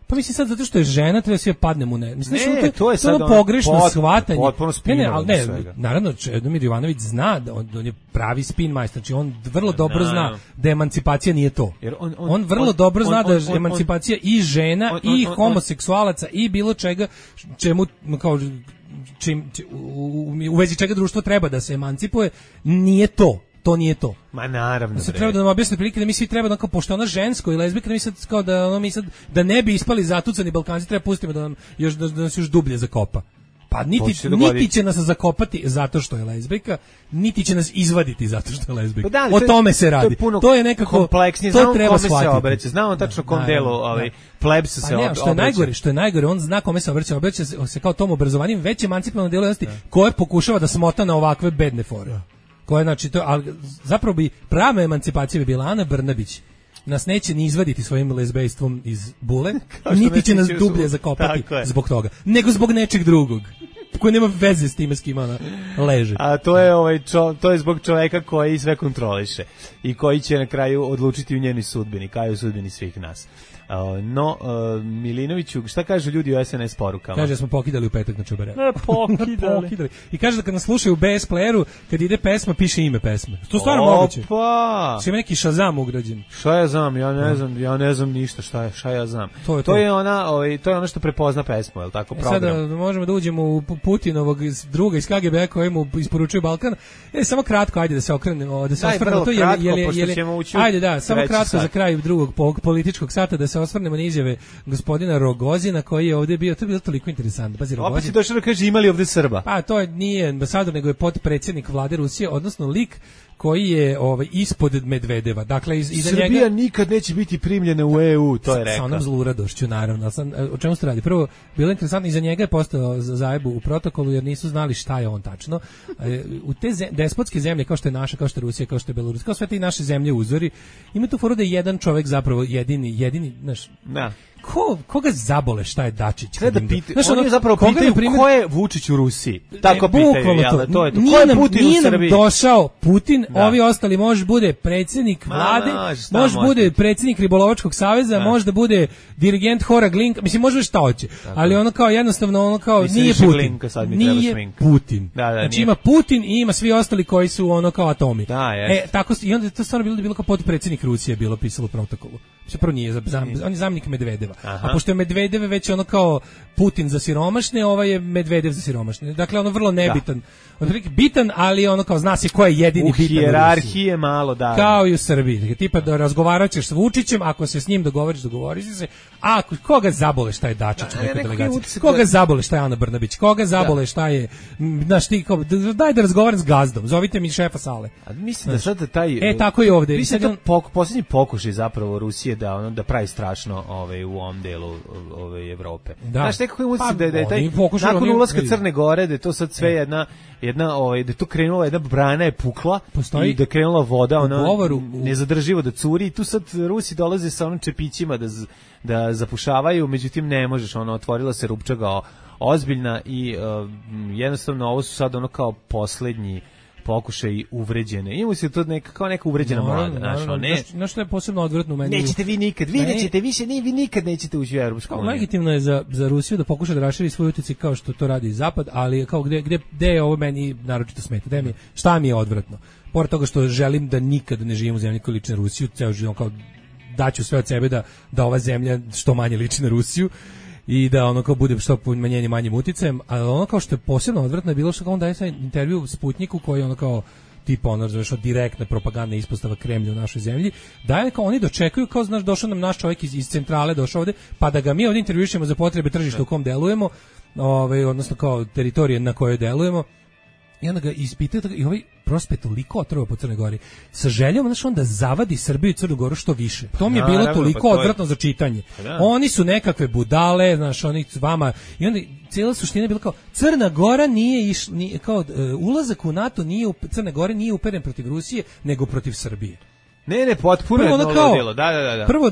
Pa mislim sad zato što je žena treba sve padne mu ne. Mislim ne, to, to je sad ono pogrešno pot, shvatanje. Potpuno ne, ne, ali ne, naravno Čedomir Jovanović zna da on, on je pravi spin majstor, znači on vrlo dobro no, zna no. da emancipacija nije to. Jer on, on, on vrlo on, dobro zna on, da je on, emancipacija on, i žena on, on, i homoseksualaca i bilo čega čemu kao čim, čim u, u, u vezi čega društvo treba da se emancipuje, nije to. To nije to. Ma naravno. Se treba da nam objasni prilike da mi svi treba da kao pošto ona žensko i lezbijka da mi sad kao da ono mi sad da ne bi ispali zatucani Balkanci treba pustimo da nam još da, da nas još dublje zakopa. Pa niti, niti će nas zakopati zato što je lezbijka, niti će nas izvaditi zato što je lezbijka. Da, o tome se radi. To je, to je nekako kompleksnije. To znamo treba kome shvatiti. Se obraća, znamo tačno kom da, delu ovaj, plebs pa se ne, što je najgore, što je najgore, on zna kome se obraća, obraća se, se kao tom obrazovanjem već emancipiranom delu koje pokušava da smota na ovakve bedne fore. Koje, znači, to, ali zapravo bi prava emancipacija bi bila Ana Brnabić. Nas neće ni izvaditi svojim lezbejstvom iz bule, niti će nas dublje zakopati zbog toga, nego zbog nečeg drugog koji nema veze s time s kim ona leže. A to je ovaj čo, to je zbog čoveka koji sve kontroliše i koji će na kraju odlučiti u njenoj sudbini, kao i u sudbini svih nas. Uh, no, uh, Milinoviću, šta kažu ljudi u es en es porukama? Kaže da smo pokidali u petak na Čobare. Ne, pokidali. pokidali. I kaže da kad nas slušaju u be es playeru, kad ide pesma, piše ime pesme. To je stvarno moguće. Opa! Sve neki Shazam ugrađen. Šta ja znam? Ja ne znam, ja ne znam ništa šta je, šta ja znam. To je, to. To je ona, ovaj, to je ono što prepozna pesmu, je l' tako, program. E sada možemo da uđemo u Putinovog druga iz ka ge be koji mu isporučuje Balkan. E, samo kratko, ajde da se okrenemo, da se osvrnemo to, je je je ajde da, samo kratko sat. Za kraj drugog političkog sata da se osvrnemo na izjave gospodina Rogozina koji je ovdje bio, to je bilo toliko interesantno. Pazi, Rogozin. Opet si došao da kaže imali ovdje Srba. Pa to je, nije ambasador, nego je potpredsjednik vlade Rusije, odnosno lik koji je ovaj ispod Medvedeva. Dakle iz iza Srbija njega nikad neće biti primljena u e u, to je rekao. Sa onom zluradošću naravno. Sam, o čemu se radi? Prvo bilo je interesantno, iza njega je postao zajebu u protokolu jer nisu znali šta je on tačno. U te zem, despotske zemlje kao što je naša, kao što je Rusija, kao što je Belorusija, kao sve te naše zemlje uzori, ima tu foru da je jedan čovjek zapravo jedini, jedini, znaš. Da. Ko, koga zabole šta je Dačić? Treba da pita, znaš, oni zapravo pitaju primjer, ko je Vučić u Rusiji. Tako e, pitaju, jel da, to je to. Nije ko je nam, Putin nije u Srbiji? Nam došao Putin, da. Ovi ostali može bude predsjednik vlade, može bude predsjednik Ribolovačkog saveza, da. Može da bude dirigent Hora Glinka, mislim može šta hoće, tako. Ali ono kao jednostavno ono kao mislim, nije Putin. Glinka, sad mi nije Putin. Da, da, znači nije. Ima Putin i ima svi ostali koji su ono kao atomi. Da, e, tako, i onda je to stvarno bilo, bilo kao potpredsjednik Rusije bilo pisalo u protokolu. Mislim, prvo nije, zam, on je zamjenik Medvedeva. Aha. A pošto je Medvedev već ono kao Putin za siromašne, ovaj je Medvedev za siromašne. Dakle, ono vrlo nebitan. Otprilike bitan, ali ono kao zna se ko je jedini u bitan. U hijerarhije malo, da. Kao i u Srbiji. Dakle, tipa da razgovaraćeš s Vučićem, ako se s njim dogovoriš, dogovoriš se. A koga zabole šta je Dačić u nekoj delegaciji? Koga zabole šta je Ana Brnabić? Koga zabole da. Šta je, znaš ti, kao, daj da razgovaram s gazdom, zovite mi šefa sale. A mislim da sad taj... E, tako i ovde. Mislim da pok, posljednji pokušaj zapravo Rusije da, ono, da pravi strašno ovaj, u ovom delu ove Evrope. Da. Znaš, nekako je utisak da, da je taj, nakon oni, ulaska Crne Gore, da je to sad sve jedna, jedna ovaj, da je to krenula, jedna brana je pukla. Postoji i da je krenula voda, ona govoru, nezadrživo da curi i tu sad Rusi dolaze sa onim čepićima da, da zapušavaju, međutim ne možeš, ona otvorila se rupčaga ozbiljna i uh, jednostavno ovo su sad ono kao poslednji pokušaj uvređene. Imamo se to neka kao neka uvređena no, mlada, znaš, no, ne. Znaš što je posebno odvratno u meni? Nećete vi nikad, vi nećete više, ni vi nikad nećete ući u Evropsku uniju. Legitimno je za za Rusiju da pokuša da raširi svoj uticaj kao što to radi Zapad, ali kao gde gde gde je ovo meni naročito smeta, da mi šta mi je odvratno. Pored toga što želim da nikad ne živim u zemlji koja liči na Rusiju, ceo život kao daću sve od sebe da da ova zemlja što manje liči na Rusiju. I da ono kao bude što manjenje manjim uticajem, ali ono kao što je posebno odvratno je bilo što kao on daje taj intervju Sputniku koji ono kao tipa ono razumeš direktna propagandna ispostava Kremlja u našoj zemlji, daje kao oni dočekuju kao znaš došao nam naš čovjek iz, iz centrale došao ovde, pa da ga mi ovdje intervjušemo za potrebe tržišta u kom delujemo, ovaj odnosno kao teritorije na kojoj delujemo. I onda ga ispitaju i ovaj prospet toliko otrova po Crnoj Gori sa željom znaš on da zavadi Srbiju i Crnu Goru što više. To mi je bilo toliko pa to odvratno je... za čitanje. Da. Oni su nekakve budale, znaš, oni vama i onda cijela suština je bila kao Crna Gora nije iš, nije, kao uh, ulazak u NATO nije Crna Gora nije uperen protiv Rusije nego protiv Srbije. Ne, ne, potpuno je to delo. Da, da, da, da. Prvo,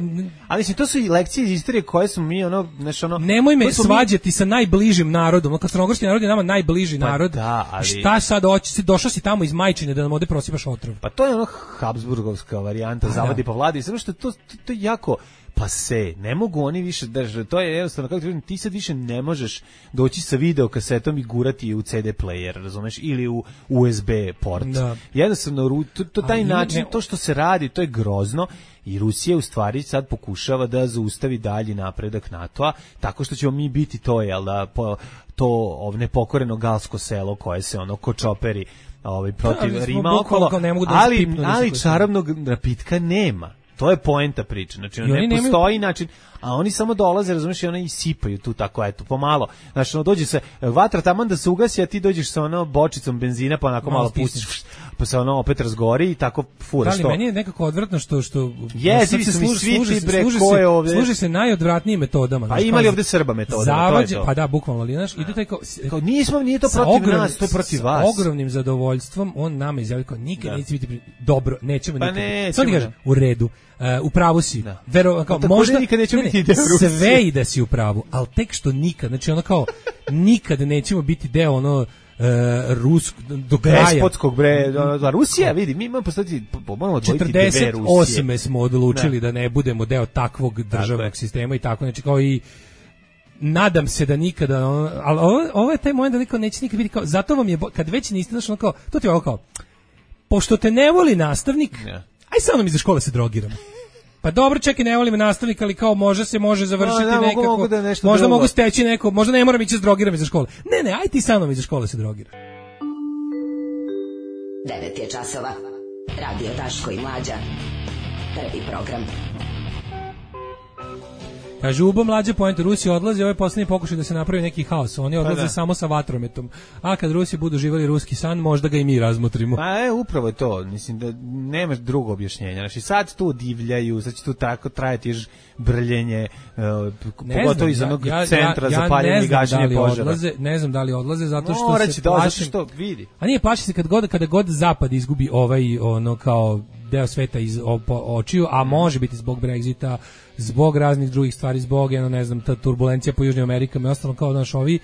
ali se to su i lekcije iz istorije koje smo mi ono, znači ono. Nemoj me svađati mi... sa najbližim narodom. Kad crnogorski narod je nama najbliži pa narod. Da, ali... Šta sad hoćeš? Došao si tamo iz Majčine da nam ovde prosipaš otrov. Pa to je ono Habsburgovska varijanta, pa, zavadi pa vladi, samo što to to, to je jako pa se, ne mogu oni više držati, to je jednostavno, kako ti kažem, ti sad više ne možeš doći sa video kasetom i gurati u ce de player, razumeš, ili u u es be port. Da. Jednostavno, to, to taj ali način, ne, to što se radi, to je grozno i Rusija u stvari sad pokušava da zaustavi dalji napredak NATO-a, tako što ćemo mi biti to, jel da, po, to ovne pokoreno galsko selo koje se ono kočoperi ovaj, protiv da, Rima okolo, ali, ali čarobnog napitka nema. To je poenta priče. Znači, ne nemaju... postoji način, a oni samo dolaze, razumiješ, i oni isipaju tu tako, eto, pomalo. Znači, ono, dođe se, vatra taman da se ugasi, a ti dođeš sa ono bočicom benzina, pa onako malo, malo pustiš, pa se ono opet razgori i tako furaš to. Ali meni je nekako odvratno što... što je, svi su mi svi ti bre, ko je ovde? Služi se najodvratnijim metodama. Pa imali ovde Srba metoda, zavađe, to je to. Pa da, bukvalno, ali znaš, ide taj kao... kao nismo, nije to protiv ogrom, nas, to je protiv vas. S ogromnim zadovoljstvom on nama izjavio kao nikad da. neće biti dobro, nećemo pa nikad. Ne, sad ti kažem, u redu. Uh, u pravu si. Da. Vero, kao, no, možda nikad neće ne, biti deo Rusije. Sve i da si u pravu, ali tek što nikad, znači ono kao nikad nećemo biti deo ono uh, rusk do kraja. Despotskog bre, da Rusija, vidi, mi imamo postati moramo odvojiti dve Rusije. četrdeset osam smo odlučili da. da ne budemo deo takvog državnog sistema i tako, znači kao i nadam se da nikada, ali ovo, ovo je taj moment da niko neće nikad vidjeti kao, zato vam je, kad već niste, znači ono kao, to ti je ovo kao, pošto te ne voli nastavnik, yeah. aj sa mnom iza škole se drogiramo. Pa dobro, čekaj, ne volim nastavnika, ali kao može se može završiti no, da, nekako, mogu da možda drugo. Mogu steći neko, možda ne moram ići s drogiram iza škole. Ne, ne, aj ti sa mnom iza škole se drogira. devet je časova, radio Daško i Mlađa, prvi program. Kaže, Ubo mlađe poenta, Rusi odlaze, ovo je posljednji pokušaj da se napravi neki haos, oni odlaze pa samo sa vatrometom, a kad Rusi budu živali ruski san, možda ga i mi razmotrimo. Pa je, upravo je to, mislim da nemaš drugo objašnjenja, znači sad tu divljaju, sad će tu tako trajati brljenje, uh, pogotovo iz onog ja, centra ja, ja za paljenje i gašenje da požara. Odlaze, ne znam da li odlaze, zato što Moraći se da, plašim, zato što vidi. A nije, plaši se kad god, kada god zapad izgubi ovaj, ono kao deo sveta iz očiju, a može biti zbog Brexita, zbog raznih drugih stvari, zbog, jedno, ne znam, ta turbulencija po Južnoj Amerika, i ostalo kao, znaš, ovi,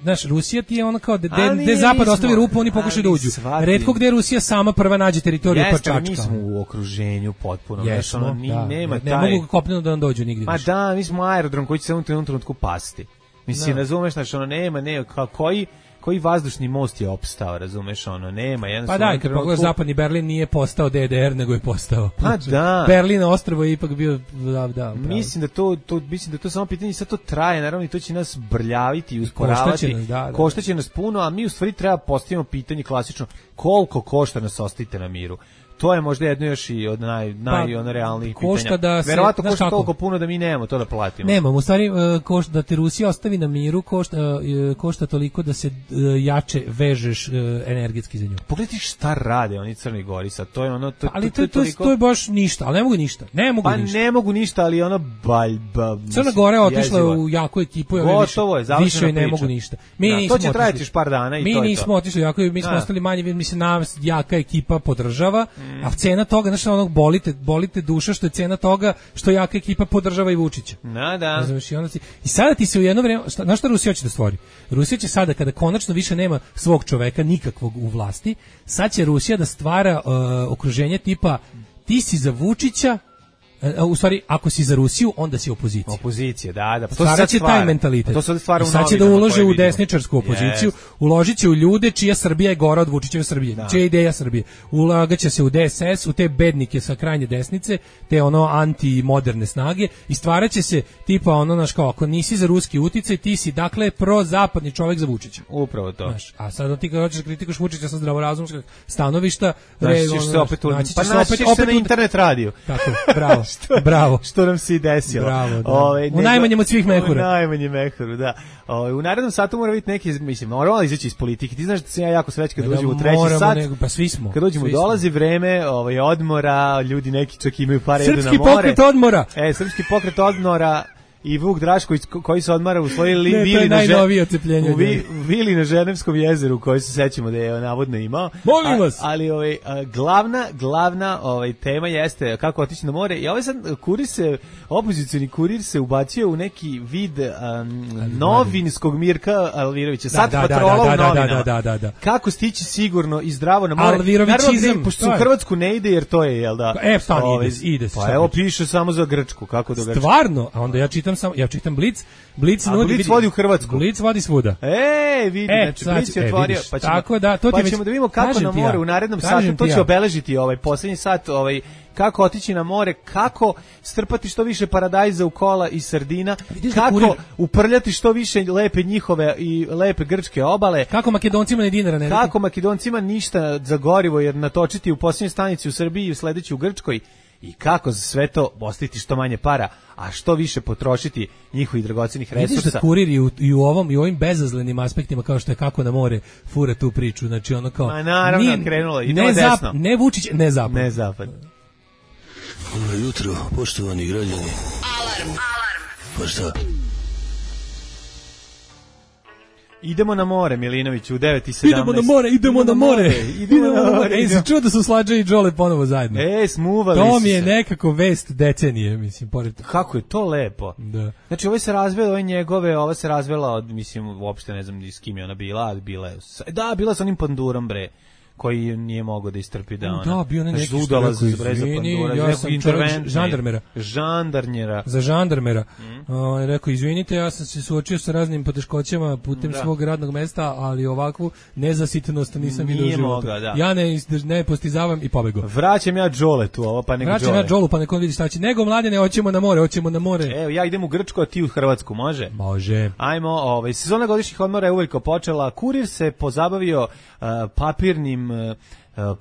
znaš, Rusija ti je ono kao, gde zapad ostavi rupu, oni pokušaju da uđu. Retko gde Rusija sama prva nađe teritoriju pa čačka. Mi smo u okruženju potpuno, Jesmo, znaš, ono, ni, da, nema ne, taj... Ne mogu kopneno da nam dođu nigdje. Ma da, mi smo aerodrom koji će se u jednom trenutku pasti. Mislim, da. razumeš, znači, ono, nema, nema, kao, koji... koji vazdušni most je opstao, razumeš, ono, nema, jednostavno... Pa da, kad pogledaš zapadni Berlin nije postao D D R, nego je postao... Pa da. Berlin ostrvo je ipak bio... Da, da, mislim da to, to, mislim da to samo pitanje, sad to traje, naravno, i to će nas brljaviti i usporavati. Koštaće nas, da, da. Koštaće nas puno, a mi u stvari treba postavimo pitanje klasično, koliko košta nas ostavite na miru? To je možda jedno još i od naj, naj, pa, ono realnih pitanja. Da se, verovatno košta kako? Toliko puno da mi nemamo to da platimo. Nemamo, u stvari, košta, da te Rusija ostavi na miru, košta, košta toliko da se jače vežeš energetski za nju. Pogledaj šta rade oni Crni Gori sad, to je ono... To, ali to, to, to, toliko... to je baš ništa, ali ne mogu ništa. Ne mogu pa ništa. ne mogu ništa, ali ono baljba... Crna Gora je otišla u jaku ekipu, gotovo je, više, više ne mogu ništa. Mi da, nismo to će trajati još par dana i mi to Mi nismo otišli jako, mi smo ostali manje, mi se nas jaka ekipa podržava, mm. a cena toga, znači onog bolite, bolite duša što je cena toga što jaka ekipa podržava i Vučića. Na, da. Znaš, i, onda si, I sada ti se u jedno vreme, šta, znaš šta Rusija će da stvori? Rusija će sada, kada konačno više nema svog čoveka, nikakvog u vlasti, sad će Rusija da stvara uh, okruženje tipa ti si za Vučića, u stvari, ako si za Rusiju, onda si opozicija. Opozicija, da, da. Pa to sad će taj mentalitet. To sad stvara u sad će da ulože u desničarsku opoziciju, yes. uložit će u ljude čija Srbija je gora od Vučićeve Srbije, da. čija je ideja Srbije. Ulagaće se u D S S, u te bednike sa krajnje desnice, te ono anti-moderne snage i stvaraće se tipa ono, naš kao, ako nisi za ruski uticaj, ti si, dakle, pro-zapadni čovjek za Vučića. Upravo to. Znaš, a sad ti kad hoćeš kritikuš Vučića sa zdravorazumskog stanovišta, naći ćeš se opet, pa naći ćeš se na internet radiju. Tako, bravo. Što, bravo. Što nam se i desilo. Bravo, da. Ove, u najmanjem od svih mehura. U najmanjem mehuru, da. Ove, u narednom satu mora biti neki, mislim, moramo izaći iz politike. Ti znaš da sam ja jako srećan kad dođem u treći sat. Nego, pa svi smo. Kad dođemo, dolazi vreme ovaj, odmora, ljudi neki čak imaju pare, jedu na more. Srpski pokret odmora. E, srpski pokret odmora. I Vuk Drašković koji se odmara u svojoj li, ne, vili, na žen... u vi, vili na Ženevskom jezeru koji se sećamo da je navodno imao. Molim vas. A, ali ovaj, a, glavna, glavna ovaj, tema jeste kako otići na more. I ovaj sad kurir se, opozicioni kurir se ubacio u neki vid um, novinskog Mirka Alvirovića. Sad da, patrola da, da, da, u novinama. Da, da, da, da. Kako stići sigurno i zdravo na more. Alvirovićizam. Pošto u Hrvatsku ne ide jer to je, jel da? E, stani, ovaj, ide, ide se. Pa evo piše samo za Grčku. Kako do Grčke. Stvarno? A onda ja čitam Sam, ja čitam Blic, Blic nudi, Blic vodi u Hrvatsku. Blic vodi svuda. E, vidi, e, znači Blic je otvorio, e, pa ćemo, tako da, to pa ti ćemo da vidimo kako na more ja, u narednom satu, to će ja. obeležiti ovaj poslednji sat, ovaj kako otići na more, kako strpati što više paradajza u kola i sardina, kako kurir... uprljati što više lepe njihove i lepe grčke obale. Kako Makedoncima ne dinara ne. Kako Makedoncima ništa za gorivo jer natočiti u posljednjoj stanici u Srbiji i u sledećoj u Grčkoj. i kako za sve to ostaviti što manje para, a što više potrošiti njihovih dragocenih resursa. Vidiš da kurir i u, i u ovom i u ovim bezazlenim aspektima kao što je kako na more fura tu priču, znači ono kao ma naravno ni, krenulo idemo ne desno. Zap, ne Vučić, ne zapad. Ne zapad. Dobro jutro, poštovani građani. Alarm. Alarm. Pa šta? Idemo na more, Milinoviću, u devet i sedamnaest. Idemo na more, idemo, idemo na more. Idemo na more. Ej, se čuo da su Slađa i Đole ponovo zajedno. E, smuvali to su mi je se. nekako vest decenije, mislim, pored. Kako je to lepo. Da. Znači, ovo se razvela, ovo njegove, ova se razvela od, mislim, uopšte ne znam s kim je ona bila, ali bila je, da, bila sa onim pandurom, bre, koji nije mogao da istrpi da ona. Da, bio ne neki zudala za breza pandura, ja sam čovjek žandarmera. Žandarnjera. Za žandarmera. Mm. On je rekao, izvinite, ja sam se suočio sa raznim poteškoćama putem da. svog radnog mesta, ali ovakvu nezasitnost nisam vidio u životu. Da. Ja ne, ne postizavam i pobego. Vraćam ja Đole tu, ovo pa nego Đole. Vraćam ja Đolu, pa neko vidi šta će. Nego, mladene, hoćemo na more, hoćemo na more. Evo, ja idem u Grčku, a ti u Hrvatsku, može? Može. Ajmo, ovaj, sezona godišnjih odmora je uveliko počela. Kurir se pozabavio uh, papirnim uh,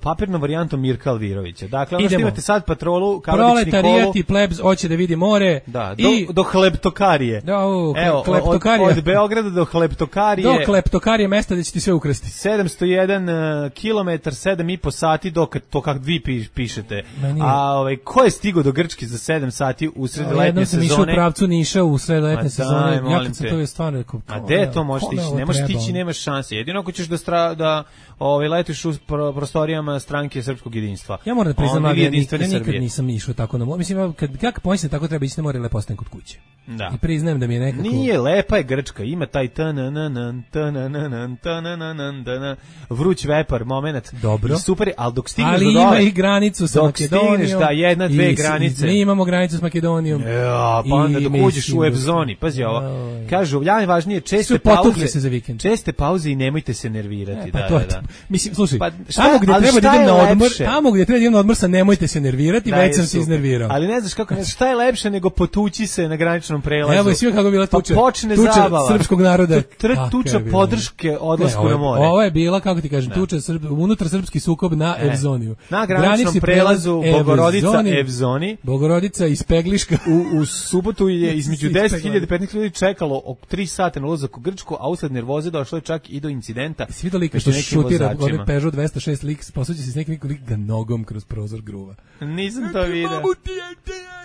papirnom varijantom Mirka Alvirovića. Dakle, ono što imate sad patrolu, Kaladić Nikolu. Proletarijat i plebs hoće da vidi more. Da, do, i, do Hleptokarije. Da, u, Evo, Hleptokarije. Od, od Beograda do Hleptokarije. Do Hleptokarije mesta da će ti sve ukrasti. sedamsto jedan kilometar, sedam i po sati, dok to kak vi pišete. A ovaj, ko je stigao do Grčke za sedam sati u sred letnje jednom sezone? Jednom sam išao u pravcu Niša u sred letnje sezone. Ja kad sam to je stvarno rekao. A gde to možeš ići? Ne možeš tići, nemaš šanse. Jedino ako ćeš da, stra, da ovaj, letiš u prostorijama stranke Srpskog jedinstva. Ja moram da priznam, ja, nik, ja nikad nisam išao tako na more. Mislim, kad, kad pomislim tako treba ići na more, lepo ostajem kod kuće. Da. I priznajem da mi je nekako... Nije, lepa je Grčka, ima taj tanananan, tanananan, tanananan, vruć vepar, moment. Dobro. I super, ali dok stigneš ali do dole... Ali ima i granicu sa Makedonijom. Dok stigneš, da, jedna, dve i, granice. Mi imamo granicu s Makedonijom. Ja, pa onda dok uđeš u Evzoni, pazi ovo. Kažu, najvažnije, česte pauze, se za vikend. Česte pauze i nemojte se nervirati. E, pa da, to, da, da. Mislim, slušaj, pa, tamo gdje treba da idem na odmor, tamo gdje treba da idem na odmor sa nemojte se nervirati, da, već sam se iznervirao. Ali ne znaš kako, šta je lepše nego potući se na graničnom prelazu. Evo i sve kako bila tuča. Pa počne tuča zabava. Srpskog naroda. Tuča podrške odlasku na more. Ovo je bila, kako ti kažem, tuča unutar srpski sukob na Evzoniju. Na graničnom prelazu Bogorodica Evzoni. Bogorodica iz Pegliška. U, u subotu je između deset hiljada i petnaest ljudi čekalo oko tri sata na ulazak u Grčku, a usled nervoze došlo je čak i do incidenta. Svi do lika što šutira onaj Peugeot dvesta šest lik, posuđe se s nekim lik ga nogom kroz prozor gruva. Nisam to vidio.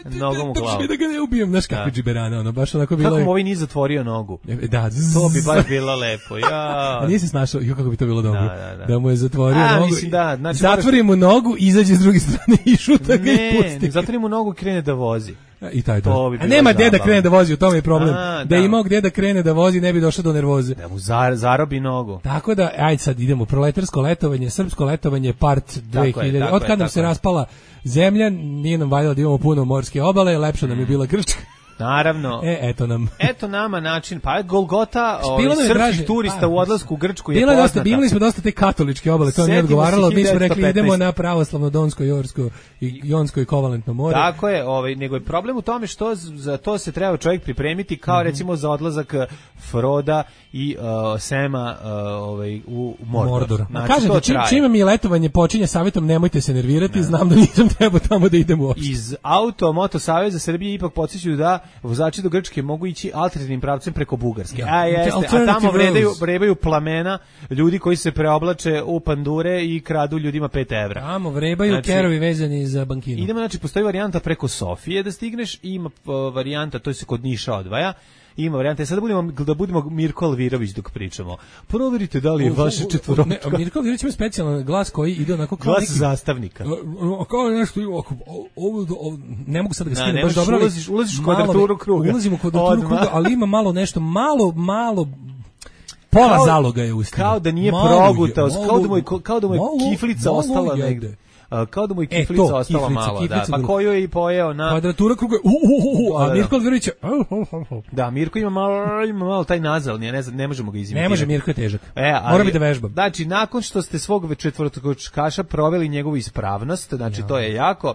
Nogom u glavu. Da ga ne ubijem, znaš kako džiberana, ono, baš onako bilo. Kako mu ovaj nije zatvorio nogu? Da, to bi baš bilo lepo. Ja. A nije se snašao, jo kako bi to bilo dobro. Da, da, da. Da mu je zatvorio A, nogu. Mislim, da, znači, zatvori mu nogu, izađe s druge strane i šuta ga i pusti. Ne, zatvori mu nogu i krene da vozi. I taj to. Bi a nema gdje da krene da vozi, u tome je problem. A, da, da je imao gdje da krene da vozi, ne bi došao do nervoze. Da mu zar, zarobi nogu. Tako da, ajde sad idemo, proletarsko letovanje, srpsko letovanje, part dve hiljade. Od kad nam se raspala zemlja, nije nam valjalo da imamo puno morske obale, lepša nam je bila Grčka. Naravno. E, eto nam. Eto nama način. Pa je Golgota srpskih turista pa, u odlasku u Grčku je poznata. Dosta, bili smo dosta te katoličke obale, to nije odgovaralo. Mi smo rekli idemo na pravoslavno Donsko, Jorsko, i Jonsko i Kovalentno more. Tako je, ovaj, nego je problem u tome što za to se treba čovjek pripremiti kao mm-hmm. recimo za odlazak Froda i uh, Sema uh, ovaj, u Mordor. Mordor. Znači, kažem da čim, čim mi letovanje počinje savjetom nemojte se nervirati, ne. Znam da nisam trebao tamo da idem uopšte. Iz Auto Moto Saveza Srbije ipak podsjećaju da vozači do Grčke mogu ići alternativnim pravcem preko Bugarske. Ja. A jeste, a tamo vredaju, vrebaju plamena ljudi koji se preoblače u pandure i kradu ljudima pet evra. Tamo vrebaju znači, kerovi vezani za bankinu. Idemo, znači, postoji varijanta preko Sofije da stigneš, ima uh, varijanta, to se kod Niša odvaja, ima varijanta. Sada budemo, da budemo Mirko Alvirović dok pričamo. Proverite da li je vaše četvoročka. Mirko Alvirović ima specijalan glas koji ide onako kao glas neki... zastavnika. Kao nešto, ovo, ne mogu sad da ga skinem baš dobro. Ulaziš, ulaziš u kvadraturu kruga. Ulazimo u kvadraturu kruga, ali ima malo nešto, malo, malo... Pola kao, zaloga je ustima. Kao da nije progutao, kao da mu je, kao da mu je kiflica malo ostala negde. Uh, kao da mu je kiflica e, to, ostala kiflica, malo, kiflica, da, pa koju je i pojeo na... Kvadratura kruga, uh, uh, uh, a Mirko Alvirović... Da, Mirko ima malo, ima malo taj nazal, ne, ne možemo ga izimitirati. Ne može, Mirko je težak. E, ali, mora biti da vežbam. Znači, nakon što ste svog četvorotočkaša proveli njegovu ispravnost, znači ja. To je jako...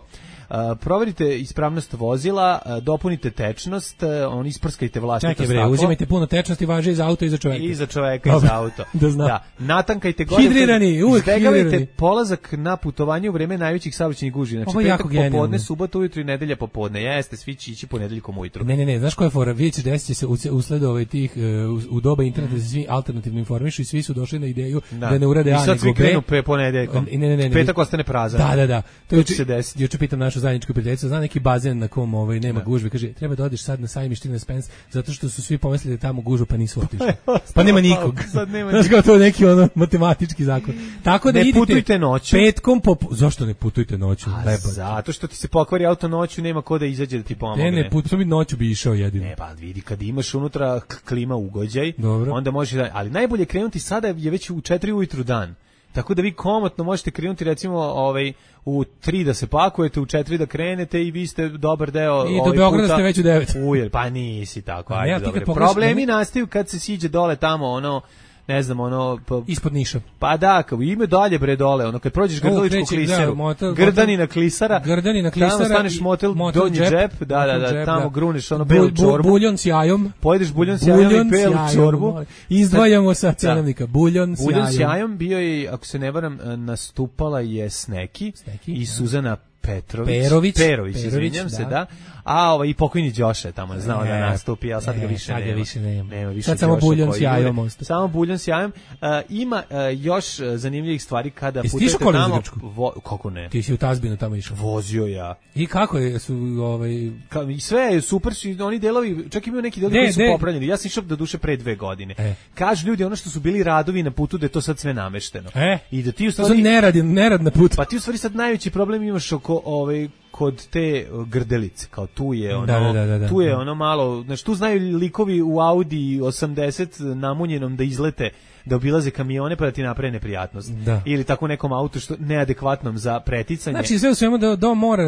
Uh, proverite ispravnost vozila, uh, dopunite tečnost, uh, on isprskajte vlastito staklo. Čekaj bre, uzimajte puno tečnosti, važe i za auto i za čoveka. I za čoveka i za auto. da znam. Da, natankajte gore. Hidrirani, uvek hidrirani. Izbegavajte polazak na putovanje u vreme najvećih saobraćajnih gužvi. Znači petak popodne, subota ujutro i nedelja popodne. Jeste, svi će ići ponedeljkom ujutru. Ne, ne, ne, znaš koja je fora? Vidjet ćeš, desit će se usled ovaj tih u, u doba interneta se svi alternativno informišu i svi su došli na ideju da, da ne urade A nego B. I sad svi krenu pe ponedeljkom. Ne, ne, ne, ne. Petak ostane prazan. Da, da, da. To juče se desi. Juče pitam našu zajedničku prijateljicu, zna neki bazen na kom ovaj nema da. gužve, kaže treba da odeš sad na Sajmište na Spence zato što su svi pomislili da tamo gužva pa nisu otišli. Pa nema nikog. Sad nema. Znaš kao to neki ono matematički zakon. Tako da ne idite putujte noću. Petkom pop... Zašto ne putujte noću? Zato što ti se pokvari auto noću, nema ko da izađe da ti pomogne. Ne, ne, putujem i noću bi išao jedino. Ne, pa vidi, kad imaš unutra klima ugođaj, dobro. Onda možeš da... Ali najbolje krenuti sada je već u četiri ujutru dan. Tako da vi komotno možete krenuti recimo ovaj u tri da se pakujete, u četiri da krenete i vi ste dobar deo i ovaj do Beograda ste već u devet. Ujel, pa nisi tako, ajde, dobro. Problemi nastaju kad se siđe dole tamo ono ne znam, ono... Pa, ispod Niša. Pa da, kao ime dalje bre dole, ono, kad prođeš Grdeličku klisaru, Grdanina klisara, Grdanina klisara, tamo staneš motel, motel donji džep, džep, da, da, da, džep, tamo da. gruniš ono belu bu, čorbu. Buljon s jajom. Pojedeš buljon s jajom i belu čorbu. Izdvajamo sa cenovnika, buljon s jajom. Buljon s jajom bio je, ako se ne varam, nastupala je Sneki, Sneki i Suzana Petrović, Perović, Perović, izvinjam se, da. A ovaj i pokojni Đoše tamo je znao da nastupi, al sad ga više nema. Više nema. Nema više. Sad samo buljon s jajom ostaje. Samo buljon s jajom. Uh, ima uh, još zanimljivih stvari kada putujete tamo. Vo, kako ne? Ti si u Tazbinu tamo išao. Vozio ja. I kako je su ovaj Ka, i sve je super, oni delovi, čak imaju neki delovi koji su popravljeni. Ja sam išao do duše pre dve godine. E. Kažu ljudi ono što su bili radovi na putu da je to sad sve namešteno. E. I da ti u stvari ne radi, ne rad na putu. Pa ti u stvari sad najveći problem imaš oko ovaj kod te Grdelice, kao tu je ono, da, da, da, da. tu je ono malo, znači tu znaju likovi u Audi osamdeset namunjenom da izlete, da obilaze kamione pa da ti naprave neprijatnost. Da. Ili tako nekom autu što neadekvatnom za preticanje. Znači sve u svemu do, do mora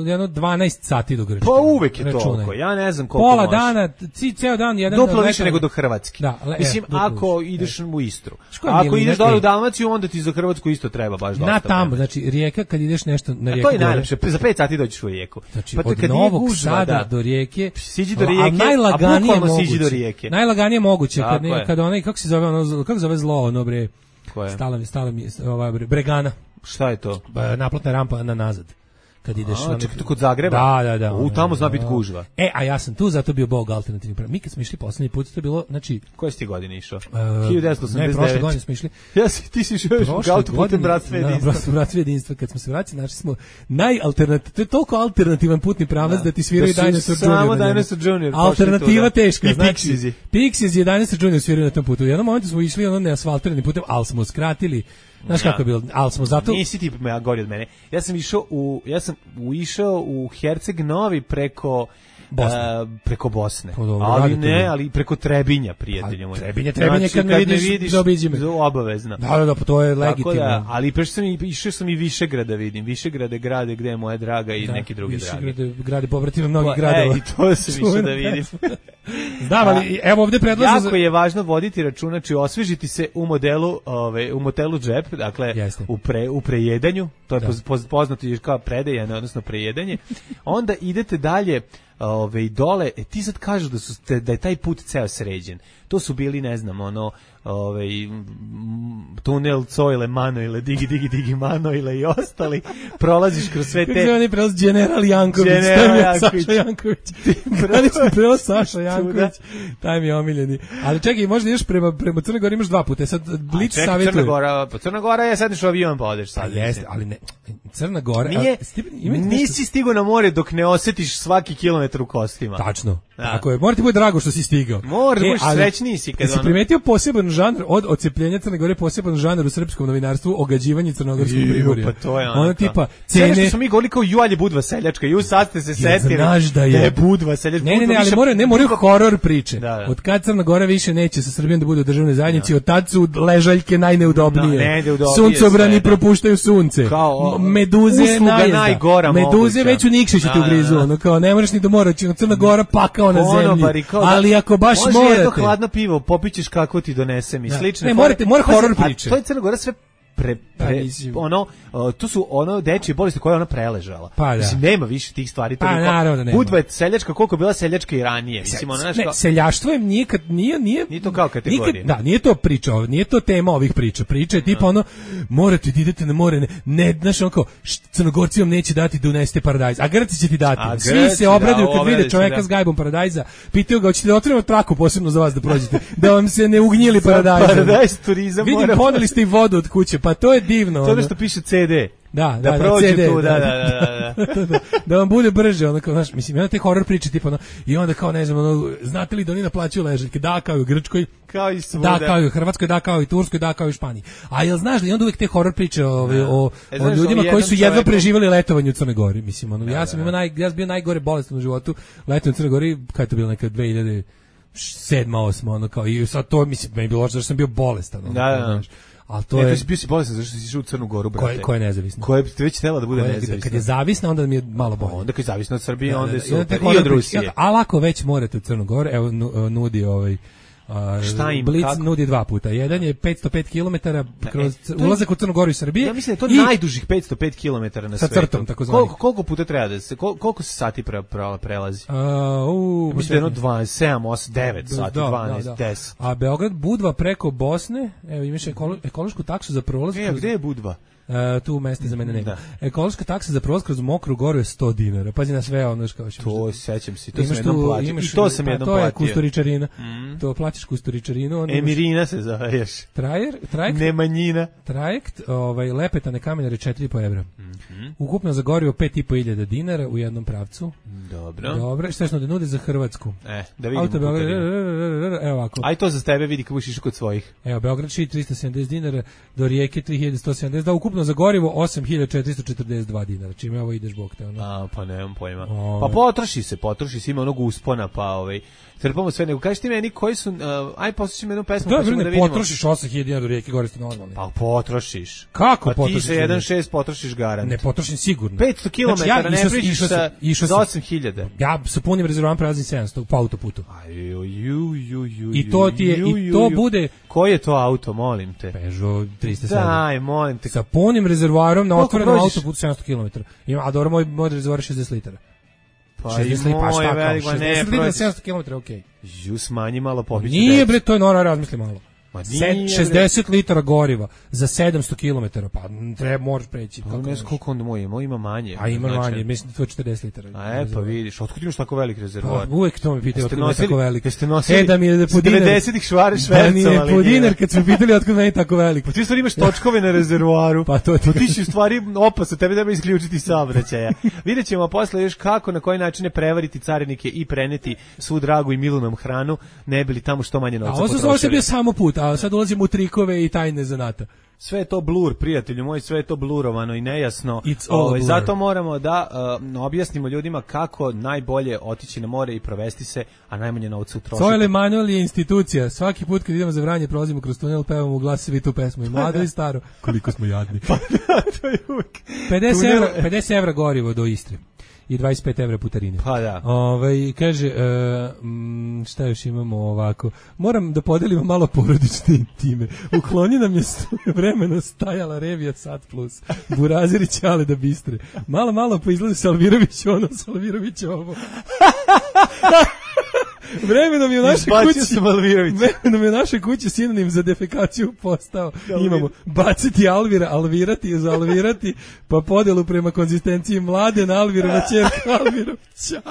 jedno dvanaest sati do Grčke. Pa uvek je toliko, ja ne znam koliko pola može. dana, ci, ceo dan jedan... Duplo više nego do Hrvatske. Da, le, mislim, e, ako više. ideš e. u Istru. Ako ideš dole u Dalmaciju, onda ti za Hrvatsku isto treba baš dosta. Na tamo, znači Rijeka, kad ideš nešto na Rijeku... A to je najlepše, za pet sati dođeš u Rijeku. Znači, pa od Novog gužva, Sada da. do Rijeke... Siđi do Rijeke, a bukvalno siđi do Rijeke. Najlaganije moguće, kad, ne, kad onaj, kako se zove, ono, kako zove zlo, ono bre... Koje? Stala mi, stala mi, ova Bregana. Šta je to? Naplatna rampa na nazad. Kad ideš a, čekaj, kod Zagreba? Da, da, da. U, tamo zna biti gužva. E, a ja sam tu, zato bio bog alternativni program. Mi kad smo išli poslednji put, to je bilo, znači... Koje si ti godine išao? Uh, hiljadu devetsto osamdeset devet. Ne, prošle godine smo išli. Ja si, ti si išao u autoputem Bratstva jedinstva. Da, Bratstva jedinstva. Kad smo se vratili, našli smo najalternativ... To je toliko alternativan putni pravac da, da ti sviraju da Dinosaur Junior. Samo Dinosaur Junior. Alternativa teška. I Pixies. Pixies je Dinosaur Junior sviraju na tom putu. U jednom momentu smo išli ono neasfaltiranim putem, ali smo skratili. Znaš kako je bilo, ali smo zato... Nisi ti me gori od mene. Ja sam išao u, ja sam išao u Herceg Novi preko... Bosne. Uh, preko Bosne. Dobro, ali ne, ali preko Trebinja, prijatelju moj. Trebinje, Trebinje, znači, kad me vidiš, vidiš zaobiđi me. Obavezno. Da, da, da, pa to je legitimno. Da, ali prešao sam i išao sam i Višegrada vidim. Višegrad je grade gde je moja draga i da, neki drugi dragi. Višegrad je grade pobratima mnogih gradova. Ej, to se više da vidim. Znam, ali evo ovde predlažem... Jako je važno voditi računa, či osvežiti se u modelu, ove, u motelu džep, dakle, u, pre, u prejedanju, to je poz, poznato kao predejanje, odnosno prejedanje. Onda idete dalje, ove, dole, e, ti sad kažu da, su, da je taj put ceo sređen. To su bili, ne znam, ono, ovaj tunel Coile Manoile, Digi Digi Digi Manoile i ostali, prolaziš kroz sve te... Kako se oni prelaz General Janković, General Janković. Saša Janković. Granični prelaz Saša Janković, taj mi je omiljeni. Ali čekaj, možda ideš prema, prema Crnoj Gori, imaš dva puta, sad Blic savjetuje. Crna Gora, pa Crna Gora je sedneš u avion pa odeš sad. Pa jeste, ali ne, Crna Gora... Nije, a, nisi stigao na more dok ne osjetiš svaki kilometar u kostima. Tačno. Da. Tako je, mora ti bude drago što si stigao. Mora, e, da srećniji si. Kad si ono... primetio poseban žanr od odcepljenja Crne Gore, poseban žanr u srpskom novinarstvu, ogađivanje crnogorskog primorja. Pa to je ono. Ono tipa cene. Sve što smo mi govorili kao Jualje Budva seljačka, ju sad ste se setili. Znaš da je, je Budva seljačka. Ne, ne, ne, ali mora, ne moraju horor priče. Da, da. Od kad Crna Gora više neće sa Srbijom da bude u državnoj zajednici, od tad su ležaljke najneudobnije. No, suncobrani propuštaju sunce. Kao, meduze najgora. Meduze već u Nikšiću te ugrizu, ono kao ne možeš ni do mora, Crna Gora pakao na zemlji. Ali ako baš morate. Jedno hladno pivo, popićeš kako ti donese mi slične. Ne, morate, mora horor priče. To je Crna Gora sve pre, pre ono uh, to su ono dečije bolesti koje ona preležala. Pa, mislim nema više tih stvari to. Pa, naravno, da Budva je seljačka koliko je bila seljačka i ranije. Mislim ona ne, seljaštvo je nikad nije nije nije to kao kategorija. Nikad, da, nije to priča, nije to tema ovih priča. Priča je tipa ono morate da idete na more, ne, ne znaš onako Crnogorci vam neće dati da unesete paradajz, a Grci će ti dati. A svi Grci, se obraduju da, kad vide čoveka da. s gajbom paradajza, pitaju ga hoćete da otvorimo traku posebno za vas da prođete, da vam se ne ugnjili paradajz. Paradajz turizam. Vidim poneli ste i vodu od kuće, pa to je divno. To je što piše C D. Da, da, da, prođe C D, tu, da, da, da, da, da, da, da vam bude brže, onda kao, znaš, mislim, jedna te horror priče, tipa, ono, i onda kao, ne znam, ono, znate li da oni naplaćuju ležaljke, da, kao i u Grčkoj, kao i svuda, da, kao i u Hrvatskoj, da, kao i u Turskoj, da, kao i u Španiji. A jel znaš da i onda uvijek te horror priče o, o, o, e, o ljudima koji su jedva preživjeli letovanje u Crnoj Gori, mislim, ono, ja sam imao naj, ja sam bio najgore bolestan u životu, letovanje u Crnoj Gori, kada je to bilo neka dve hiljade sedma, osma, ono, kao, i sad to, mislim, meni bilo što sam bio bolestan, ono, da, da, da. Al to e, je ti si bio si bolestan zašto si išao u Crnu Goru, brate. Ko, ko je nezavisna? Ko je već htela da bude koje, nezavisna? Kad je zavisna, onda mi je malo bolje. Onda kad je zavisna od Srbije, da, onda je da, super. I od Rusije. Ali ako već morate u Crnu Goru, evo nudi ovaj Uh, Blitz kako? Nudi dva puta. Jedan je petsto pet kilometara kroz e, ulazak u Crnu Goru i Srbije. Ja mislim da je to i najdužih petsto pet kilometara na sa svetu. Sa crtom, takozvani. Koliko, koliko puta treba da se, kol, koliko se sati pre, pre, prelazi? Uh, uh, mislim da je jedno dvadeset sedam, osam, devet sati, da, dvanaest, da, da. deset. A Beograd Budva preko Bosne, evo imaš ekolo, ekološku taksu za prolaz. E, gde je Budva? Uh, tu mesta za mene nema. Da. Ekološka taksa za prolaz kroz Mokru Goru je sto dinara. Pazi na sve ono što kažeš. To sećam se, to sam jednom platio. I to sam jednom platio. To je kusturičarina. Mm. To plaćaš kusturičarinu, onda Emirina se zoveš. Trajer, trajekt. Nemanjina. Trajekt, ovaj Lepetane Kamenare četiri i po evra. Mhm. Ukupno za gorivo pet i po hiljada dinara u jednom pravcu. Dobro. Dobro, šta smo da nude za Hrvatsku? E, da vidimo. Auto Beograd, evo ovako. Aj to za tebe vidi kako budeš išao kod svojih. Evo Beograd šit tristo sedamdeset dinara, do Rijeke tri hiljade sto sedamdeset, da ukupno za gorivo osam hiljada četiristo četrdeset dva dinara. Čime ovo ideš bog te ono. A, pa nemam pojma. O, pa potroši se, potroši se, ima onog uspona, pa ovaj trpamo sve, nego kažeš ti meni koji su, uh, aj poslušaj jednu pesmu, da, pa ćemo da vidimo. Potrošiš osam hiljada dinara do Rijeke Gore ste normalni. Pa potrošiš. Kako pa potrošiš? Ti sa jedan zarez šest potrošiš garant. Ne potrošim sigurno. petsto kilometara znači, ja ne prišiš sa za osam hiljada. Ja sa punim rezervoarom prelazim sedamsto po autoputu. Aj, ju, ju, ju, ju, I to ti je, i to bude... Koji je to auto, molim te? Peugeot tristo sedam. Daj, molim te. Sa punim rezervoarom na otvorenom autoputu sedamsto kilometara. Ima, a dobro, moj, moj rezervoar je šezdeset litara. Pa i moj velik, ma ne, proći. sedamsto kilometara, okej. Ju, smanji malo pobiću. Nije, bre, to je nora, razmisli malo. šezdeset litara goriva za sedamsto kilometara, pa treba moraš preći. Pa ne znam koliko onda moj ima, ima manje. A ima znači, manje, mislim da to je četrdeset litara. A e, pa vidiš, otkud imaš tako velik rezervoar? Pa, uvek to mi pitaju otkud je tako velik. Jeste nosili e, da mi je da po dinar, devedesetih švare švercovali. Da mi je po dinar kad su pitali otkud meni tako velik. Pa ti stvari imaš točkove na rezervoaru. Pa to ti, pa ti si u stvari opasno, tebe treba isključiti saobraćaja. Vidjet ćemo posle još kako, na koji način prevariti carinike i preneti svu dragu i milu nam hranu, ne bili tamo što manje novca potrošili. A ovo se bio samo put, a sad ulazimo u trikove i tajne zanata. Sve je to blur, prijatelju moj, sve je to blurovano i nejasno. Ovaj, zato moramo da uh, objasnimo ljudima kako najbolje otići na more i provesti se, a najmanje novca utrošiti. Sojle Manuel je institucija. Svaki put kad idemo za Vranje, prolazimo kroz tunel, pevamo u glas svi tu pesmu. I mlado i staro. Koliko smo jadni. Pa da, to je uvijek. pedeset evra gorivo do Istre. I dvadeset pet evra putarine. Pa da. Ovaj kaže, e, m, šta još imamo ovako? Moram da podelimo malo porodične intime. Ukloni nam je vremeno stajala Revija Sat Plus. Burazirić, ali da bistre. Malo, malo pa izgleda Salvirović ono, Salvirović ovo. Vremenom je u našoj kući vremenom je u našoj kući sinonim za defekaciju postao. Imamo baciti Alvira, alvirati, zalvirati, pa podelu prema konzistenciji Mladen Alvirova ćerka Alvirovića.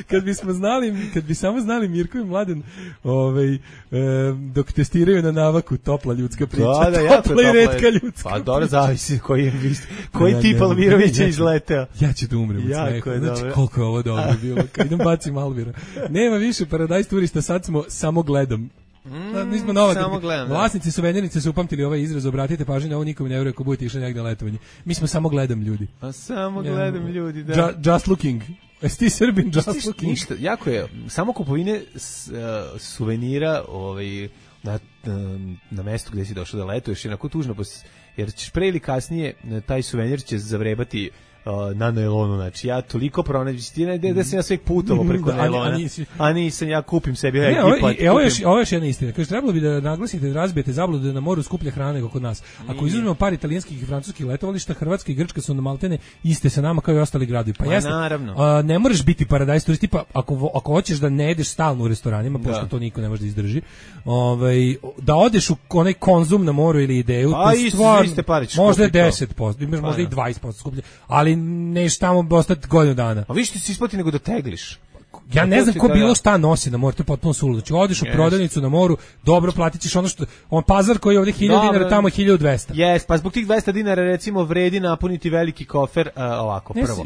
Kad bismo znali, kad bi samo znali Mirko i Mladen, ovaj e, dok testiraju na navaku, topla ljudska priča. Da, da, jako topla i retka ljudska. Pa dobro, zavisi koji je koji da, tip Alvirovića ja izleteo. Ja ću da umrem od smeha. Znači, koliko je ovo dobro bilo. Kad idem bacim Alvira. Nema više Paradise turista, sad smo samo gledam. Mm, nismo nova, samo gledam. Vlasnici suvenirnice su upamtili ovaj izraz, obratite pažnju na ovo, nikom ne veruje ako budete išli negde na letovanje. Mi smo samo gledam ljudi. A samo gledam ja, ljudi, da. Just, just looking. Jesi ti Srbin, just Stiš, looking? Ništa, jako je, samo kupovine s, uh, suvenira ovaj, na, na mestu gde si došao da letuješ, jednako tužno, jer ćeš pre ili kasnije taj suvenir će zavrebati uh, na nailonu, znači ja toliko pronađem, da, da sam ja sve putovo preko da, nailona, a, nisi... a nisam, ja kupim sebi ne, ekipat. Ovo, ovo, je, ovo je još jedna istina, kaže, trebalo bi da naglasite, da razbijete zabludu da je na moru skuplja hrana nego kod nas. Ako izuzmemo par italijanskih i francuskih letovališta, Hrvatska i Grčka su na maltene iste sa nama kao i ostali gradovi. Pa jasno, a, ne moraš biti paradajz turist, tipa, ako, ako hoćeš da ne jedeš stalno u restoranima, pošto da. to niko ne može da izdrži, ovaj, da odeš u onaj Konzum na moru ili Ideju, a to stvar, iste pare možda je deset posto, imaš možda i dvadeset posto skuplje, ali neš tamo ostati godinu dana. A više ti se isplati nego da tegliš. Ja ne znam ko bilo šta nosi na moru, to je potpuno suludo. Znači, odeš u prodavnicu na moru, dobro platit ćeš ono što, on pazar koji je ovdje hiljadu dinara, tamo hiljadu dvesta. Jes, pa zbog tih dvesta dinara recimo vredi napuniti veliki kofer, uh, ovako, prvo.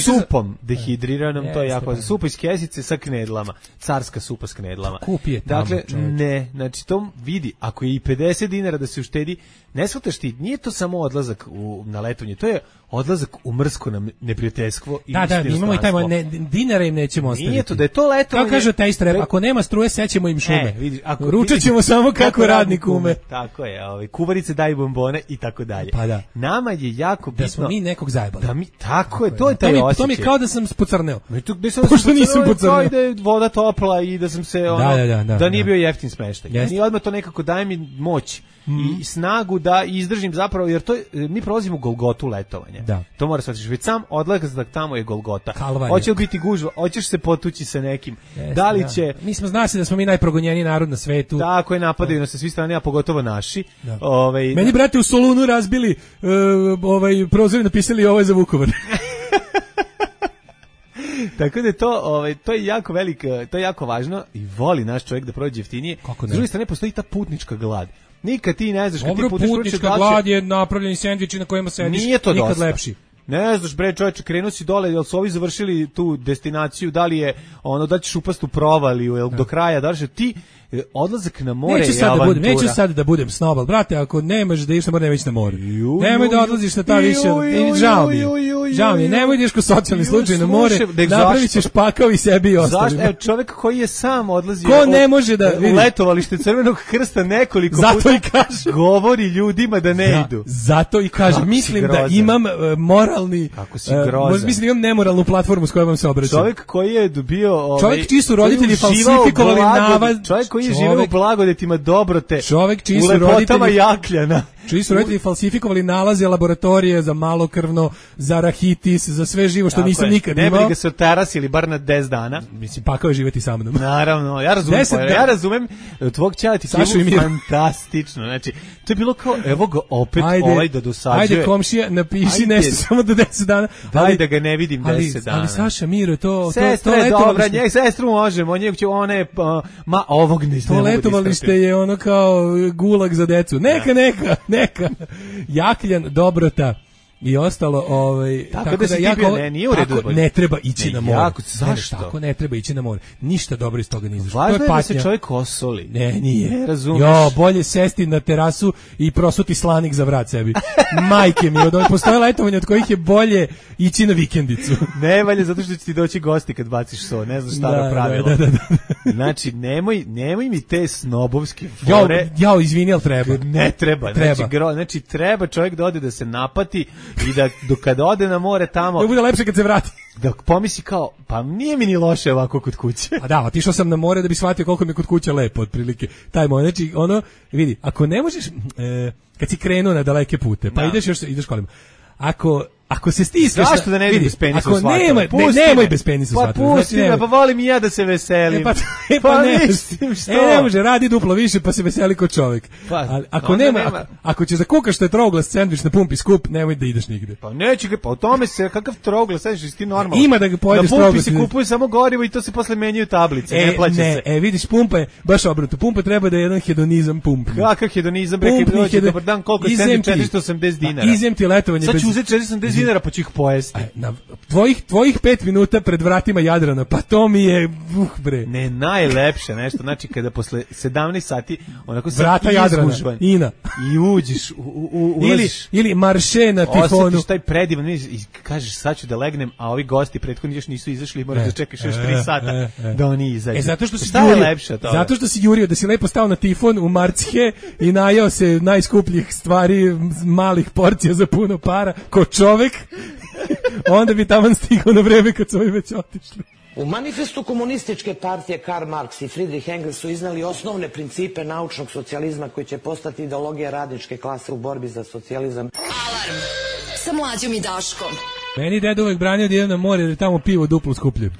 Supom dehidriranom, to je jako, supa iz kesice sa knedlama, carska supa s knedlama. Kupi je tamo, dakle, ne, znači to vidi, ako je i pedeset dinara da se uštedi, ne shvataš ti, nije to samo odlazak u, na letovanje, to je odlazak u mrsko nam neprijateljstvo i da, da, imamo i taj ne, dinara im nećemo ostaviti. Nije to da je to letovanje. Kako kaže taj strep, ako nema struje, sećemo im šume. E, vidiš, ako ručat ćemo samo kako, kako radnik ume. Tako je, ovaj kuvarice daju bombone i tako dalje. Pa da. Nama je jako bitno da smo mi nekog zajebali. Da mi tako je, to je taj osjećaj. To mi je kao da sam pocrneo. Tu gde sam pošto nisam pocrneo, kao da je voda topla i da sam se ono da, da, da, da, da nije bio jeftin smeštaj. Yes. I odmah to nekako daje mi moć mm. i snagu da izdržim zapravo, jer to je, mi prolazimo Golgotu letovanja. Da. To moraš shvatiti, već sam odlazak tamo je Golgota. Kalvarija. Hoće li biti gužva, hoćeš se potući sa nekim. Yes, da li će... Da. Mi smo znali da smo mi najprogonjeniji narod na svetu. Tako je, napadaju nas sa svih strana, a pogotovo naši. Ovaj Meni, brate, u Solunu razbili uh, ovaj prozor i napisali ovo je za Vukovar. Tako da je to, ovaj, to je jako veliko, to je jako važno i voli naš čovjek da prođe jeftinije. S druge strane postoji ta putnička glad. Nikad ti ne znaš kad Dobro, ti putniš putnička glad je napravljeni sendviči na kojima sediš, nije to nikad dosta. lepši. Ne znaš, bre, čovječe, krenuo si dole, jel su ovi završili tu destinaciju, da li je ono, da ćeš upast u provaliju, jel do kraja, da li ti odlazak na more neću je sad avantura. Da budem, neću sad da budem snobal, brate, ako nemaš da ideš na more, nemoj ići na more. Nemoj da odlaziš na ta više, žao mi je, žao mi je, nemoj da ideš ko socijalni slučaj na more, napravit ćeš pakao i sebi i ostalima. Zašto? Evo, čovjek koji je sam odlazio ko ne može da u letovalište Crvenog krsta nekoliko zato puta i kaže, govori ljudima da ne da, idu. Zato i kaže, kako mislim da imam uh, moralni, kako si grozan. Uh, mislim da imam nemoralnu platformu s kojom vam se obraćam. Čovjek koji je dobio ovaj, čovjek čiji su roditelji falsifikovali navaz, čovjek koji je živeo u blagodetima dobrote, čovjek čiji su roditelji Jakljana, čiji su roditelji falsifikovali nalaze laboratorije za malokrvno, za rahitis, za sve živo što tako nisam je. Nikad imao. Ne bi ga se otarasili bar na deset dana. Mislim, pakao je živjeti sa mnom. Naravno, ja razumem, pa, ja razumem tvog ćaleti je fantastično. Znači, to je bilo kao, evo ga opet ajde, ovaj da dosađuje. Ajde, komšija, napiši ajde, nešto samo do deset dana. Daj da ga ne vidim deset dana. Ali Saša, Miro, to... Sestre, to, to dobra, njeg, sestru možemo, njeg će one, uh, ma ovog ne to letovalište je ono kao gulag za decu. Neka, neka, neka. Jakljan, dobrota i ostalo, ovaj tako, tako da, da jako bio, ne, nije u redu, ne treba ići ne, na more. Jako, zašto? Ne, tako ne treba ići na more. Ništa dobro iz toga ne izašlo. Važno to je, je da se čovjek osoli. Ne, nije. Ne razumeš. Jo, bolje sesti na terasu i prosuti slanik za vrat sebi. Majke mi, od ovih postoje letovanja od kojih je bolje ići na vikendicu. Ne valje, zato što će ti doći gosti kad baciš so, ne znaš staro da, pravilo. Da, da, da, da. Znači, nemoj, nemoj mi te snobovske fore. Ja, ja izvini, al treba. Ne treba. treba. Znači, gro, znači, treba čovjek da ode da se napati i da dok kada ode na more tamo... Da bude lepše kad se vrati. Da pomisli kao, pa nije mi ni loše ovako kod kuće. A da, otišao sam na more da bi shvatio koliko mi je kod kuće lepo, otprilike. Taj moj, znači, ono, vidi, ako ne možeš, e, kad si krenuo na daleke pute, pa da. ideš još, ideš kolima, ako... Ako se stiskaš, zašto da ne vidim bez penisa u svatom? Nema, ne, nemoj bez penisa u svatom. Pa pusti me, pa volim i ja da se veselim. E pa, e pa, pa ne, mislim što. E ne može, radi duplo više pa se veseli kod čovjek. Pa, ali ako nema, nema. Ako, ako ćeš da kukaš što je trouglas sendvič na pumpi skup, nemoj da ideš nigde. Pa neće ga, pa o tome se, kakav trouglas sendvič ti normalno. Ima da ga pojedeš trouglas. Na pumpi se kupuje samo gorivo i to se posle menjaju tablice, e, ne plaća ne, se. E vidiš, pumpa je baš obrnuto. Pumpa treba da je jedan hedonizam pump. Kakav hedonizam, bre, kad dođe dobar dan, koliko je sendvič, četiristo osamdeset dinara. Izem ti letovanje bez. Sad ću uzeti četiristo osamdeset dinara pa ću ih pojesti. Na tvojih tvojih pet minuta pred vratima Jadrana, pa to mi je uh bre. Ne, najlepše nešto, znači kada posle sedamnaest sati onako se vrata Jadrana, Ina i uđeš u, u, u ili ili marše na tifonu. Osjetiš taj predivan i kažeš sad ću da legnem, a ovi gosti prethodni još nisu izašli, moraš da čekaš još tri sata e, e, da oni izađu. E zato što si jurio, lepše to. Zato što si jurio da si lepo stao na tifon u Marcihe i najeo se najskupljih stvari, malih porcija za puno para, ko čovek. Onda bi taman stigao na vreme kad su ovi već otišli. U manifestu komunističke partije Karl Marx i Friedrich Engels su iznali osnovne principe naučnog socijalizma koji će postati ideologija radničke klase u borbi za socijalizam. Alarm sa Mlađom i Daškom. Meni deda uvek branio da idem na more jer je tamo pivo duplo skuplje.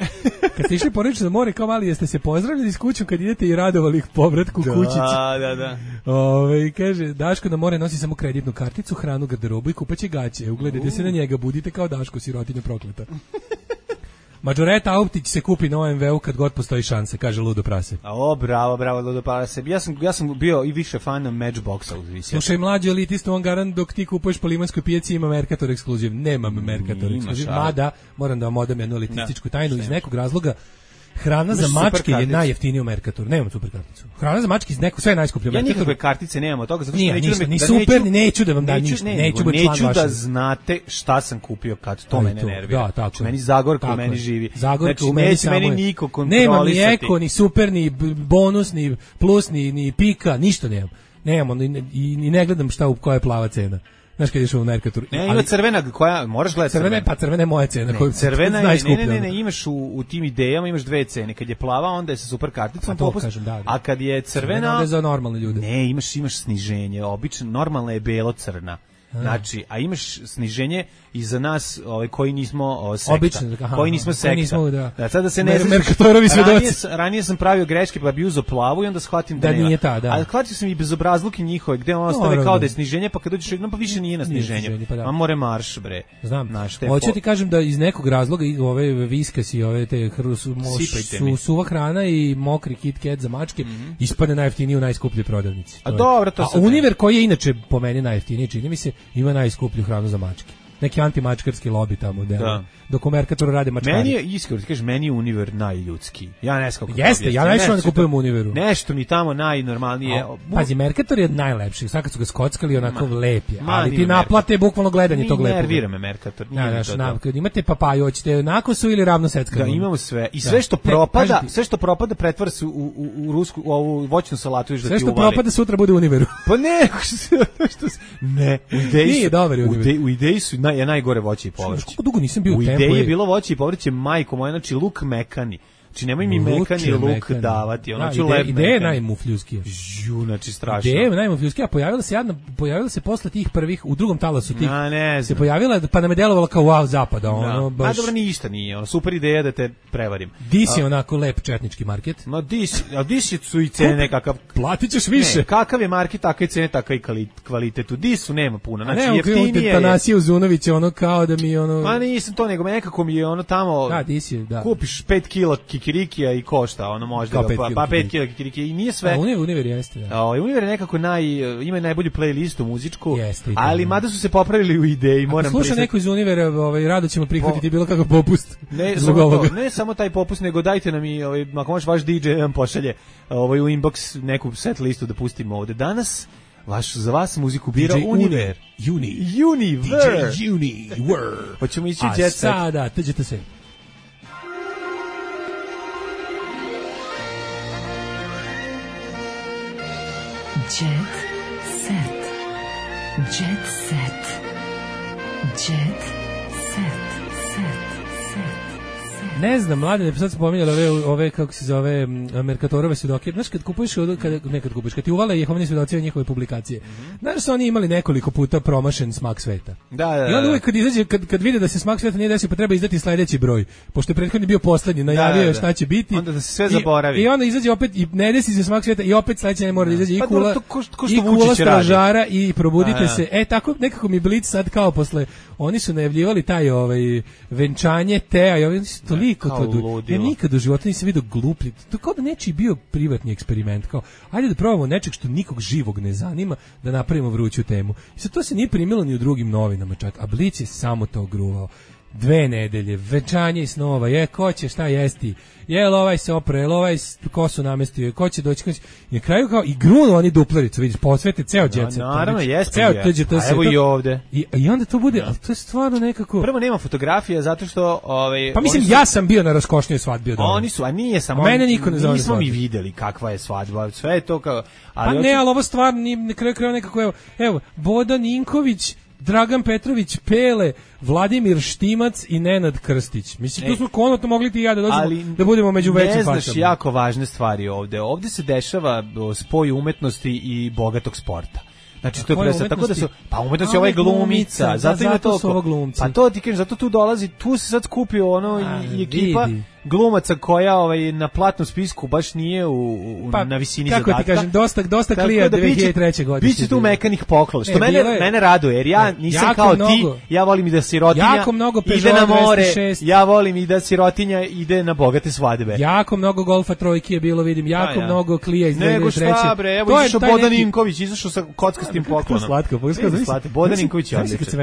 Kad ste išli porodično na more kao mali, jeste se pozdravljali s kućom kad idete i radovali ih povratku da, kućici. Da, da, da. Ove, kaže, Daško na more nosi samo kreditnu karticu, hranu, garderobu i kupaće gaće. Ugledajte uh. se na njega, budite kao Daško, sirotinja prokleta. Mađoreta Auptić se kupi na O M V U kad god postoji šanse, kaže Ludo Prase. O, bravo, bravo, Ludo Prase. Ja sam, ja sam bio i više fan Matchboxa. Slušaj, mlađi elitista, on garant dok ti kupuješ po Limanskoj pijaci ima Mercator ekskluziv. Nemam Mercator ekskluziv, mada, moram da vam odam jednu elitističku tajnu iz nekog razloga. Hrana za mačke je najjeftinija u Mercatoru. Nemam super karticu. Hrana za mačke iz neko sve je najskuplje u Mercatoru. Ja nikakve kartice nemam od toga zato što Nije, neću ništa, da me, ni da super, neću, ni neću da vam dam ništa. Ne, neću, neću, neću da znate šta sam kupio kad to Aj, mene to, nervira. Da, tako. Meni Zagorka tako u meni živi. Zagorka znači, u meni neće meni je. niko kontrolisati. Nema ni eko, ni super, ni bonus, ni plus, ni, ni pika, ništa nemam. Nemam, ni, i, ni ne gledam šta u koja je plava cena. Znaš kad ješ u Mercatoru. Ne, ima crvena koja, moraš gledati crvena. Crvena, pa crvena je moja cena. Ne, crvena je, ne, ne, ne, ne, imaš u, u tim idejama, imaš dve cene. Kad je plava, onda je sa super karticom popust, kažem, da, da. A kad je crvena... Crvena je za normalne ljude. Ne, imaš, imaš sniženje. Obično, normalna je belo-crna. Znači, a imaš sniženje i za nas ovaj, koji nismo o, sekta. Obično, aha, koji nismo sekta. Nismo, da. Da, sad da se ne Mer Mercatorovi svedoci. Ranije, ranije sam pravio greške pa bi uzeo plavu i onda shvatim da, da nema. nije ta, da. Ali shvatio sam i bezobrazluke njihove gde on ostave no, kao da je sniženje, pa kad dođeš, no pa više nije na sniženju. Pa da. A more marš, bre. Znam. Hoću po... ti kažem da iz nekog razloga ove viskas i ove te hrvu su, su suva hrana i mokri Kit Kat za mačke mm -hmm. ispadne najjeftiniji u najskupljoj prodavnici. A dobro, to se. A Univer koji je inače po meni najjeftiniji, čini mi se, ima najskuplju hranu za mačke. Neki antimačkarski lobby tamo, da. Dok u Mercatoru rade mačkari. Meni je, iskreno, ti kažeš, meni je Univer najljudski. Ja ne znam kako. Jeste, ja najviše ne kupujem u Univeru. Nešto mi tamo najnormalnije. O, pazi, Mercator je najlepši. Sad kad su ga skockali, onako ma, lep je. Ali ti naplate bukvalno gledanje tog lepog. Nervira me Mercator. Ja, znaš, na, kad imate papaju, hoćete nakosu ili ravno seckanu? Da, imamo sve. I sve što da. propada, ne, sve što propada pretvara se u, u, u rusku, u ovu voćnu salatu. Sve što propada sutra bude u Univeru. Pa ne, što ne. U ideji su, u ideji su naj, najgore voće i povrće. Kako dugo nisam bio u, u tempu. U ideji je bilo voće i povrće, majko moja, znači luk mekani. Znači nemoj mi mekani luk mekani. davati, ono ću lep. Ideja je najmufljuskija. Žu, znači strašno. Ideja je najmufljuskija, pojavila se jedna, pojavila se posle tih prvih u drugom talasu tih. A ne znam. Se pojavila pa nam je delovalo kao wow zapada, ono baš. A dobro ništa nije, ono super ideja da te prevarim. Dis je onako lep četnički market. Ma dis, a dis su i cene kakav platićeš više. Ne, kakav je market, takve cene, takav i kvalitet. U disu nema puno, znači ne, jeftinije je. Tanasiju Zunović ono kao da mi ono. Ma nisam to nego nekako mi je ono tamo. Da, dis je, da. Kupiš pet kila kikirikija i košta, ono možda pa, pa pet kila kikirikija i nije sve. A Univer, Univer jeste, da. O, Univer je nekako naj, ima najbolju playlistu muzičku, jeste, ali mada su se popravili u ideji, moram priznati. Sluša neko iz Univera, ovaj, rado ćemo prihvatiti bilo kakav popust. Ne, samo to, ne samo taj popust, nego dajte nam i, ovaj, ako možeš vaš D J nam pošalje ovaj, u inbox neku set listu da pustimo ovde. Danas vaš, za vas muziku bira Univer. Uni. Univer. D J Univer. Hoćemo ići u jet set. A sada, teđete se. Jet set. Jet set. Jet set. Ne znam, mlade, sad sam pominjala ove, ove, kako se zove, Mercatorove svedoke. Znaš, kad kupuješ, kad, ne kad kupuješ, kad ti uvale Jehovini svedoci od njihove publikacije, mm-hmm. znaš da su oni imali nekoliko puta promašen smak sveta. Da, da, da. I onda uvijek kad izađe, kad, kad vide da se smak sveta nije desio, pa treba izdati sledeći broj. Pošto je prethodni bio poslednji, najavio je šta će biti. Onda da se sve zaboravi. I, i onda izađe opet, i ne desi se smak sveta, i opet sledeći ne mora da izađe i kula, pa, ko, ko i kula stražara, i probudite da, da. se. E, tako nekako mi Blic sad kao posle, oni su najavljivali taj ovaj, venčanje Teja, i oni su toliko to du... Ja nikad u životu nisam vidio gluplji. To kao da nečiji bio privatni eksperiment. Kao, ajde da probamo nečeg što nikog živog ne zanima, da napravimo vruću temu. I sad to se nije primilo ni u drugim novinama čak. A Blic je samo to gruvao. Dve nedelje, venčanje i snova, je, ko će šta jesti, jel ovaj se opre, jel ovaj kosu namestio, ko će doći, ko će... I na kraju kao, i grunu oni duplericu, vidiš, posvete ceo djece. No, naravno, jeste je. A evo i ovde. I, I onda to bude, ali to je stvarno nekako... Prvo nema fotografija, zato što... Ovaj, pa mislim, su... ja sam bio na raskošnijoj svadbi od ovog. Oni su, a nije samo... A mene niko ne zove. Nismo mi videli kakva je svadba, sve je to kao... Ali pa ne, ali ovo stvarno, na kraju kraju nekako, evo, evo, Boda Ninković, Dragan Petrović Pele, Vladimir Štimac i Nenad Krstić. Mislim, tu smo konotno mogli ti i ja da dođemo, ali da budemo među većim fašama. Ne znaš jako važne stvari ovde. Ovde se dešava spoj umetnosti i bogatog sporta. Znači to je presa, tako da su pa umetnost je ovaj glumica, zato ima to pa to ti kažem, zato tu dolazi, tu se sad skupio ono i, i ekipa vidi. Glumaca koja ovaj na platnom spisku baš nije u, u pa, na visini kako zadatka. Kako ti kažem, dosta dosta klija da dve hiljade treće godine. Biće tu mekanih poklona, što e, mene je, mene raduje, jer ja nisam kao mnogo, ti, ja volim i da sirotinja ide na more, ja volim i da sirotinja ide na bogate svadbe. Jako mnogo golfa trojke je bilo, vidim, jako da, ja. mnogo klija iz dve hiljade treće. Nego šta bre, evo izašao Bodan Ninković, izašao sa kockastim poklonom. Slatko, slatko, Bodan Ninković je odličan.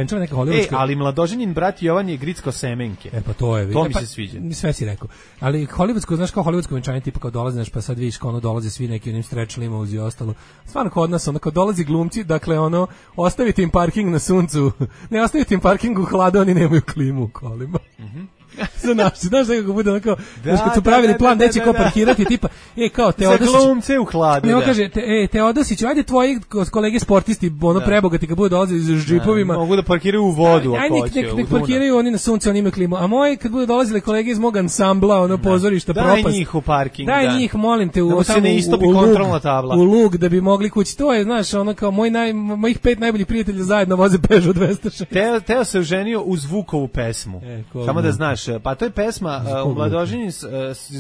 E, ali mladoženin brat Jovan je grickao semenke. E pa to je, to mi se sviđa. Sve si rekao. Ali hollywoodsko, znaš kao hollywoodsko venčanje tipa kao dolazi, pa sad vidiš kao ono dolaze svi neki onim stretch limouzi i ostalo. Stvarno kod nas ono kao dolazi glumci, dakle ono ostavite im parking na suncu. Ne ostavite im parking u hladu, oni nemaju klimu u kolima. Mhm. Za nas, znaš da kako bude onako, da, kad su pravili da, plan da, da, gde će ko parkirati, tipa, e, kao Teodosić. Za glumce u hladu, da. Kaže, te, e, Teodosić, ajde tvoji kolege sportisti, ono da. Prebogati, kad bude dolazili s džipovima. Da, mogu da parkiraju u vodu, ajde, ako hoće. Ajde, nek parkiraju oni na sunce, oni imaju klimu. A moji, kad bude dolazili kolege iz mog ansambla, ono, pozorišta, da. propast. Daj njih u parking, daj da. njih, molim te, u, da se ne istopi kontrolna tabla. U lug, da bi mogli kući. To je, znaš, ono kao, moj naj, mojih pet najboljih prijatelja zajedno voze Peugeot dvesta šest. Teo, Teo se oženio uz Vukovu pesmu. E, samo da znaš, pa to je pesma u mladoženju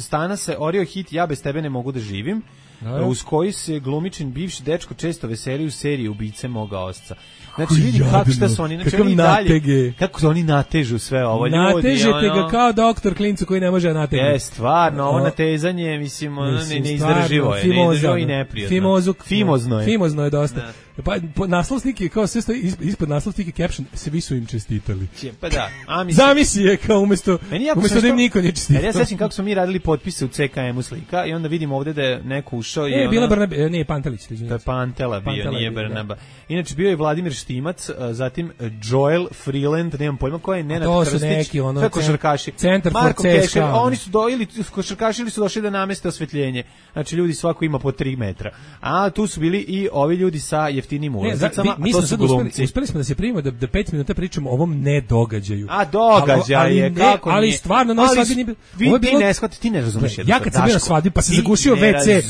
stana se orio hit Ja bez tebe ne mogu da živim, no, uz koji se glumičin bivši dečko često veseli u seriji Ubice moga osca. Znači vidi kako šta su oni, znači oni dalje, kako su oni natežu sve ovo ljudi. Natežete ono, ga kao doktor klincu koji ne može nategnuti. Je, stvarno, ovo natezanje, mislim, ono ne, neizdrživo je, neizdrživo i neprijatno. Fimozuk, Fimozno je. Fimozno je dosta. Da. Pa naslov slike, kao sve stoji ispod naslov slike caption, svi su im čestitali. Pa da, a mislim. Zamisli je kao umesto, umesto da im niko nije čestitao. Ja sećam kako smo mi radili potpise u C K M-u slika i onda vidimo ovde da je neko ušao i e, bila Barnabe, nije Pantelić, to je Pantela bio, nije Barnaba. Inače bio je Vladimir Štimac, zatim Joel Freeland, nemam pojma ko je, Nenad Krstić. To su neki ono, kako košarkaši. Centar for C S K A. Oni su do ili košarkaši ili su došli da nameste osvetljenje. Znači ljudi svako ima po tri metra. A tu su bili i ovi ljudi sa jeftinim ulazicama, mi smo sad uspeli, uspeli smo da se primimo da, da pet minuta pričamo o ovom ne događaju. A događaj je, kako ali stvarno na svadbi nije. Vi ti ne shvatite, ti ne razumeš. Ja kad sam bio na svadbi pa se zagušio ve ce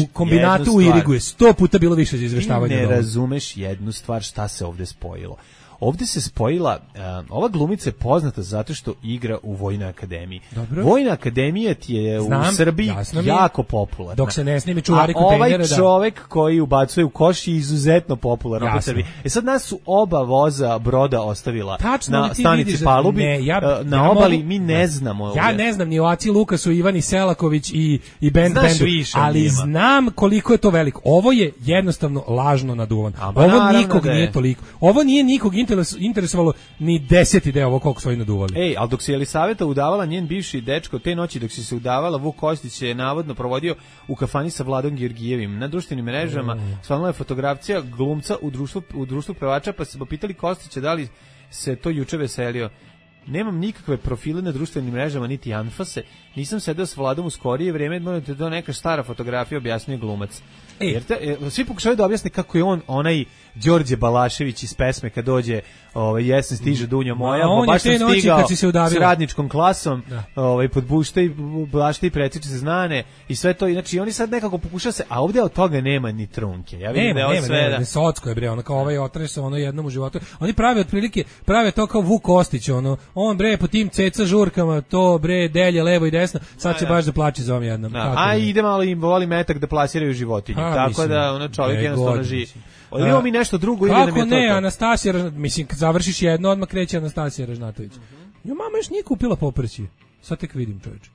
u kombinatu u Irigu, sto puta bilo više za izveštavanje. Ne razumeš jednu stvar, šta se ovde spojilo. Ovde se spojila, uh, ova glumica je poznata zato što igra u Vojnoj akademiji. Dobro. Vojna akademija ti je Znam, u Srbiji jako popularna. Dok se ne snimi čuvari kontejnera, da. A ovaj čovek koji ubacuje u koš je izuzetno popularan u Srbiji. E sad nas su oba voza broda ostavila Tačno, na stanici Palubi, ne, ja, na ja obali mogu, mi ne znamo. Ja ovdje. ne znam ni o Aci Lukasu, Ivani Selaković i, i band, bandu, ali njima. znam koliko je to veliko. Ovo je jednostavno lažno naduvan. Ovo nikog da nije toliko. Ovo nije nikog interesovalo ni deseti deo ovo koliko su oni naduvali. Ej, ali dok se Jelisaveta udavala, njen bivši dečko, te noći dok se se udavala, Vuk Kostić je navodno provodio u kafani sa Vladom Georgijevim. Na društvenim mrežama mm. svalila je fotografija glumca u društvu, u društvu pevača, pa se popitali Kostića da li se to juče veselio. Nemam nikakve profile na društvenim mrežama, niti anfase. Nisam sedeo s Vladom u skorije vreme, moram te da neka stara fotografija, objasnio glumac. E, jer te, e, svi pokušaju da objasne kako je on onaj Đorđe Balašević iz pesme kad dođe ovaj jesen stiže Dunja moja, on baš sam stigao s radničkom klasom, ovaj pod bušta i bašta i pretiče se znane i sve to, znači oni sad nekako pokušaju se, a ovde od toga nema ni trunke. Ja vidim nema, da je nema, sve nema, da socko je bre, ono kao ovaj otresao ono jednom u životu. Oni prave otprilike, prave to kao Vuk Kostić, ono, on bre po tim ceca žurkama, to bre delje levo i desno, sad će baš da plače za ovom jednom. A ide malo im voli metak da plasiraju životinje. Tako da ono čovjek jednostavno živi. Odimo mi nešto drugo ili nam je to. Kako ne, Anastasija, mislim kad završiš jedno odmah kreće Anastasija Ražnatović. Jo, mama još nije kupila poprći. Sad tek vidim, čoveče.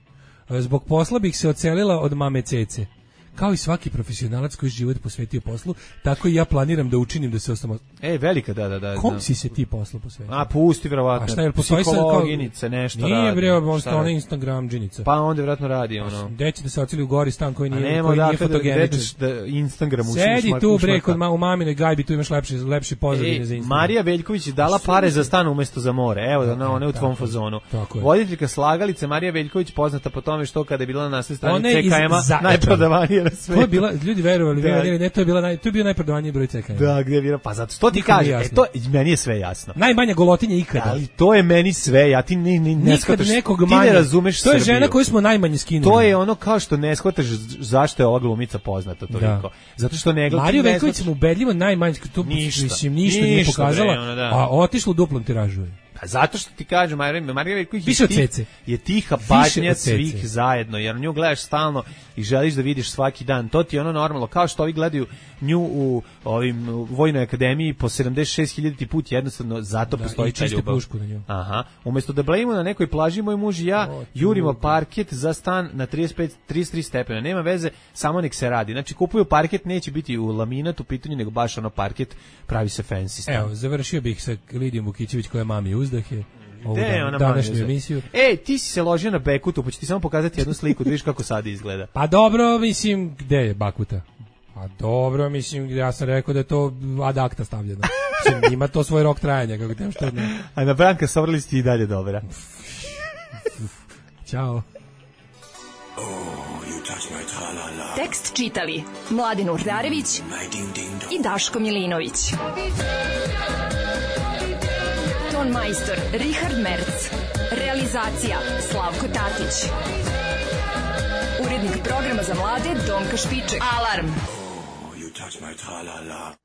Zbog posla bih se ocelila od mame Cece. Kao i svaki profesionalac koji život posvetio poslu, tako i ja planiram da učinim da se ostamo. Ej, velika, da, da, da. Kom si se ti poslu posvetio? A, pusti, verovatno. A šta je, postoji sad kao... nešto nije, radi. Nije, bre, on sta ona Instagram džinica. Pa onda vjerojatno radi, ono. Deći da se oceli u gori stan koji nije, nema, koji da, nije fotogeničan. Da, da Instagram ušiš. Sedi tu, bre, kod ma, u maminoj gajbi, tu imaš lepši, lepši pozadine za Instagram. Marija Veljković je dala pare za stan umjesto za more. Evo, da, ona je u tvom fazonu. Voditeljka slagalice Marija Veljković poznata po tome što kada je bila na naslednoj strani C K M-a najprodavanija je na svetu. To je bila, ljudi verovali, da. ne, to je bila naj, to je bio najprodavaniji broj C K M. Da, gde je bila, pa zato što ti kaže, e, to, meni je sve jasno. Najmanja golotinja ikada. Ali to je meni sve, ja ti ne, ne, ne shvataš, ti ne razumeš To je Srbiju. žena koju smo najmanje skinuli. To je ono kao što ne shvataš zašto je ova glumica poznata toliko. Da. Zato što ne gleda. Mariju Veković sam ubedljivo najmanje, to ništa, mislim, ništa, ništa nije pokazala, bre, ono, da. A otišlo u duplom tiražu. Zato što ti kažem, Marija Veljković je, tih, je tiha patnja svih zajedno, jer nju gledaš stalno i želiš da vidiš svaki dan. To ti je ono normalno, kao što ovi gledaju nju u ovim u Vojnoj akademiji po sedamdeset šest hiljaditi put, jednostavno zato da, postoji ta ljubav. Pušku na nju. Aha. Umjesto da blejimo na nekoj plaži, moj muž i ja o, jurimo parket za stan na trideset pet trideset tri stepena. Nema veze, samo nek se radi. Znači, kupuju parket, neće biti u laminat u pitanju, nego baš ono parket, pravi se fancy stan. Evo, završio bih sa Lidijom Vukićević koja mami uzdahe. Ovu dan, današnju emisiju. Ej, ti si se ložio na Bekutu, pa ću ti samo pokazati jednu sliku, da vidiš kako sad izgleda. Pa dobro, mislim, gde je Bakuta? Pa dobro, mislim, ja sam rekao da je to ad acta stavljeno. Mislim, ima to svoj rok trajanja, kako tem što ne. A na Branka Sovrli si i dalje dobra. Ćao. Tekst čitali Mladin Urdarević i Daško Milinović. Ton majstor Richard Merc. Realizacija Slavko Tatić. Urednik programa za mlade Donka Špiček. Alarm! Oh, you touch my tra-la-la.